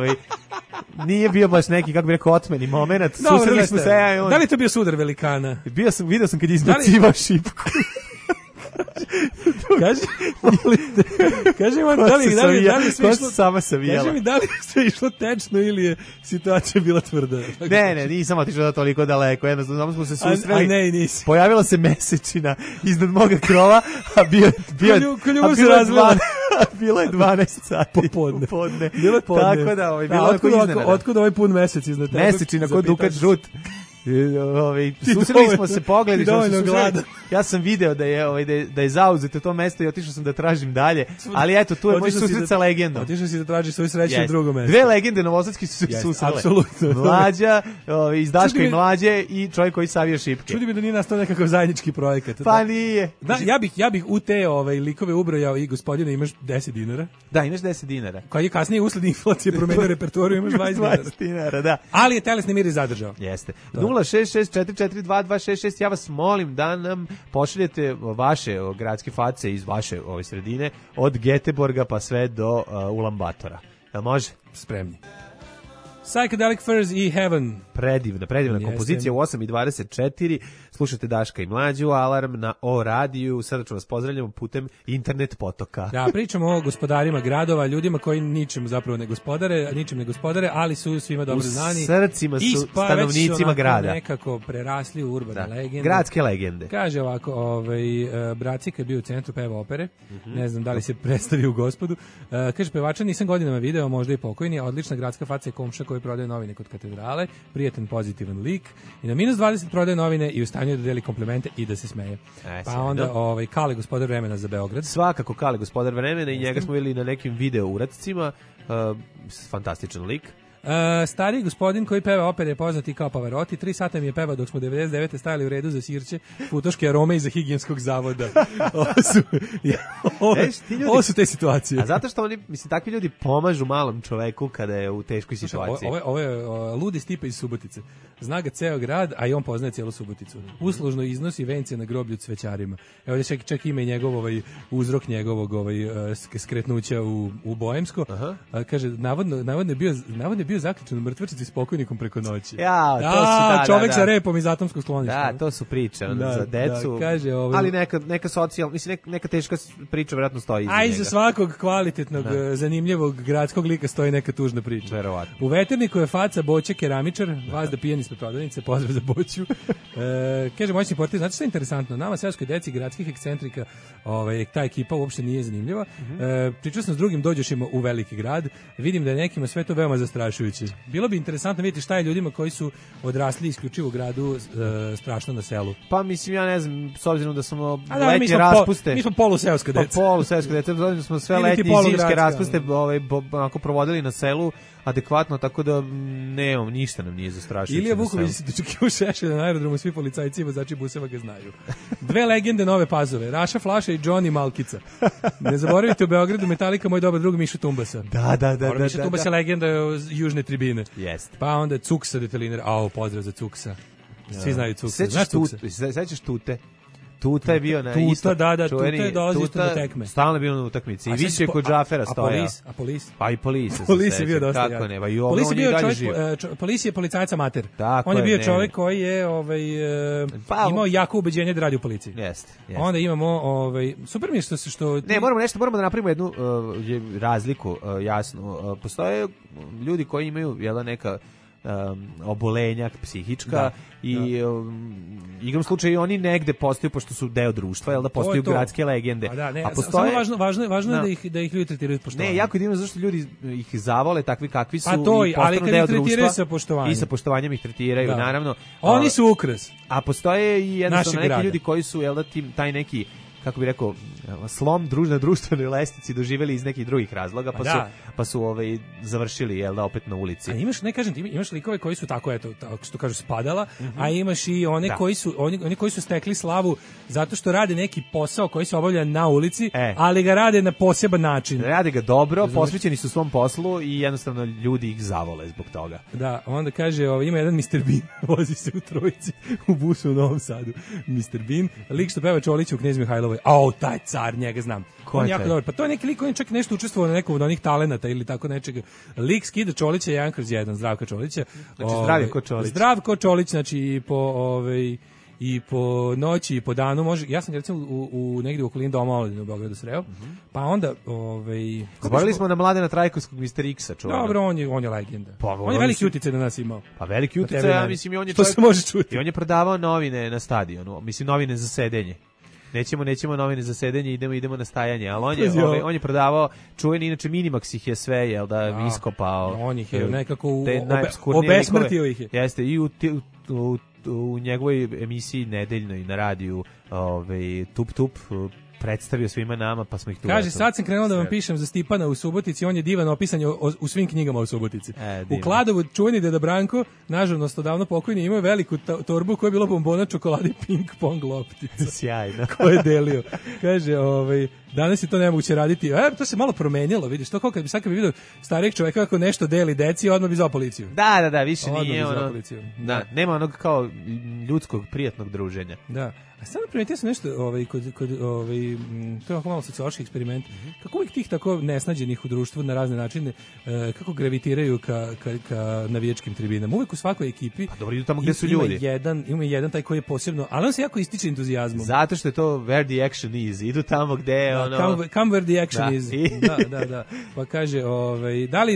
nije bio baš neki, kako bi rekao, otmeni moment. Susreli smo se, ja i on. Da li je to bio sudar velikana? Vidio sam kad je izbacivao šipku. Kaži vam, da li sve išlo sama savijala. Kaži mi, da li sve išlo tečno ili je situacija bila tvrda? Ne, nisam otišao da toliko daleko, jednostavno smo se susreli. Ne, i nisi. Pojavila se mesečina iznad moga krova, a bilo je 12 sati. Popodne. Bilo je podne. Tako da, bilo je iznenada. Otkud ovaj pun mesec iznad tebe? Mesečina kod Dukat žut. Susreli smo se, pogledi što se susreli. Ja sam video da je zauzeto to mesto i otišao sam da tražim dalje, ali eto, tu je moj susret sa legendom. Otišao si da tražiš svoju sreću na drugom mestu. Dve legende novosadski su se susrele. Apsolutno. Mlađa, iz Daška i Mlađe i čovjek koji savija šipke. Čudi mi da nije nastao nekakav zajednički projekat. Pa nije. Da, ja bih u te likove ubrojao i gospodine, imaš 10 dinara. Da, imaš 10 dinara. Kad je kasnije usled inflacije promenio repertoariju, imaš 20 dinara, da. Ali je telesni mir zadržao. Jeste. 066442266, ja vas molim da nam pošaljete vaše gradske face iz vaše ove sredine, od Geteborga pa sve do Ulambatora. Jel može? Spremni. Psychedelic Furs i Heaven. Predivna kompozicija u 8:24. Slušate Daška i Mlađu, Alarm na O radiju. Srdačno vas pozdravljamo putem internet potoka. Da, pričamo o gospodarima gradova, ljudima koji ničim ne gospodare, ali su svima dobro znani. U srcima su stanovnicima grada. Nekako prerasli u urbane legende. Gradske legende. Kaže ovako, Bracika je bio u centru peva opere, ne znam da li se predstavio u Gospodu. Kaže, pevača nisam godinama video, možda i pokojni, odlična gradska faca i komša koji prodaje novine kod katedrale, prijatan pozitivan lik i na -20 prodaje novine i u stanju da deli komplimente i da se smeje. Pa onda Kale gospodar vremena za Beograd. Svakako Kale gospodar vremena i njega smo videli na nekim video uradcima. Fantastičan lik. Stari gospodin koji peva opere je poznat i kao Pavarotti. 3 sata mi je pevao dok smo 99. stajali u redu za sirće, futoške arome iza higijenskog zavoda. Ovo su te situacije. A zato što oni, takvi ljudi pomažu malom čoveku kada je u teškoj situaciji. Ovo je ludi Stipe iz Subotice. Zna ga ceo grad, a i on poznaje cijelu Suboticu. Uslužno iznosi vence na groblju cvećarima. Evo ovdje čak ima i njegov uzrok njegovog skretnuća u Boemsko. Kaže, navodno je bio zaključen u mrtvačnici s pokojnikom preko noći. Čovek sa repom iz atomskog skloništa. Da, to su priče za decu. Kaže, ali neka socijalna, neka teška priča vjerojatno stoji iza njega. A iza svakog kvalitetnog, zanimljivog gradskog lika stoji neka tužna priča. Verovatno. U Veterniku je faca Boća keramičar, vas da pijeni ispred prodavnice, pozdrav za Boću. Kaže, moćni portir, znate što je interesantno? Nama, seoskoj deci, gradskih ekscentrika, ta ekipa uopšte nije zanimljiva. Pričao sam s drugim dođošima u veliki grad, vidim da je nekima sve to veoma zastrašujuće. Bilo bi interesantno vidjeti šta je ljudima koji su odrasli isključivo u gradu strašno na selu. Pa mislim, ja ne znam, s obzirom da smo letnje raspuste... Mi smo poluseoska deca. Poluseoska deca, da smo sve letnje i zimske raspuste provodili na selu adekvatno, tako da nemam, ništa nam nije zastrašujuće. Ilija Vuković se dočekio Šešelja na aerodromu, svi policajci i vozači buseva ga znaju. 2 legende Nove Pazove, Raša Flaša i Johnny Malkica. Ne zaboravite u Beogradu Metallica, moj dobar drug Miša Tumbasa. Da. Miša Tumbasa je legenda južne tribine. Jeste. Pa onda Cuksa deteliner, pozdrav za Cuksa. Svi znaju Cuksa. Sećaš Tute? Tuta je bio na isto. Tuta je dolazio isto na tekme. Stalno je bio na utakmici. I više kod Džafera stoja. A Polis? Pa i Polis. Polis je bio dosta jak. Polis je policajac amater. On je bio čovjek koji je imao jako ubeđenje da radi u policiji. Jeste. Onda imamo, super mi je što... Ne, moramo da napravimo jednu razliku, jasno. Postoje ljudi koji imaju neka obolenja psihička i igram slučaju oni negde postaju, pošto su deo društva, da postaju gradske legende. A postoje, samo važno je da ih ljudi tretiraju s poštovanjem. Ne, jako je divno zašto ljudi ih zavole takvi kakvi su i postanu deo društva i sa poštovanjem ih tretiraju, naravno. Oni su ukras. A postoje i jednostavno neki ljudi koji su taj neki, kako bi rekao, slom na društvenoj lestvici doživeli iz nekih drugih razloga, pa su završili, jel da, opet na ulici. A imaš, ne kažem ti, imaš likove koji su tako, eto, tako što kažu spadala, a imaš i one koji su stekli slavu zato što rade neki posao koji se obavlja na ulici, ali ga rade na poseban način. Rade ga dobro, posvećeni su svom poslu i jednostavno ljudi ih zavole zbog toga. Da, onda kaže, ima jedan Mr. Bean, vozi se u trojici u busu u Novom Sadu. Mr. Bean, lik što peva Čolića u Knez Mihajlovoj. Taj car, njega znam. On je jako dobar. Pa to je neki lik, on je čak nešto učestvovao na nekom od onih talenata ili tako nečega. Lik skida Čolića 1/1, Zdravka Čolića. Znači zdrav ko Čolić. Zdrav ko Čolić, znači i po noći i po danu može. Ja sam recimo u negdje u okolini doma Omladine u Beogradu sreo. Pa onda zaboravili smo na Mladena Trajkovskog Mr. X-a, čovjek. Dobro, on je legenda. On je veliki uticaj na nas imao. Pa veliki uticaj, ja mislim, i on je čovjek, se može čuti. I on je prodavao novine na stadionu, mislim novine za sedenje. Nećemo novine za sedenje, idemo na stajanje, ali on je prodavao čuveni, inače Minimax ih je sve, jel da, iskopao. On ih je nekako obesmrtio ih je. Jeste, i u njegovoj emisiji nedeljnoj na radiju, Tup predstavio svima nama, pa smo ih tu. Kaže, sad sam krenuo da vam pišem za Stipana u Subotici, on je divan opisan u svim knjigama u Subotici. U Kladovu čuveni deda Branko, nažalost odavno pokojni, imao veliku torbu koja je bila bombona, čokolade i ping pong loptica. Sjajno. Ko je delio. Kaže, danas je to nemoguće raditi. To se malo promenilo, vidiš, to kao kad bi vidio starijeg čoveka kako nešto deli deci, odmah bi zvao policiju. Da, više nije ono. Da, nema onog kao ljudskog, prijatnog druženja. Da. A samo primetio sam nešto, to je ovako malo sociološki eksperiment, kako uvijek tih tako nesnađenih u društvu na razne načine, kako gravitiraju ka navijačkim tribinama. Uvijek u svakoj ekipi dobro, idu tamo gde su ljudi. Ima jedan taj koji je posebno, ali on se jako ističe entuzijazmom. Zato što je to where the action is. Idu tamo gde come where the action is. Da. Pa kaže,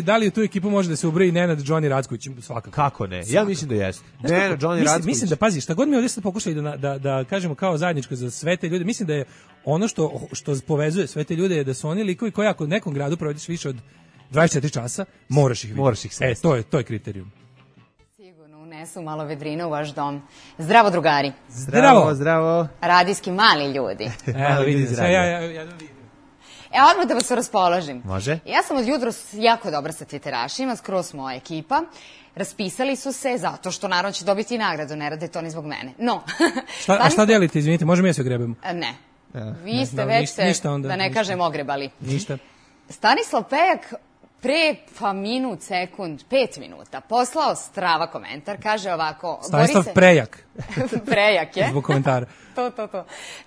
da li u tu ekipu može da se ubroji Nenad Johnny Racković? Svakako. Kako ne? Ja mislim da jeste. Nenad Johnny Racković. Mislim da, pazi, šta god mi ovdje sad pokušali da kažemo kao zajedničko za sve te ljude, mislim da je ono što povezuje sve te ljude je da su oni likovi koji ako u nekom gradu provediš više od 24 časa, moraš ih vidjeti. Moraš ih sresti. To je kriterijum. Sigurno unesu malo vedrine u vaš dom. Zdravo, drugari. Zdravo. Radijski mali ljudi. Evo vidi, ja vidim. Odmah da vas raspoložim. Može. Ja sam od jutros jako dobra sa Twitterašima, skroz moja ekipa. Raspisali su se zato što naravno će dobiti nagradu, ne rade to ni zbog mene. No. A šta delite, izvinite, možemo ja se ogrebemo? Ne. Vi ste već se, da ne kažem, ogrebali. Ništa. Stanislav Pejak pre 5 minuta poslao strava komentar, kaže ovako... Stanislav Prejak. Prejak je. Zbog komentara. To.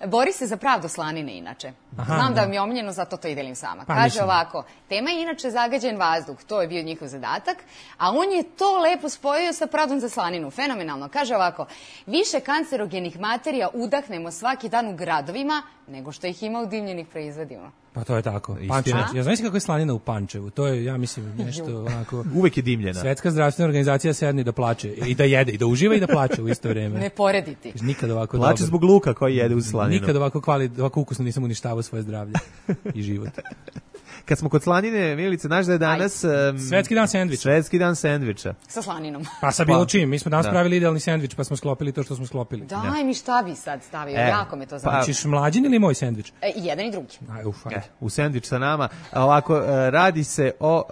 Bori se za pravdu Slanine, inače. Znam da vam je omiljeno, zato to i delim sama. Kaže ovako, tema je inače zagađen vazduh, to je bio njihov zadatak, a on je to lepo spojio sa pravdom za Slaninu. Fenomenalno. Kaže ovako, više kancerogenih materija udahnemo svaki dan u gradovima nego što ih ima u dimljenih proizvodima. Pa to je tako. Ja znam kako je Slanina u Pančevu. To je, ja mislim, nešto onako... Uvek je dimljena. Svetska zdravstvena organizacija sedne da plače. I da jede, i da uživa i da plače u isto vreme. Ne porediti. Nikad ovako plače zbog luka koji jede u Slaninu. Nikad ovako ukusno nisam uništavao svoje zdravlje i život. Kad smo kod Slanine, Milice, znaš da je danas... Svetski dan sendviča. Svetski dan sendviča. Sa slaninom. Pa sa bilo čim. Mi smo danas pravili idealni sendvič, pa smo sklopili to što smo sklopili. Daj mi šta bi sad stavio, jako me to znači. Ćeš mlađin ili moj sendvič? I jedan i drugi. U sendvič sa nama. Ovako, radi se o...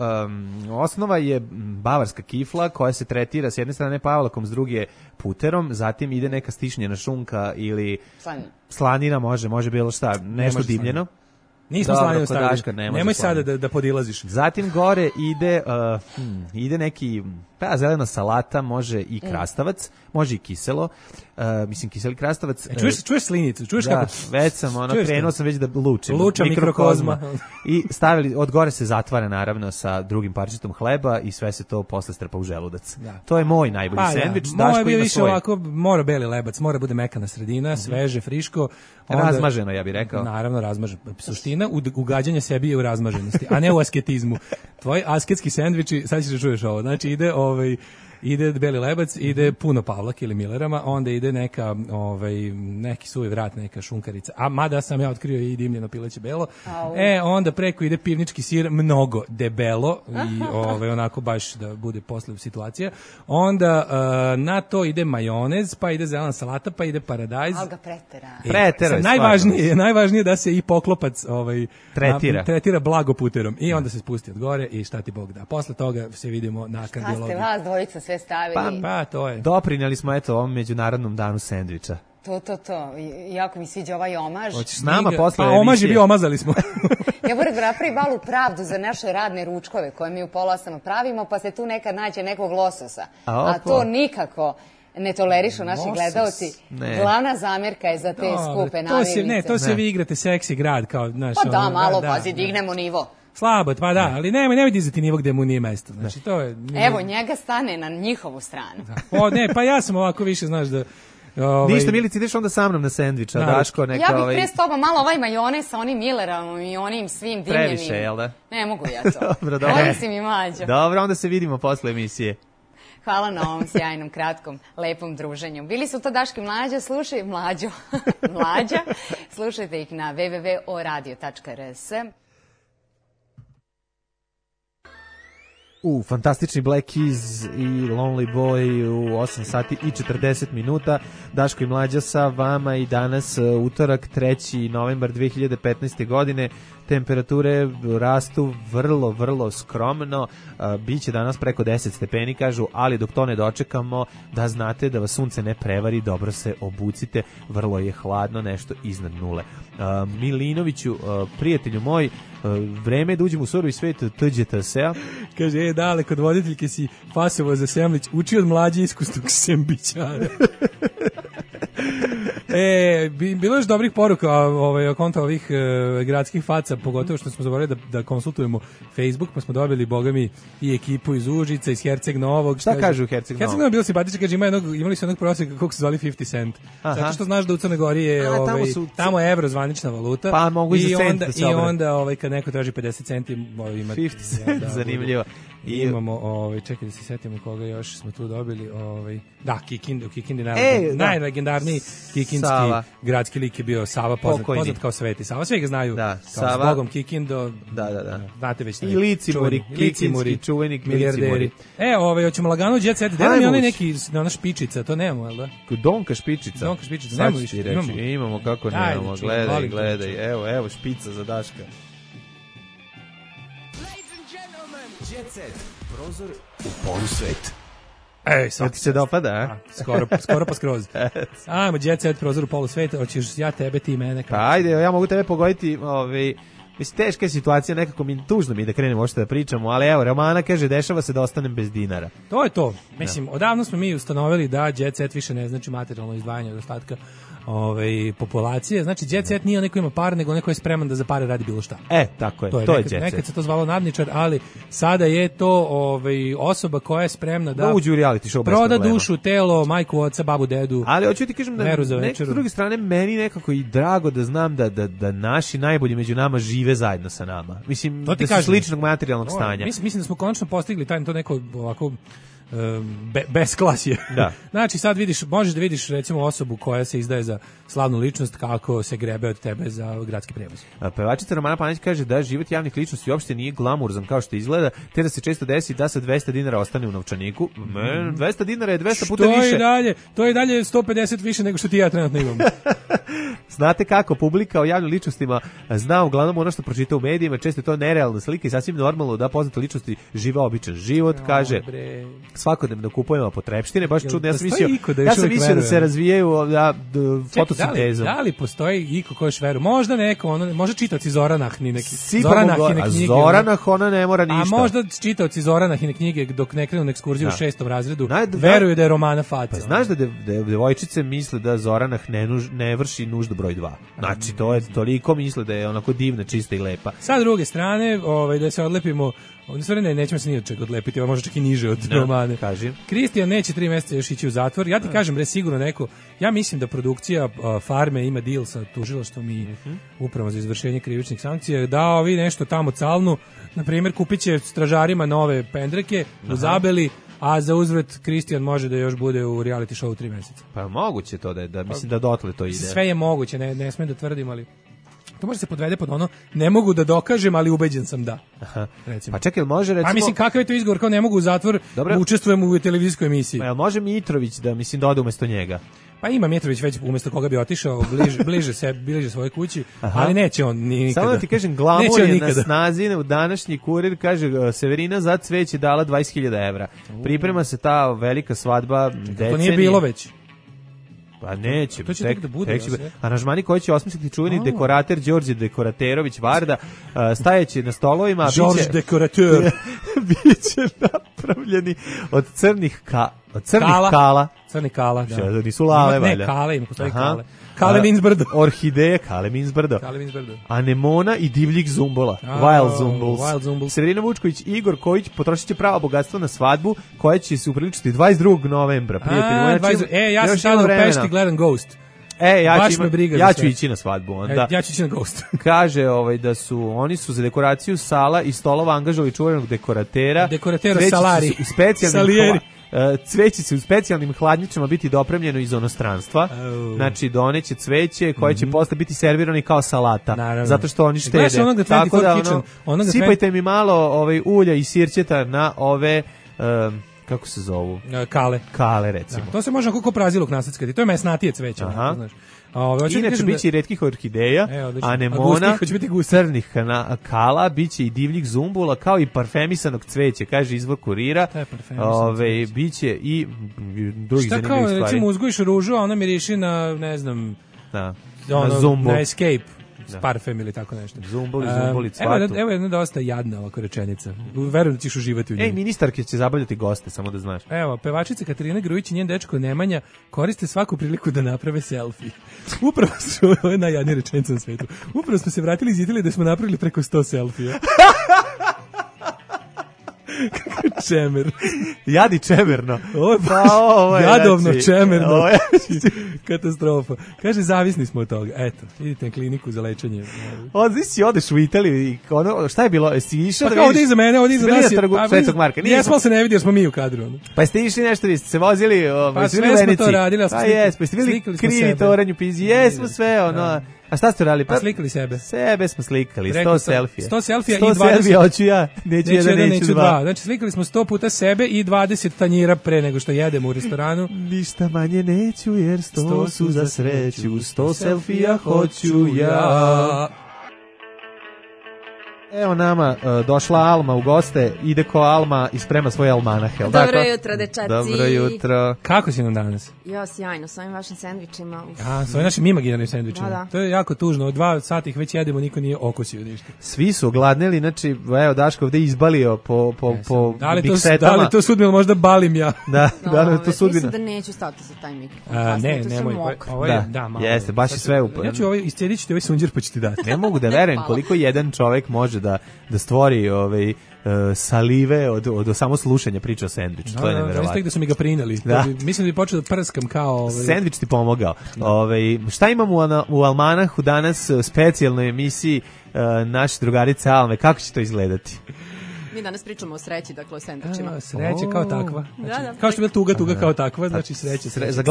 osnova je bavarska kifla koja se tretira s jedne strane pavlakom, s druge puterom, zatim ide neka stišnjena šunka ili... Slanina može bilo šta, nešto dimljeno. Nismo Slaninu stavili. Nemoj sada da podilaziš. Zatim gore ide neki zelena salata, može i krastavac, može i kiselo. Mislim, kiseli krastavac. Čuješ slinicu? Čuješ kako? Već sam, krenuo sam već da lučim. Luča mikrokozma. I stavili, od gore se zatvara naravno sa drugim parčetom hleba i sve se to posle strpa u želudac. To je moj najbolji sendvič. Moj je bio više ovako, mora beli lebac, mora bude mekana sredina, sveže, friško. Razmaženo, ja bih rekao. Naravno, razmaženo. Suština ugađanja sebi je u razmaženosti, a ne u asketizmu. Tvoji asketski sendviči, sad ćeš da čuješ ovo, znači ide ide Beli lebac, ide puno Pavlaka ili Millerama, onda ide neka, neki suvi vrat, neka šunkarica, a mada sam ja otkrio i dimljeno pileće belo, onda preko ide pivnički sir, mnogo debelo, i onako baš da bude posle situacija, onda na to ide majonez, pa ide zelena salata, pa ide paradajz. Ali ga pretera. Najvažnije da se i poklopac tretira blagoputerom i onda se spusti od gore i šta ti Bog da. Posle toga se vidimo na kardiologiji. Šta ste vas dvojica sve stavili? Pa to je. Doprinjeli smo ovom međunarodnom danu sendviča. To. Jako mi sviđa ovaj omaž. Hoćeš s nama posle emisije? Omaž je bio, omazali smo. Ja moram da napravim malu pravdu za naše radne ručkove koje mi u pola 8 pravimo, pa se tu nekad nađe nekog lososa. A to nikako ne tolerišu naši gledaoci. Glavna zamjerka je za te skupe namirnice. To se vi igrate seksi grad. Kao, naš, pa da, malo pazi, dignemo nivo. Slabo, pa da, ali nemoj dizati nivo gde mu nije mesto. Znači, to je... Evo, njega stane na njihovu stranu. Pa ja sam ovako više, znaš, da... Ništa, Milici, ideš onda sa mnom na sendvič, a Daško neka... Ja bih pre s tobom malo ovaj majonez sa onim Millerom i onim svim dimljenim. Previše, jel da? Ne mogu ja to. Dobro. Ovo si mi mlađo. Dobro, onda se vidimo posle emisije. Hvala na ovom sjajnom, kratkom, lepom druženju. Bili su to Daški Mlađa, Mlađa. Slušajte ih na www.oradio.rs. Fantastični Black Keys i Lonely Boy u 8 sati i 40 minuta. Daško i Mlađa sa vama i danas utorak 3. novembar 2015. godine. Temperature rastu vrlo, vrlo skromno. Biće danas preko 10 stepeni, kažu, ali dok to ne dočekamo, da znate da vas sunce ne prevari, dobro se obucite, vrlo je hladno, nešto iznad nule. Milinoviću, prijatelju moj, vreme je da uđemo u surovi svet TGTS-a. Kaže, dale, kod voditeljke si fasovo za Semlić, uči od Mlađe iskusnog sembićara. Bilo je još dobrih poruka o konta ovih gradskih faca, pogotovo što smo zaboravili da konsultujemo Facebook, pa smo dobili, boga mi, i ekipu iz Užica, iz Herceg Novog. Šta kažu u Herceg Novog? Herceg Novog je bilo simpatično, kaže, imali su jednog prosjeka kako se zvali 50 cent. Zato što znaš da u Crnoj Gori je tamo je evro zvanična valuta. Pa mogu i za cent da se obrati. I onda kad neko traži 50 centi, ima 50 cent, zanimljivo. I imamo, čekaj da se setimo koga još smo tu dobili, da, Kikindi, najlegendarniji kikindski gradski lik je bio Sava, poznat kao Sveti Sava, svi ga znaju, kao s Bogom Kikindo, znate već i Licimuri, kikinski čuvenik milijarderi. Hoćemo lagano Jet Set, da mi onaj neki, ona špičica, to nemamo, jel da? Donka špičica, nemamo više, imamo kako nemamo, gledaj, evo špica za Daška. Jet Set, prozor u polusvet. Sad ti se dopada, a? Skoro pa skroz. Ajmo, Jet Set, prozor u polusvet, hoćeš ja tebe, ti mene. Pa ajde, ja mogu tebe pogoditi, mislim, teška je situacija, nekako tužno mi da krenemo ošte da pričamo, ali evo, Romana kaže, dešava se da ostanem bez dinara. To je to. Mislim, odavno smo mi ustanovili da Jet Set više ne znači materijalno izdvajanje od ostatka populacije. Znači, Jet Set nije onaj ko ima par, nego onaj ko je spreman da za pare radi bilo šta. Tako je, to je Jet Set. Nekad se to zvalo nadničar, ali sada je to osoba koja je spremna da uđe u reality show proda dušu, telo, majku, oca, babu, dedu. Ali hoću ti kažem da s druge strane meni nekako i drago da znam da naši najbolji među nama žive zajedno sa nama. Mislim, da su sličnog materijalnog stanja. Mislim da smo konačno postigli to neko ovako besklasje. Da. Znači sad možeš da vidiš recimo osobu koja se izdaje za slavnu ličnost kako se grebe od tebe za gradski prevoz. Pevačica Romana Panić kaže da život javnih ličnosti uopšte nije glamurzan kao što izgleda, te da se često desi da sa 200 dinara ostane u novčaniku. 200 dinara je 200 puta više. To je dalje 150 više nego što ti ja trenutno imam. Znate kako, publika o javnim ličnostima zna uglavnom ono što pročita u medijima, često je to nerealna slika i sasvim normalno da poznate ličnosti žive običan život, kaže. Svakodnevno kupujemo potrepštine, baš čudno. Ja sam mislio da se razvijaju fotosintezom. Da li postoji iko ko još veruje? Možda neko, možda čitaoci Zoranahine knjige. Zoranah, ona ne mora ništa. A možda čitaoci Zoranahine knjige dok ne krenu na ekskurziju u 6. razredu, veruju da je Romana faca. Pa znaš da devojčice misle da Zoranah ne vrši nuždu broj 2. Znači, to je toliko misle da je onako divna, čista i lepa. Sa druge strane, da se odlepimo, nećemo se ni od čega odlepiti, možda čak i niže od Romane. Kristijan neće 3 mjeseca još ići u zatvor. Ja ti kažem, sigurno neko, ja mislim da produkcija Farme ima deal sa tužilaštvom i upravom za izvršenje krivičnih sankcija, da ovi nešto tamo calnu, na primjer kupit će stražarima nove pendreke u Zabeli, a za uzvrat Kristijan može da još bude u reality show 3 meseca. Pa moguće to da mislim da dotle to ide. Sve je moguće, ne smem da tvrdim, ali to može se podvede pod ono, ne mogu da dokažem, ali ubeđen sam da. Aha. Recimo. Pa čekaj, može recimo... A mislim, kakav je to izgovor, kao ne mogu u zatvor, učestvujem u televizijskoj emisiji. Pa može Mitrović da, mislim, da ode umesto njega? Pa ima Mitrović već umesto koga bi otišao, bliže svoje kući, ali neće on nikada. Samo da ti kažem, glamur je na snazi, u današnji Kurir kaže Severina za cveće dala 20.000 evra. Priprema se ta velika svadba decenije. To nije bilo već. Pa neće, to će tek da bude. Aranžmani koji će osmisliti čuveni dekorater Đorđe Dekoraterović Varda, stajeći na stolovima. Đorđe Dekorateur. Biće napravljeni od crnih kala. Crni kala, da. Nisu lale, valjda. Ne, kale, ima postoji kale. Kale means brdo. Orhideje, kale means brdo. Anemona i divljih zumbola. Wild Zumbuls. Severina Vučković i Igor Kojić potrošit će pravo bogatstvo na svadbu koja će se upriličiti 22. novembra. Ja sam sada u Pešti gledam Ghost. Ja ću ići na svadbu onda. Ja ću ići na Ghost. Kaže da oni su za dekoraciju sala i stolova angažovali čuvenog dekoratera. Dekoratera Salari. U specijalnim cveće se u specijalnim hladnjačama biti dopremljeno iz inostranstva. Znači doneće cveće koje će posle biti servirani kao salata. Naravno. Zato što oni štede. Tako da sipajte mi malo ulja i sirćeta na ove kako se zovu? Kale recimo. Da, to se može kako praziluk nasackati. To je mesnatije cveće, znaš. Inače biće i retkih orhideja, anemona, crnih kala, biće i divljih zumbula, kao i parfemisanog cveća, kaže izvor Kurira. Biće i drugih zanimljivih stvari. Šta kao, recimo, uzgojiš ružu, a ona miriši na, ne znam, na zumbu. Na Escape. Parfem ili tako nešto. Zumbuli, cvatu. Evo jedna dosta jadna ovako rečenica. Verujem da ćeš uživati u njoj. Ministarke će zabavljati goste, samo da znaš. Evo, pevačica Katarina Grujić i njen dečko Nemanja koriste svaku priliku da naprave selfie. Upravo su, ovo je najjadnija rečenica na svetu, upravo smo se vratili iz Italije da smo napravili preko 100 selfija. Čemer. Jadi čemerno. Ovo je jadovno čemerno. Katastrofa. Kaže, zavisni smo od toga. Eto, idite na kliniku za lečenje. Znači odeš u Italiju i šta je bilo? Jesi išao da vidiš? Ovdje iza mene, ovdje iza nas je. Svetog Marka. Jesmo se ne vidi jer smo mi u kadru. Pa ste išli nešto, vi ste se vozili pa sve smo to radili. Pa jesmo, jeste bili krivi toranju pizi. Jesmo sve, A šta ste radili? Pa slikali sebe. Sebe smo slikali, 100 selfija. 100 selfija i 20. 100 selfija hoću ja, neću dva. Znači slikali smo 100 puta sebe i 20 tanjira pre nego što jedemo u restoranu. Ništa manje neću jer 100 su za sreću, 100 selfija hoću ja. Evo nama došla Alma u goste, ide ko Alma i sprema svoje almanahe. Dobro jutro, dečaci. Dobro jutro. Kako si nam danas? Ja, sjajno, s ovim vašim sendvičima. S ovim našim imaginarnim sendvičima. Da. To je jako tužno, 2 sata ih već jedemo, niko nije okusio ništa. Svi su ogladneli, znači, evo Daško ovde izbalio po big setama. Da li to sudbino, možda balim ja? Da to sudbino. Mislim da neću stati sa taj mikrofon. Nemoj. Jeste, baš je sve upad. Ja ću iscedit ću ti ovaj sunđer pa ću ti dati. Ne mogu da verujem koliko jedan čovek može da stvori salive od samo slušanja priča o sendviču. To je neverovatno. Tek da su mi ga prineli. Mislim da bi počeo da prskam kao... Sendvič ti pomogao. Šta imamo u Almanahu danas u specijalnoj emisiji naše drugarice Alme? Kako će to izgledati? Mi danas pričamo o sreći, dakle o sendvičima. Sreća kao takva. Znači, kao što je bila tuga kao takva, znači sreća. Za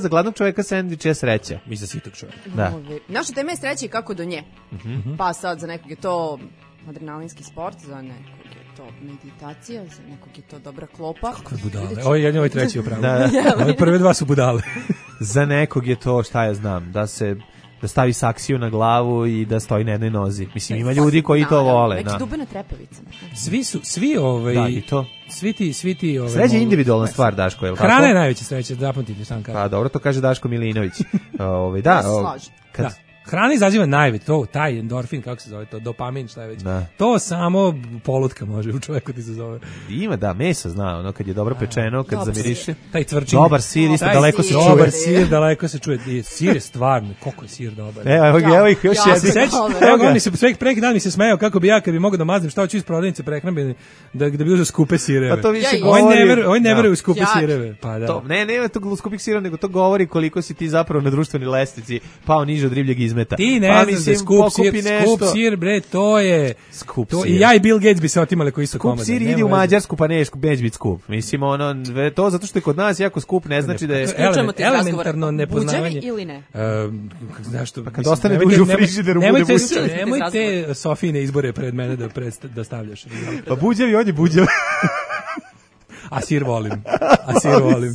gladnog čoveka sendvič je sreća. Mi za sitog čoveka. Da. Naša tema je sreća i kako do nje. Pa sad za nekog je to adrenalinski sport, za nekog je to meditacija, za nekog je to dobra klopa. Kakve budale. Ovo treći upravo. Ove prve dva su budale. Za nekog je to, šta ja znam, da stavi saksiju na glavu i da stoji na jednoj nozi. Mislim, ima ljudi koji to vole. Neki dube na trepavice. Svi Da, i to. Svi ti sreća je individualna stvar, Daško, je li tako? Hrana je najveća sreća, zapamtite sam kažem. Pa dobro, to kaže Daško Milinović. Hrana izaziva najveće, taj endorfin, kako se zove to, dopamin, šta je već. To samo polutka može u čovjeku ti se zove. Ima, meso zna, kad je dobro pečeno, kad zamiriše. Taj tvrčin. Dobar sir, isto daleko se čuje. Dobar sir, daleko se čuje. Sir je stvarno, koliko je sir dobar. Evo ih još jedni. Evo mi se preki dan mi se smejao kako bi ja kad bi mogao da maznem šta hoću iz prodavnice prehrambene da bi uzeo skupe sireve. Pa to više govori. Oni ne veruju u skupe sireve. Pa da. Ne, nema tog skupih sireva, nego to govori koliko si ti zapravo na društvenoj lestvici pao niže od ribljeg izmeta. predmeta. Ti ne pa, znaš da skup sir, bre, to je... Skup to, sir. I ja i Bill Gates bi se otimali koji su komade. Skup sir idi u Mađarsku, pa neće biti skup. Mislim, to zato što je kod nas jako skup, ne znači da je... Elementarno nepoznavanje. Buđevi ili ne? Zašto? Pa kad ostane duže u frižideru, bude buđevi. Nemoj te Sofijine izbore pred mene da stavljaš. Pa buđevi, on je buđev. A sir volim.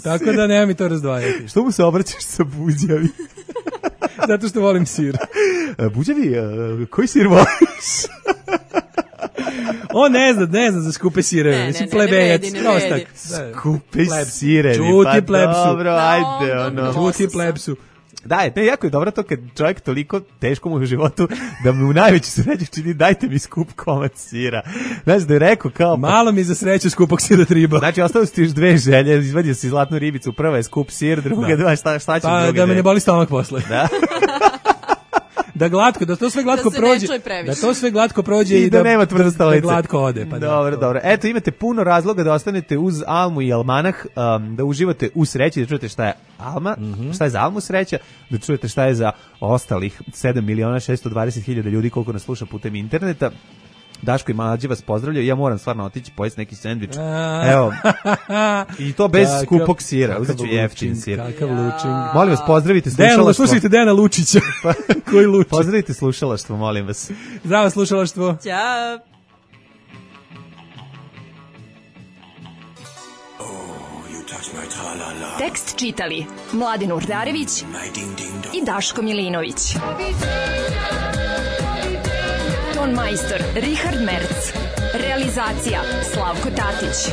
Tako da nema mi to razdvajati. Što mu se obraćaš sa buđevi? Zato što volim sir. Buđevi, koji sir voliš? On ne zna za skupe sireve. Mislim, plebejac. Skupe sirevi. Čuti plebsu. Dobro, ajde. Čuti plebsu. Da, jako je dobro to kad čovjek toliko teško mu u životu da mu u najveću sreću čini dajte mi skup komad sira. Znači da je rekao kao... Malo mi za sreću skupog sira triba. Znači ostalo su ti još 2 želje, izvadio si zlatnu ribicu, prva je skup sir, druga dva, šta će druga? Da me ne boli stomak posle. Da. Da to sve glatko prođe. Da to sve glatko prođe i da nema tvrdosta lice. Da glatko ode. Pa dobro. Eto, imate puno razloga da ostanete uz Almu i Almanah, da uživate u sreći, da čujete šta je Alma, šta je za Almu sreća, da čujete šta je za ostalih 7.620.000 ljudi koliko nas sluša putem interneta. Daško i Mlađe vas pozdravljaju. Ja moram stvarno otići pojesti neki sendvič. Evo. I to bez skupog sira. Uzet ću jeftin sir. Kakav lučing. Molim vas, pozdravite slušalaštvo. Slušajte Dejana Lučića. Koji lučing. Pozdravite slušalaštvo, molim vas. Zdravo slušalaštvo. Ćao. Tekst čitali Mladin Urdarević i Daško Milinović. Ton majstor Richard Merc. Realizacija Slavko Tatić.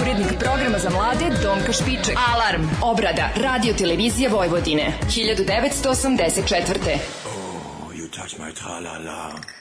Urednik programa za mlade Donka Špiček. Alarm. Obrada Radio Televizije Vojvodine. 1984. Oh, you touch my tra-la-la.